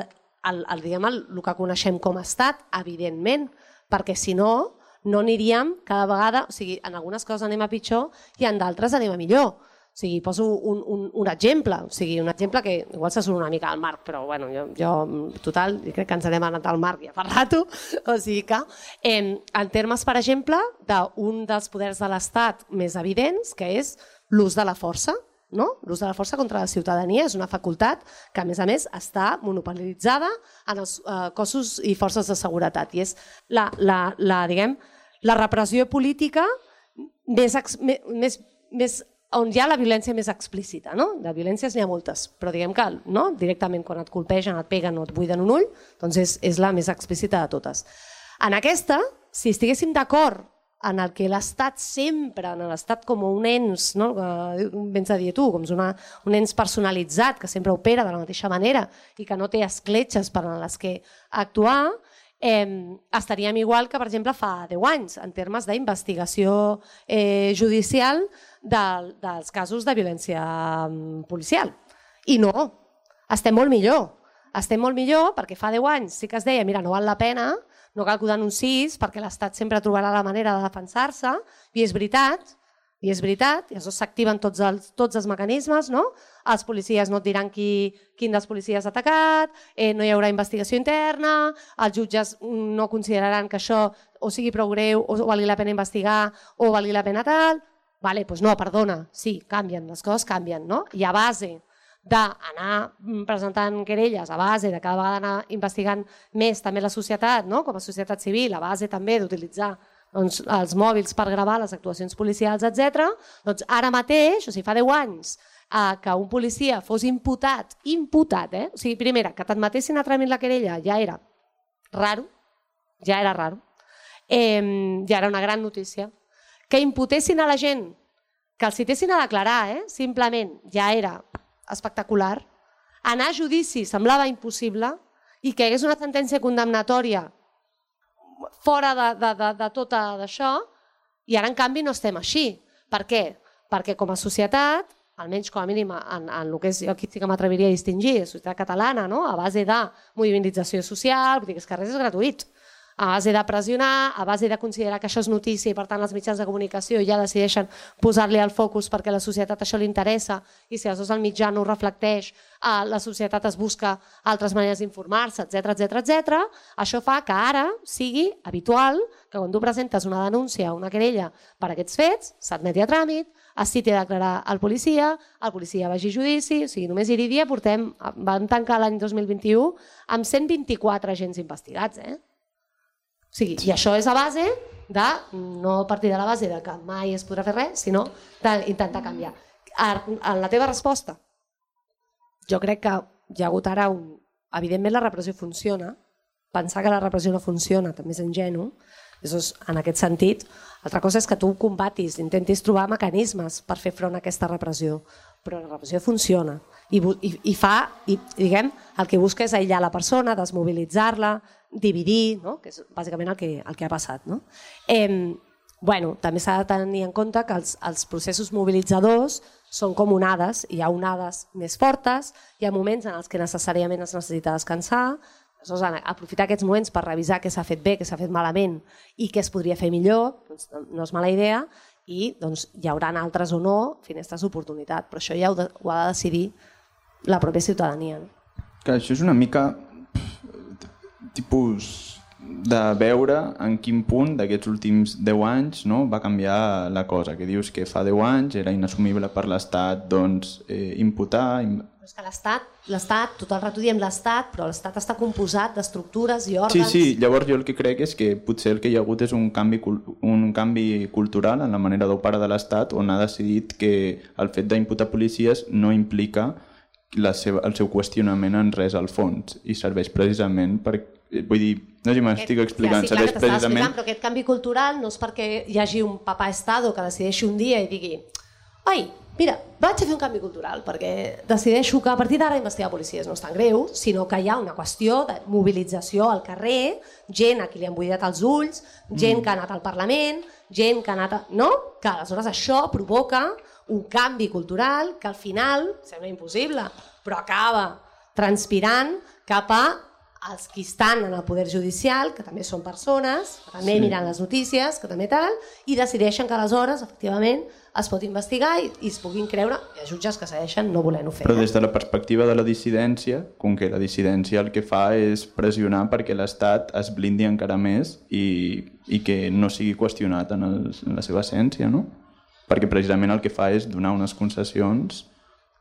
que coneixem com a estat, evidentment, perquè si no aniríem cada vegada, o sigui, en algunes coses anem a pitjor i en d'altres anem a millor. O sigui, poso un exemple, un exemple que igual se surt una mica al Marc, però bueno, jo total, jo crec que ens n'hem anat al Marc ja fa rato, o sigui que en termes, per exemple, d'un dels poders de l'Estat més evidents, que és l'ús de la força, no? L'ús de la força contra la ciutadania és una facultat que, a més, està monopolitzada en els cossos i forces de seguretat i és la repressió política on hi ha la violència més explícita. No? De violències n'hi ha moltes, però diguem que directament quan et colpegen, et peguen o et buiden un ull, doncs és la més explícita de totes. En aquesta, si estiguéssim d'acord en el que l'Estat sempre, en l'Estat com un ens, vens a dir tu, com un ens personalitzat que sempre opera de la mateixa manera i que no té escletxes per a les que actuar, estaríem igual que, per exemple, fa 10 anys, en termes d'investigació judicial dels casos de violència policial. I no, estem molt millor. Estem molt millor perquè fa 10 anys sí que es deia, mira, no val la pena, no cal que ho denunciïs perquè l'Estat sempre trobarà la manera de defensar-se, i és veritat, I és veritat, i llavors s'activen tots els mecanismes, no? Els policies no et diran quin dels policies ha atacat, no hi haurà investigació interna, els jutges no consideraran que això o sigui prou greu, o valgui la pena investigar, o valgui la pena tal. Vale, doncs no, perdona, sí, canvien, les coses canvien, no? I a base d'anar presentant querelles, a base de cada vegada anar investigant més també la societat, no? Com a societat civil, a base també d'utilitzar els mòbils per gravar les actuacions policials, etc. Doncs ara mateix, o sigui, fa 10 anys, que un policia fos imputat, o sigui, primera, que t'admetessin a tràmit la querella ja era raro, ja era una gran notícia. Que imputessin a la gent, que els citessin a declarar, simplement, ja era espectacular. Anar a judici semblava impossible i que hi hagués una sentència condemnatòria fora de tot això, i ara en canvi no estem així. Per què? Perquè com a societat, almenys com a mínim en el que és, jo aquí sí que m'atreviria a distingir, la societat catalana, a base de mobilització social, vull dir que els carrers és gratuït, a base de pressionar, a base de considerar que això és notícia i per tant els mitjans de comunicació ja decideixen posar-li el focus perquè a la societat això li interessa i si aleshores el mitjà no ho reflecteix, la societat es busca altres maneres d'informar-se, etc. Això fa que ara sigui habitual que quan tu presentes una denúncia o una querella per aquests fets, s'admeti a tràmit, es citi a declarar el policia vagi a judici, o sigui, només Irídia vam tancar l'any 2021 amb 124 agents investigats, I això és a base de, no a partir de la base de que mai es podrà fer res, sinó d'intentar canviar. En la teva resposta, jo crec que hi ha hagut ara evidentment la repressió funciona, pensar que la repressió no funciona també és ingenu, en aquest sentit, altra cosa és que tu combatis, intentis trobar mecanismes per fer front a aquesta repressió, però la repressió funciona i diguem, el que busca és aïllar la persona, desmobilitzar-la, dividir, que és bàsicament el que ha passat. També s'ha de tenir en compte que els processos mobilitzadors són com onades, hi ha onades més fortes, hi ha moments en els que necessàriament es necessita descansar, aprofitar aquests moments per revisar què s'ha fet bé, què s'ha fet malament i què es podria fer millor, no és mala idea, i hi haurà altres o no finestres d'oportunitat, però això ja ho ha de decidir la pròpia ciutadania. Això és una mica tipus de veure en quin punt d'aquests últims 10 anys va canviar la cosa, que dius que fa 10 anys era inassumible per l'Estat imputar... És que l'Estat, tot el rato diem l'Estat, però l'Estat està composat d'estructures i òrgans... Sí, llavors jo el que crec és que potser el que hi ha hagut és un canvi cultural en la manera d'operar de l'Estat, on ha decidit que el fet d'imputar policies no implica el seu qüestionament en res al fons i serveix precisament per... Vull dir, no sé si m'estic explicant, serveix precisament... Però aquest canvi cultural no és perquè hi hagi un papà estado que decideixi un dia i digui «Ai, mira, vaig a fer un canvi cultural perquè decideixo que a partir d'ara investigar policies no és tan greu», sinó que hi ha una qüestió de mobilització al carrer, gent a qui li han buidat els ulls, gent que ha anat al Parlament, gent que ha anat... No? Que aleshores això provoca un canvi cultural que al final sembla impossible, però acaba transpirant cap a els que estan en el poder judicial, que també són persones, que també miren les notícies, que també tal, i decideixen que aleshores, efectivament, es pot investigar i es puguin creure, hi ha jutges que segueixen no volent-ho fer. Però des de la perspectiva de la dissidència, com que la dissidència el que fa és pressionar perquè l'Estat es blindi encara més i que no sigui qüestionat en la seva essència, no? Perquè precisament el que fa és donar unes concessions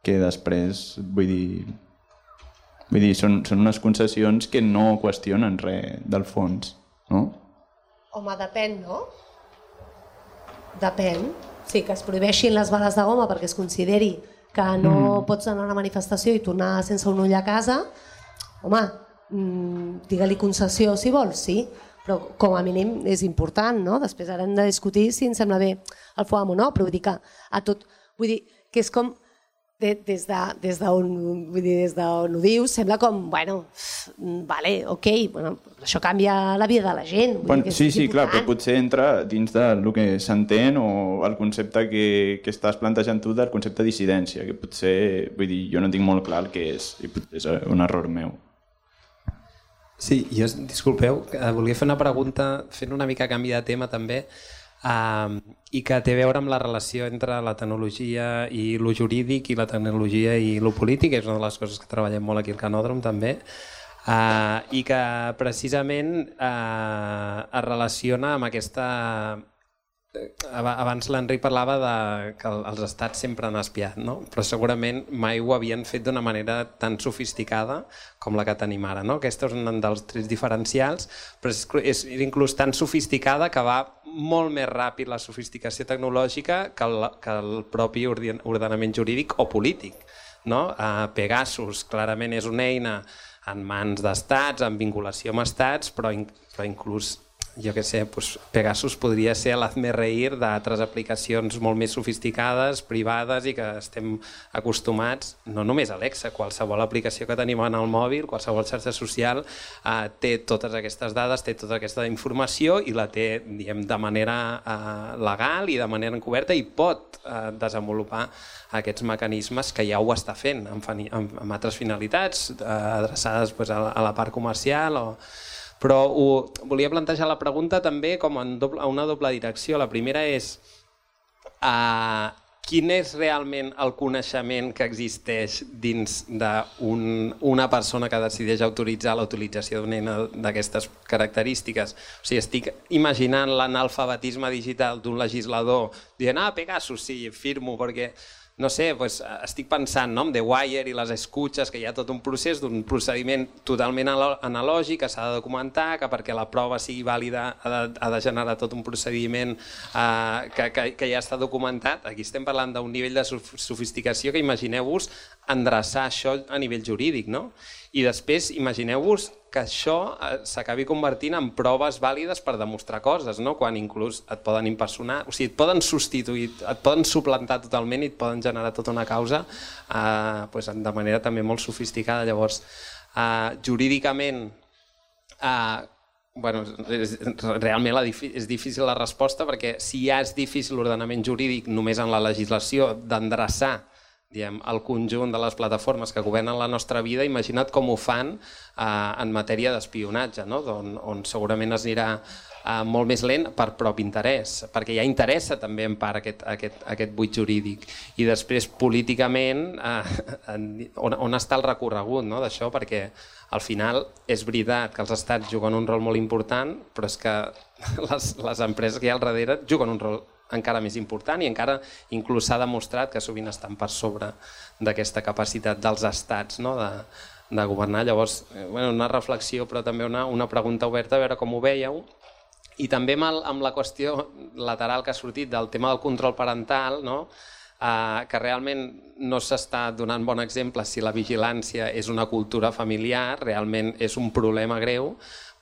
que després, vull dir, són unes concessions que no qüestionen res del fons, no? Home, depèn, no? Depèn. Sí, que es prohibeixin les bales de goma perquè es consideri que no pots anar a una manifestació i tornar sense un ull a casa, home, digue-li concessió si vols, sí, però com a mínim és important, no? Després ara hem de discutir si ens sembla bé el FOAM o no, però vull dir que a tot, vull dir que és com des d'on ho dius, sembla com, bueno, vale, ok, bueno, això canvia la vida de la gent. Sí, clar, però potser entra dins del que s'entén o el concepte que estàs plantejant tu del concepte de dissidència, que potser, vull dir, jo no tinc molt clar el que és, i és un error meu. Sí, jo, disculpeu, volia fer una pregunta, fent una mica canvi de tema també. i que té a veure amb la relació entre la tecnologia i lo jurídic i la tecnologia i lo polític, és una de les coses que treballem molt aquí al Canòdrom també, i que precisament es relaciona amb aquesta... Abans l'Enric parlava que els estats sempre han espiat, no? Però segurament mai ho havien fet d'una manera tan sofisticada com la que tenim ara, no? Aquest és un dels trets diferencials, però és inclús tan sofisticada que va molt més ràpid la sofisticació tecnològica que el propi ordenament jurídic o polític, no? Pegasus clarament és una eina en mans d'estats, en vinculació amb estats, però inclús jo què sé, Pegasus podria ser l'hazme-reír d'altres aplicacions molt més sofisticades, privades i que estem acostumats, no només Alexa, qualsevol aplicació que tenim en el mòbil, qualsevol xarxa social té totes aquestes dades, té tota aquesta informació i la té, diguem, de manera legal i de manera encoberta i pot desenvolupar aquests mecanismes que ja ho està fent amb altres finalitats adreçades a la part comercial o... Però volia plantejar la pregunta també com a una doble direcció. La primera és quin és realment el coneixement que existeix dins d'una persona que decideix autoritzar la utilització d'una eina d'aquestes característiques. O sigui, estic imaginant l'analfabetisme digital d'un legislador dient Pegasus, sí, firmo, perquè... No sé, estic pensant en The Wire i les escutxes, que hi ha tot un procés d'un procediment totalment analògic que s'ha de documentar, que perquè la prova sigui vàlida ha de generar tot un procediment que ja està documentat. Aquí estem parlant d'un nivell de sofisticació que imagineu-vos endreçar això a nivell jurídic, no? I després imagineu-vos que això s'acabi convertint en proves vàlides per demostrar coses, no? Quan inclús et poden impersonar, o sigui, et poden substituir, et poden suplantar totalment i et poden generar tota una causa de manera també molt sofisticada. Llavors, jurídicament, realment és difícil la resposta perquè si ja és difícil l'ordenament jurídic només en la legislació d'endreçar el conjunt de les plataformes que governen la nostra vida, imagina't com ho fan en matèria d'espionatge, on segurament es anirà molt més lent per propi interès, perquè ja interessa també en part aquest buit jurídic. I després políticament on està el recorregut d'això, perquè al final és veritat que els estats juguen un rol molt important, però és que les empreses que hi ha al darrere juguen un rol encara més important i encara inclús s'ha demostrat que sovint estan per sobre d'aquesta capacitat dels estats de governar. Llavors, una reflexió però també una pregunta oberta a veure com ho veieu. I també amb la qüestió lateral que ha sortit del tema del control parental, que realment no s'està donant bon exemple si la vigilància és una cultura familiar, realment és un problema greu,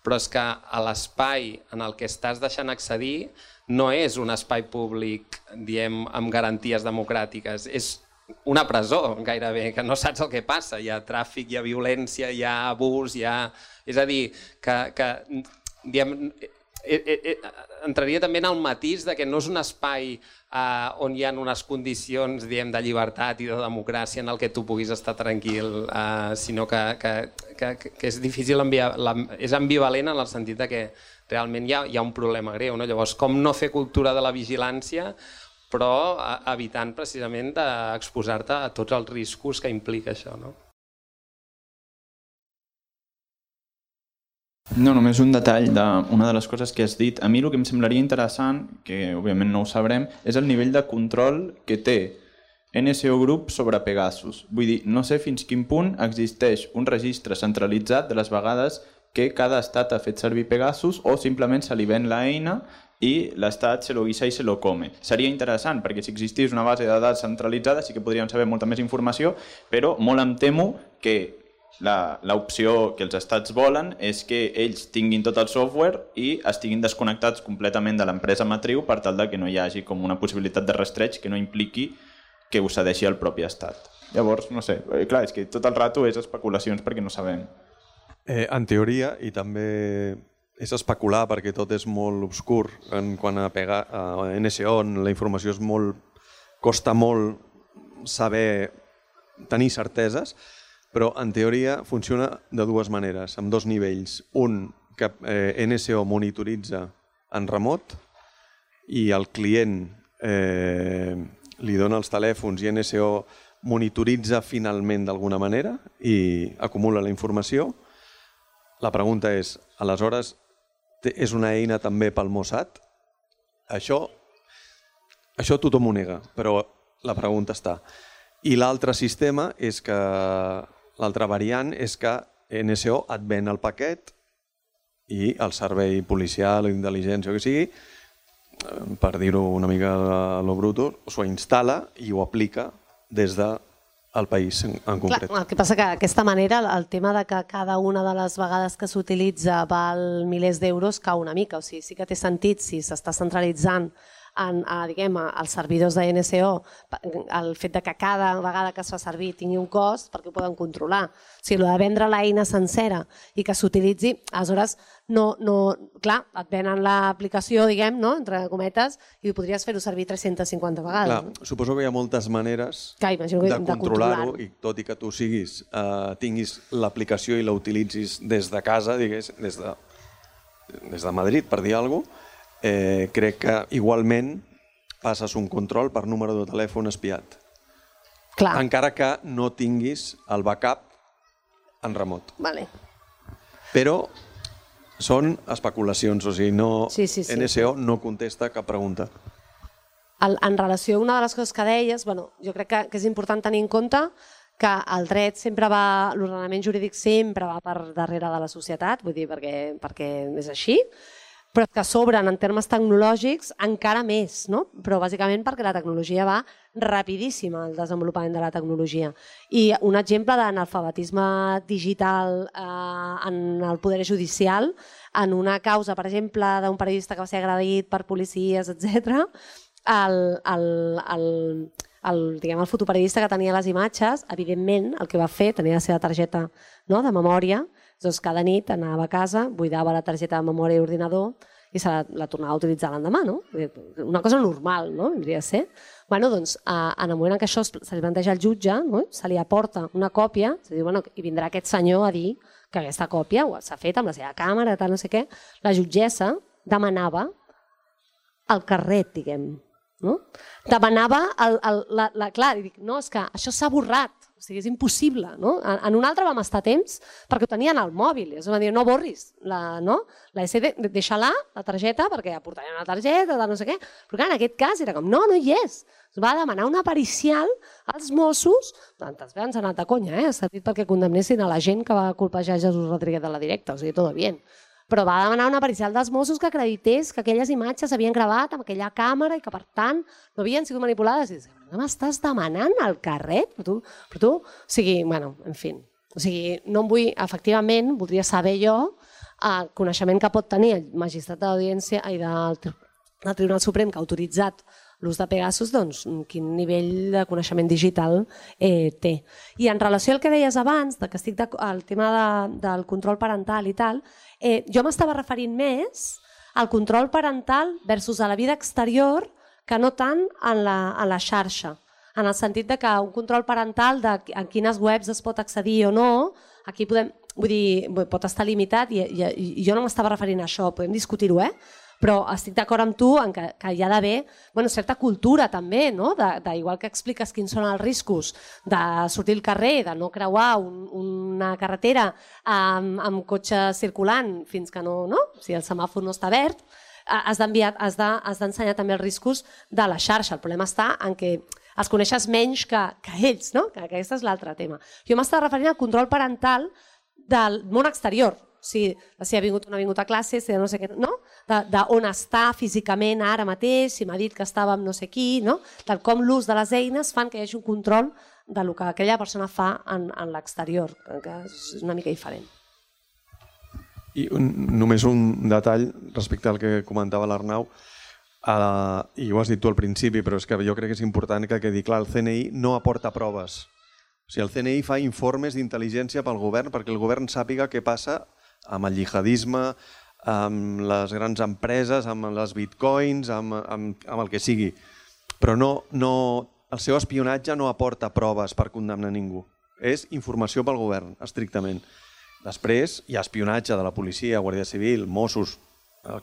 però és que l'espai en el que estàs deixant accedir no és un espai públic, diem, amb garanties democràtiques, és una presó gairebé, que no saps el que passa, hi ha tràfic, hi ha violència, hi ha abús, és a dir, que diem, entraria també en el matís de que no és un espai on hi ha unes condicions de llibertat i de democràcia en el que tu puguis estar tranquil, sinó que és difícil, és ambivalent en el sentit que realment hi ha un problema greu. Llavors, com no fer cultura de la vigilància, però evitant precisament d'exposar-te a tots els riscos que implica això, no? No, només un detall d'una de les coses que has dit. A mi el que em semblaria interessant, que òbviament no ho sabrem, és el nivell de control que té NSO Group sobre Pegasus. Vull dir, no sé fins quin punt existeix un registre centralitzat de les vegades que cada estat ha fet servir Pegasus o simplement se li ven l'eina i l'estat se lo guisa i se lo come. Seria interessant, perquè si existís una base de dades centralitzada sí que podríem saber molta més informació, però molt em temo que l'opció que els estats volen és que ells tinguin tot el software i estiguin desconnectats completament de l'empresa matriu per tal que no hi hagi com una possibilitat de rastreig que no impliqui que ho cedeixi el propi estat. Llavors, no sé, clar, és que tot el rato és especulacions perquè no sabem. En teoria, i també és especular perquè tot és molt obscur en quant a NSO, on la informació és molt... costa molt saber tenir certeses, però en teoria funciona de dues maneres, amb dos nivells. Un, que NSO monitoritza en remot i el client li dona els telèfons i NSO monitoritza finalment d'alguna manera i acumula la informació. La pregunta és, aleshores, és una eina també pel Mossad? Això tothom ho nega, però la pregunta està. I l'altre sistema és que, l'altra variant és que NSO et ven el paquet i el servei policial o d'intel·ligència o que sigui, per dir-ho una mica a lo bruto, s'ho instal·la i ho aplica des del país en concret. Clar, el que passa que d'aquesta manera el tema de que cada una de les vegades que s'utilitza val milers d'euros cau una mica. O sigui, sí que té sentit si s'està centralitzant diguem, als servidors de NSO el fet de que cada vegada que es fa servir tingui un cost perquè ho poden controlar. O sigui, el de vendre l'eina sencera i que s'utilitzi, aleshores, clar, et venen l'aplicació, diguem, entre cometes, i podries fer-ho servir 350 vegades. Clar, suposo que hi ha moltes maneres de controlar-ho i tot i que tu tinguis l'aplicació i la utilitzis des de casa, digués, des de Madrid, per dir alguna cosa, crec que igualment passes un control per número de telèfon espiat. Clar. Encara que no tinguis el backup en remot. Vale. Però són especulacions, o sigui, NSO no contesta cap pregunta. En relació a una de les coses que deies, jo crec que és important tenir en compte que el dret sempre va, l'ordenament jurídic sempre va per darrere de la societat, vull dir, perquè és així, però que s'obren en termes tecnològics encara més, no? Però bàsicament perquè la tecnologia va rapidíssima, el desenvolupament de la tecnologia. I un exemple d'analfabetisme digital en el poder judicial, en una causa, per exemple, d'un periodista que va ser agredit per policies, etc., el fotoperiodista que tenia les imatges, evidentment, el que va fer, tenia la seva targeta de memòria, doncs cada nit anava a casa, buidava la targeta de memòria i ordinador i se la tornava a utilitzar l'endemà, no? Una cosa normal, no? Hauria de ser. Doncs, en el moment en què això se li planteja al jutge, se li aporta una còpia, i vindrà aquest senyor a dir que aquesta còpia s'ha fet amb la seva càmera, tal, no sé què, la jutgessa demanava el carret, diguem. Demanava, clar, i dic, no, és que això s'ha borrat, o sigui, és impossible. En un altre vam estar temps perquè ho tenien al mòbil, es va dir, no borris la SD, deixa-la, la targeta, perquè aportarien una targeta, no sé què, però clar, en aquest cas era com, no hi és. Es va demanar una pericial als Mossos, tantes vegades han anat a conya, s'ha dit perquè condemnessin a la gent que va colpejar Jesús Rodríguez de la Directa, o sigui, tot bien. Però va demanar una pericial dels Mossos que acredités que aquelles imatges s'havien gravat amb aquella càmera i que, per tant, no havien sigut manipulades. I dius, no m'estàs demanant el carret? Però tu, o sigui, en fi. O sigui, no em vull, efectivament, voldria saber jo el coneixement que pot tenir el magistrat de l'Audiència i del Tribunal Suprem que ha autoritzat l'ús de Pegasus, doncs, quin nivell de coneixement digital té. I en relació al que deies abans, que estic al tema del control parental i tal, jo m'estava referint més al control parental versus a la vida exterior que no tant en la xarxa, en el sentit que un control parental de en quines webs es pot accedir o no, aquí pot estar limitat i jo no m'estava referint a això, podem discutir-ho, però estic d'acord amb tu que hi ha d'haver certa cultura també, igual que expliques quins són els riscos de sortir al carrer, de no creuar una carretera amb cotxe circulant fins que si el semàfor no està verd, has d'ensenyar també els riscos de la xarxa. El problema està en què els coneixes menys que ells, que aquest és l'altre tema. Jo m'estava referint al control parental del món exterior, si ha vingut o no ha vingut a classe, si no sé què, d'on està físicament ara mateix, si m'ha dit que estava amb no sé qui, tal com l'ús de les eines fan que hi hagi un control del que aquella persona fa en l'exterior, que és una mica diferent. I només un detall respecte al que comentava l'Arnau, i ho has dit tu al principi, però és que jo crec que és important que quedi clar, el CNI no aporta proves. O sigui, el CNI fa informes d'intel·ligència pel govern perquè el govern sàpiga què passa amb el jihadisme, amb les grans empreses, amb les bitcoins, amb el que sigui. Però el seu espionatge no aporta proves per condemnar ningú. És informació pel govern, estrictament. Després hi ha espionatge de la policia, Guàrdia Civil, Mossos,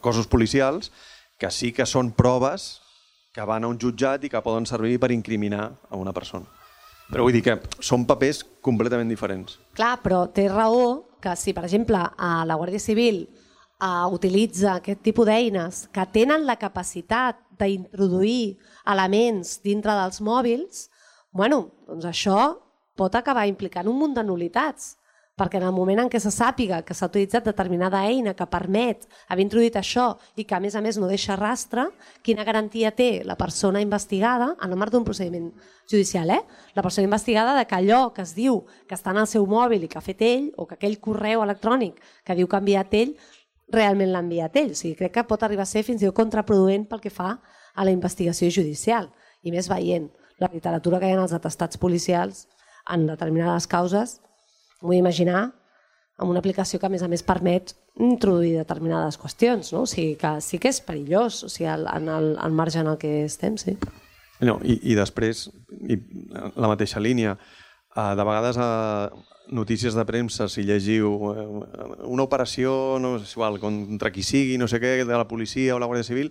cossos policials, que sí que són proves que van a un jutjat i que poden servir per incriminar a una persona. Però vull dir que són papers completament diferents. Clar, però té raó que si, per exemple, la Guàrdia Civil utilitza aquest tipus d'eines que tenen la capacitat d'introduir elements dintre dels mòbils, doncs això pot acabar implicant un munt de nul·litats, perquè en el moment en què se sàpiga que s'ha utilitzat determinada eina que permet haver introduït això i que a més no deixa rastre, quina garantia té la persona investigada en el marc d'un procediment judicial? La persona investigada de que allò que es diu que està en el seu mòbil i que ha fet ell, o que aquell correu electrònic que diu que ha enviat ell, realment l'ha enviat ell. O sigui, crec que pot arribar a ser fins i tot contraproduent pel que fa a la investigació judicial. I més veient la literatura que hi ha en els atestats policials en determinades causes, vull imaginar amb una aplicació que a més permet introduir determinades qüestions, no? O sigui que sí que és perillós, o sigui, en el marge en el que estem, sí. No, i després, la mateixa línia, de vegades a notícies de premsa, si llegiu una operació, no és igual, contra qui sigui, no sé què, de la policia o la Guàrdia Civil,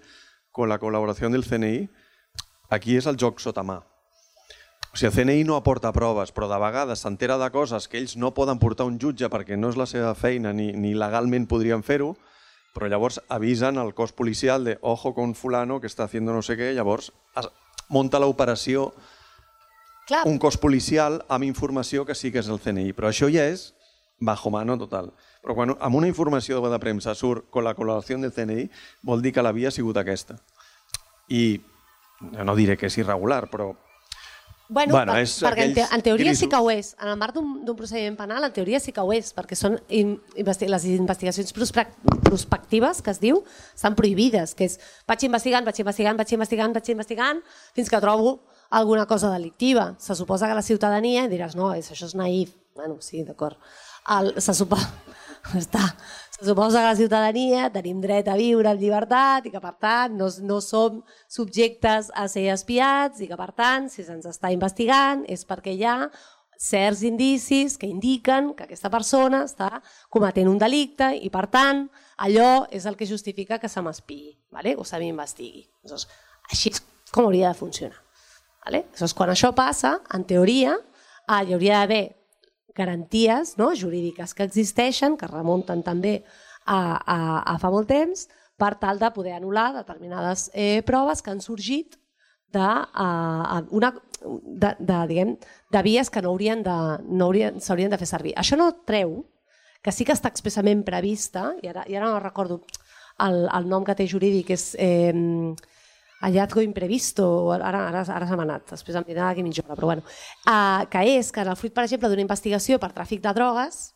con la col·laboració del CNI, aquí és el joc sota mà. O sigui, el CNI no aporta proves, però de vegades s'entera de coses que ells no poden portar a un jutge perquè no és la seva feina ni legalment podrien fer-ho, però llavors avisen al cos policial de ojo con fulano que està haciendo no sé què, llavors munta l'operació un cos policial amb informació que sí que és el CNI, però això ja és bajo mano total. Però quan amb una informació de premsa surt con la col·laboració del CNI, vol dir que la via ha sigut aquesta. I no diré que és irregular, però perquè en teoria sí que ho és. En el marc d'un procediment penal, en teoria sí que ho és, perquè són les investigacions prospectives, que es diu, estan prohibides, que és vaig investigant, fins que trobo alguna cosa delictiva. Se suposa que la ciutadania, i diràs, no, això és naïf. Bueno, sí, d'acord. Se suposa que la ciutadania tenim dret a viure en llibertat i que, per tant, no som subjectes a ser espiats i que, per tant, si se'ns està investigant és perquè hi ha certs indicis que indiquen que aquesta persona està cometent un delicte i, per tant, allò és el que justifica que se m'espiï o se m'investigui. Així és com hauria de funcionar. Quan això passa, en teoria, hi hauria d'haver garanties jurídiques que existeixen, que remunten també a fa molt temps, per tal de poder anul·lar determinades proves que han sorgit de vies que s'haurien de fer servir. Això no treu que sí que està expressament prevista, i ara no recordo el nom que té jurídic, és hallazgo imprevisto, ara se m'ha anat, després em dirà d'aquí mitja hora, però bueno, que és que en el fruit, per exemple, d'una investigació per tràfic de drogues,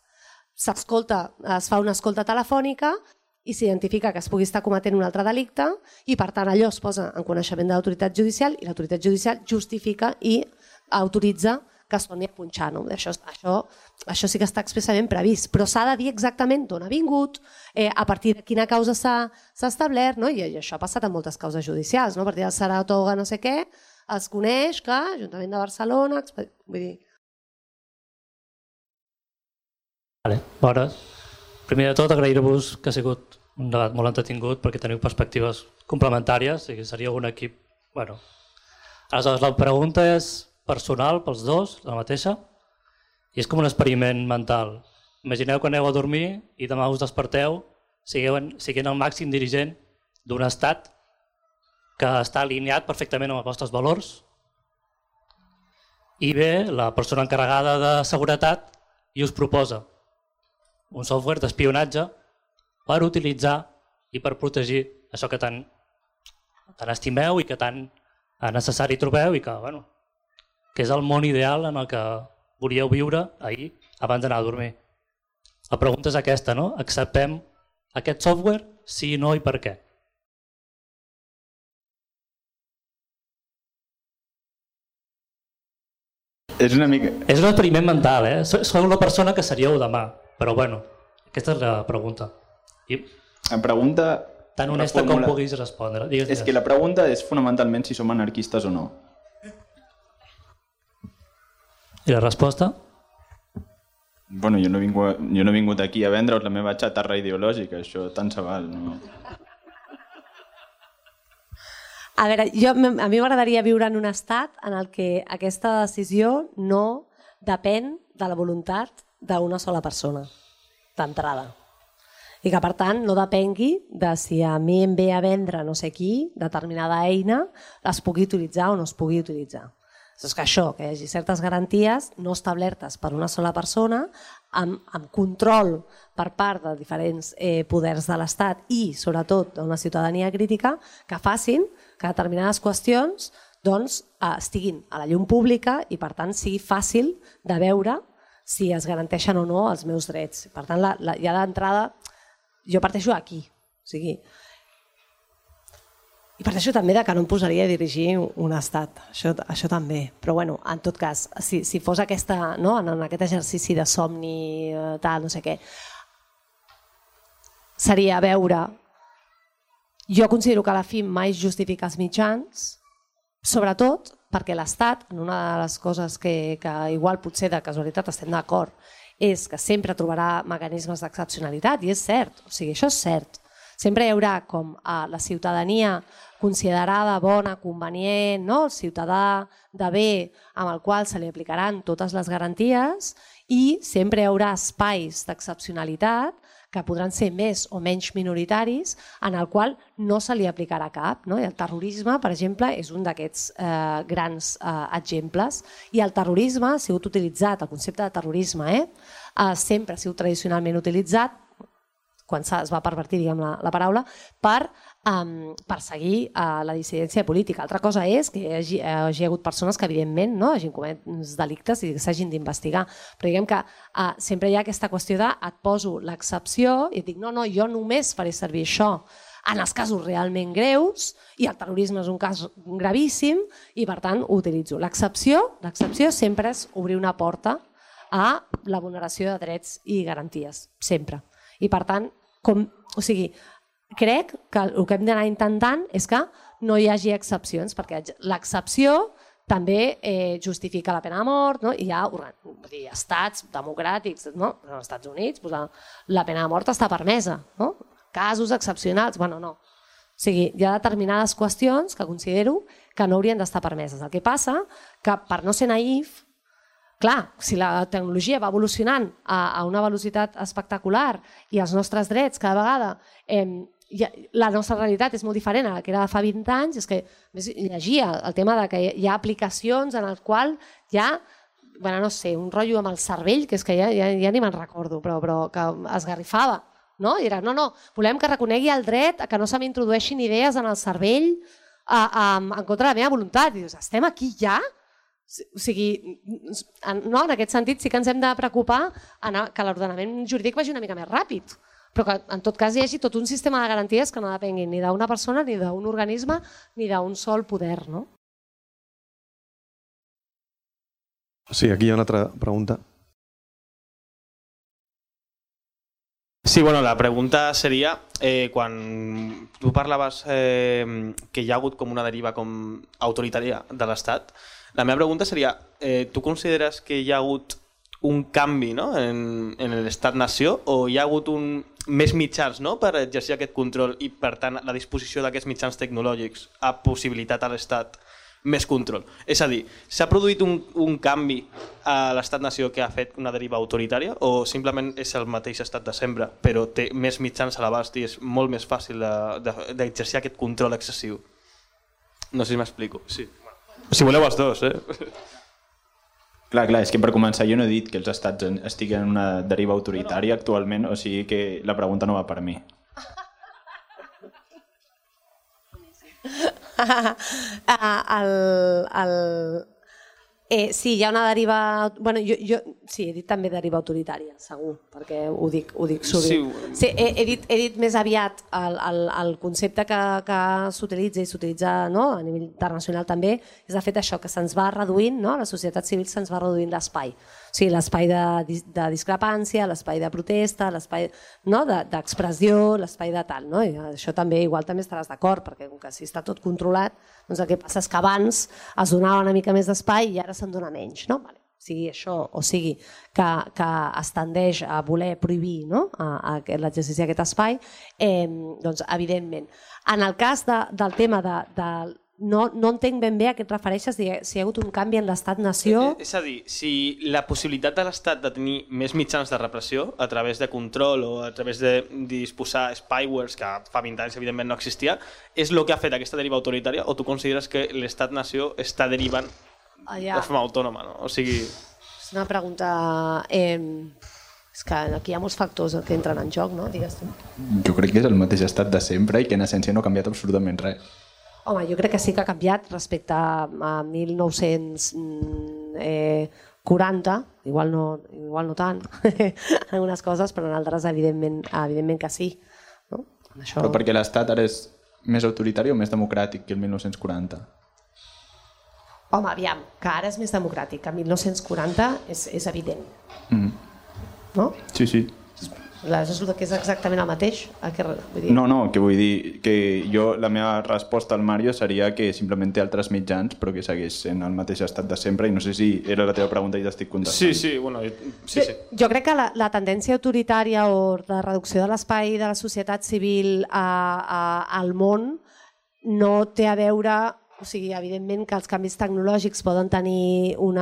es fa una escolta telefònica i s'identifica que es pugui estar cometent un altre delicte i, per tant, allò es posa en coneixement de l'autoritat judicial i l'autoritat judicial justifica i autoritza que es torni a punxar. Això sí que està expressament previst, però s'ha de dir exactament d'on ha vingut, a partir de quina causa s'ha establert, i això ha passat en moltes causes judicials. A partir del Saratoga no sé què, es coneix que Ajuntament de Barcelona... Vull dir... Bones. Primer de tot, agrair-vos que ha sigut un debat molt entretingut perquè teniu perspectives complementàries i que seria un equip... Aleshores, la pregunta és personal pels dos, la mateixa, i és com un experiment mental. Imagineu que aneu a dormir i demà us desperteu siguent el màxim dirigent d'un estat que està alineat perfectament amb els vostres valors i ve la persona encarregada de seguretat i us proposa un software d'espionatge per utilitzar i per protegir això que tant estimeu i que tant necessari trobeu i que, que és el món ideal en el que volíeu viure ahir abans d'anar a dormir. La pregunta és aquesta, no? Acceptem aquest software? Sí, no i per què? És una mica... És un experiment mental, eh? Sou la persona que seríeu demà, però aquesta és la pregunta. La pregunta... Tan honesta com puguis respondre. És que la pregunta és fonamentalment si som anarquistes o no. I la resposta? Bueno, jo no he vingut aquí a vendre'us la meva xatarra ideològica, això tant se val. No? A veure, a mi m'agradaria viure en un estat en el que aquesta decisió no depèn de la voluntat d'una sola persona, d'entrada. I que, per tant, no depengui de si a mi em ve a vendre no sé qui, determinada eina, es pugui utilitzar o no es pugui utilitzar. És que això, que hi hagi certes garanties no establertes per una sola persona, amb control per part de diferents poders de l'Estat i, sobretot, d'una ciutadania crítica, que facin que determinades qüestions estiguin a la llum pública i, per tant, sigui fàcil de veure si es garanteixen o no els meus drets. Per tant, ja d'entrada, jo parteixo aquí. O sigui, i parteixo també que no em posaria a dirigir un estat, això també. Però, bueno, en tot cas, si fos en aquest exercici de somni, tal, no sé què, seria veure... Jo considero que a la fi mai justifica els mitjans, sobretot perquè l'Estat, en una de les coses que igual potser de casualitat estem d'acord, és que sempre trobarà mecanismes d'excepcionalitat, i és cert, o sigui, això és cert. Sempre hi haurà com la ciutadania considerada bona, convenient, el ciutadà de bé amb el qual se li aplicaran totes les garanties, i sempre hi haurà espais d'excepcionalitat que podran ser més o menys minoritaris, en el qual no se li aplicarà cap. I el terrorisme, per exemple, és un d'aquests grans exemples. I el terrorisme ha sigut utilitzat, el concepte de terrorisme, sempre ha sigut tradicionalment utilitzat, quan es va pervertir la paraula, per perseguir la dissidència política. Altra cosa és que hi hagi hagut persones que evidentment hagin comès delictes i s'hagin d'investigar. Però diguem que sempre hi ha aquesta qüestió de et poso l'excepció i et dic no, jo només faré servir això en els casos realment greus, i el terrorisme és un cas gravíssim i per tant ho utilitzo. L'excepció sempre és obrir una porta a la vulneració de drets i garanties, sempre. I per tant, crec que el que hem d'anar intentant és que no hi hagi excepcions, perquè l'excepció també justifica la pena de mort, i hi ha estats democràtics, als Estats Units la pena de mort està permesa, casos excepcionals, no. O sigui, hi ha determinades qüestions que considero que no haurien d'estar permeses. El que passa que, per no ser naïf, clar, si la tecnologia va evolucionant a una velocitat espectacular i els nostres drets cada vegada, la nostra realitat és molt diferent a la que era de fa 20 anys, és que llegia el tema que hi ha aplicacions en el qual hi ha, no sé, un rotllo amb el cervell, que és que ja ni me'n recordo, però que esgarrifava. I era, no, volem que reconegui el dret a que no se m'introdueixin idees en el cervell en contra de la meva voluntat. I dius, estem aquí ja? O sigui, en aquest sentit sí que ens hem de preocupar que l'ordenament jurídic vagi una mica més ràpid, però que en tot cas hi hagi tot un sistema de garanties que no depenguin ni d'una persona, ni d'un organisme, ni d'un sol poder. Sí, aquí hi ha una altra pregunta. Sí, la pregunta seria, quan tu parlaves que hi ha hagut com una deriva autoritària de l'Estat, la meva pregunta seria, tu consideres que hi ha hagut un canvi en l'estat-nació o hi ha hagut més mitjans per exercir aquest control i, per tant, la disposició d'aquests mitjans tecnològics ha possibilitat a l'Estat més control? És a dir, s'ha produït un canvi a l'estat-nació que ha fet una deriva autoritària o simplement és el mateix estat de sempre, però té més mitjans a l'abast i és molt més fàcil d'exercir aquest control excessiu? No sé si m'explico. Sí. Si voleu els dos, Clar, és que per començar jo no he dit que els estats estiguen en una deriva autoritària actualment, o sigui que la pregunta no va per mi. Sí, hi ha una deriva... Jo sí, he dit també deriva autoritària, segur, perquè ho dic sovint. Sí, he dit més aviat el concepte que s'utilitza i s'utilitza a nivell internacional també, és de fet això, que se'ns va reduint, la societat civil se'ns va reduint l'espai. O sigui, l'espai de discrepància, l'espai de protesta, l'espai d'expressió, l'espai de tal. I això també, igual també estaràs d'acord, perquè com que si està tot controlat, doncs el que passa és que abans es donava una mica més d'espai i ara se'n dona menys. Sigui això o sigui que es tendeix a voler prohibir l'exercici d'aquest espai, doncs evidentment. En el cas del tema no entenc ben bé a què et refereixes, si hi ha hagut un canvi en l'estat-nació. És a dir, si la possibilitat de l'Estat de tenir més mitjans de repressió a través de control o a través de disposar spywares, que fa 20 anys evidentment no existia, és el que ha fet aquesta deriva autoritària, o tu consideres que l'estat-nació està derivant de forma autònoma? No? O sigui... És una pregunta... És que aquí hi ha molts factors que entren en joc, no? Digues tu. Jo crec que és el mateix estat de sempre i que en essència no ha canviat absolutament res. Home, jo crec que sí que ha canviat respecte a 1940, igual no tant, en algunes coses, però en altres evidentment que sí. No? Això... Però perquè l'estat ara és més autoritari o més democràtic que el 1940? Home, aviam, que ara és més democràtic, que el 1940 és evident. No? Sí, sí. És el que és exactament el mateix? Vull dir... No, que vull dir que la meva resposta al Mario seria que simplement té altres mitjans però que segueix sent el mateix estat de sempre i no sé si era la teva pregunta i t'estic contestant. Sí, bueno, sí. Jo crec que la tendència autoritària o de reducció de l'espai de la societat civil al món no té a veure... O sigui, evidentment que els canvis tecnològics poden tenir un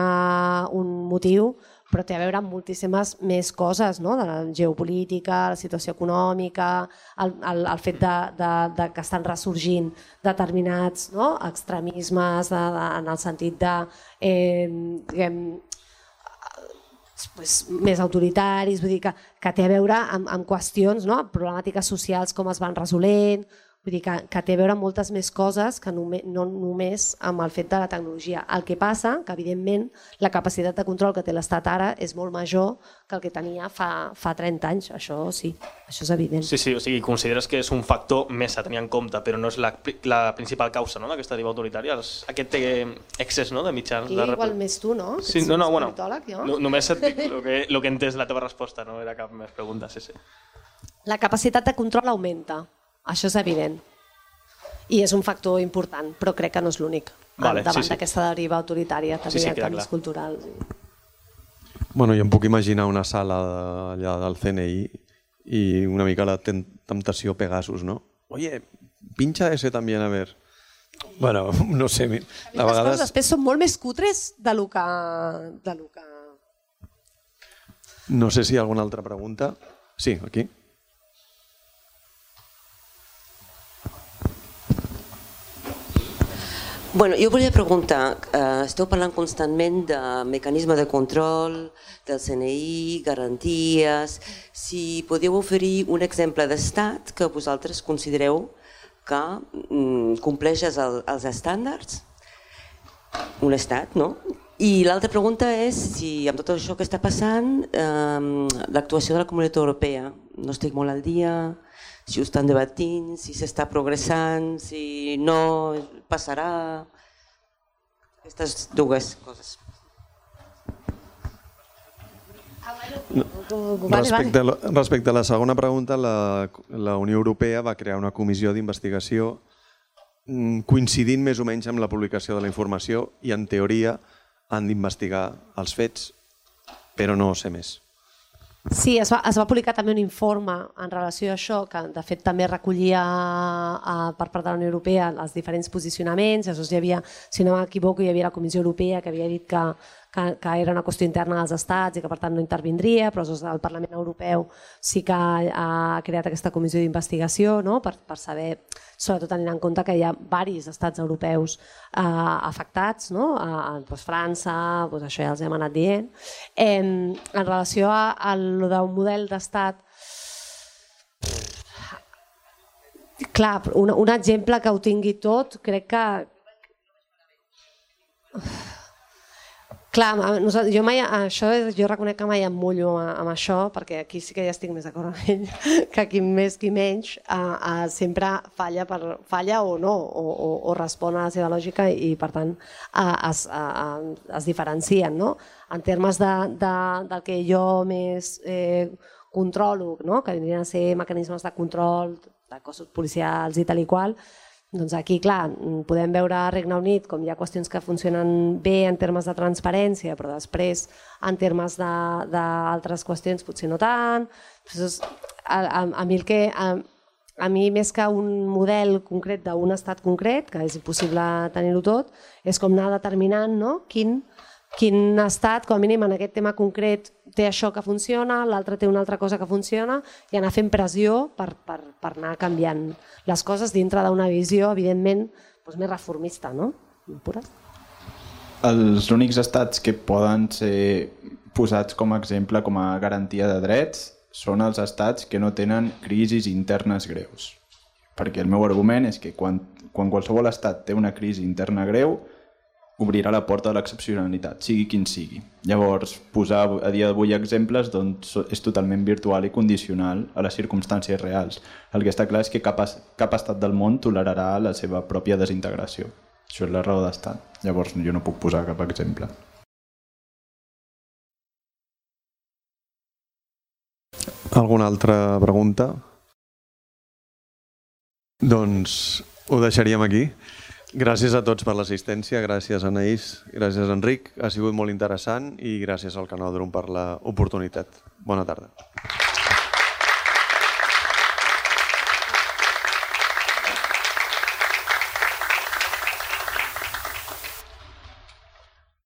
motiu, però té a veure amb moltíssimes més coses, no? De la geopolítica, la situació econòmica, el fet de que estan ressorgint determinats extremismes en el sentit de més autoritaris, vull dir que té a veure amb qüestions, problemàtiques socials com es van resolent. Vull dir que té a veure amb moltes més coses que no només amb el fet de la tecnologia. El que passa que, evidentment, la capacitat de control que té l'Estat ara és molt major que el que tenia fa 30 anys. Això sí, això és evident. Sí, o sigui, consideres que és un factor més a tenir en compte, però no és la principal causa d'aquesta deriva autoritària, aquest excés de mitjans. I igual més tu, no? Sí, bueno, només et dic el que he entès la teva resposta, no era cap més pregunta, sí. La capacitat de control augmenta. Això és evident. I és un factor important, però crec que no és l'únic. Davant d'aquesta deriva autoritària, també hi ha canvis culturals. Bueno, jo em puc imaginar una sala allà del CNI i una mica la temptació Pegasus, ¿no? Oye, pincha ese también, a ver. Bueno, no sé. Les coses després són molt més cutres de lo que... No sé si hi ha alguna altra pregunta. Sí, aquí. Bueno, jo volia preguntar, esteu parlant constantment de mecanisme de control, del CNI, garanties... Si podeu oferir un exemple d'estat que vosaltres considereu que compleix els estàndards, un estat, no? I l'altra pregunta és si amb tot això que està passant, l'actuació de la Comunitat Europea, no estic molt al dia... si ho estan debatint, si s'està progressant, si no passarà... Aquestes dues coses. Respecte a la segona pregunta, la Unió Europea va crear una comissió d'investigació coincidint més o menys amb la publicació de la informació i en teoria han d'investigar els fets, però no sé més. Sí, es va publicar també un informe en relació a això, que de fet també recollia per part de la Unió Europea els diferents posicionaments. Llavors hi havia, si no m'equivoco, hi havia la Comissió Europea que havia dit que era una qüestió interna dels estats i que per tant no intervindria, però el Parlament Europeu sí que ha creat aquesta comissió d'investigació per saber, sobretot tenint en compte que hi ha diversos estats europeus afectats, França, això ja els hem anat dient. En relació al d'un model d'estat, clar, un exemple que ho tingui tot, crec que... Clar, jo reconec que mai em mullo amb això, perquè aquí sí que ja estic més d'acord amb ell, que qui més qui menys sempre falla o no, o respon a la seva lògica i per tant es diferencien. En termes del que jo més controlo, que vindrien a ser mecanismes de control de cossos policials i tal i qual, doncs aquí, clar, podem veure a Regne Unit com hi ha qüestions que funcionen bé en termes de transparència, però després en termes d'altres qüestions potser no tant. A mi el que a mi més que un model concret d'un estat concret, que és impossible tenir-ho tot, és com anar determinant quin estat, com a mínim en aquest tema concret, té això que funciona, l'altre té una altra cosa que funciona, i anar fent pressió per anar canviant les coses dintre d'una visió, evidentment, més reformista, no? Pura. Els únics estats que poden ser posats com a exemple, com a garantia de drets, són els estats que no tenen crisis internes greus. Perquè el meu argument és que quan qualsevol estat té una crisi interna greu, obrirà la porta de l'excepcionalitat, sigui quin sigui. Llavors, posar a dia d'avui exemples és totalment virtual i condicional a les circumstàncies reals. El que està clar és que cap estat del món tolerarà la seva pròpia desintegració. Això és la raó d'estat. Llavors, jo no puc posar cap exemple. Alguna altra pregunta? Doncs ho deixaríem aquí. Gràcies a tots per l'assistència, gràcies Anaïs, gràcies Enric, ha sigut molt interessant i gràcies al Canòdrom per l'oportunitat. Bona tarda.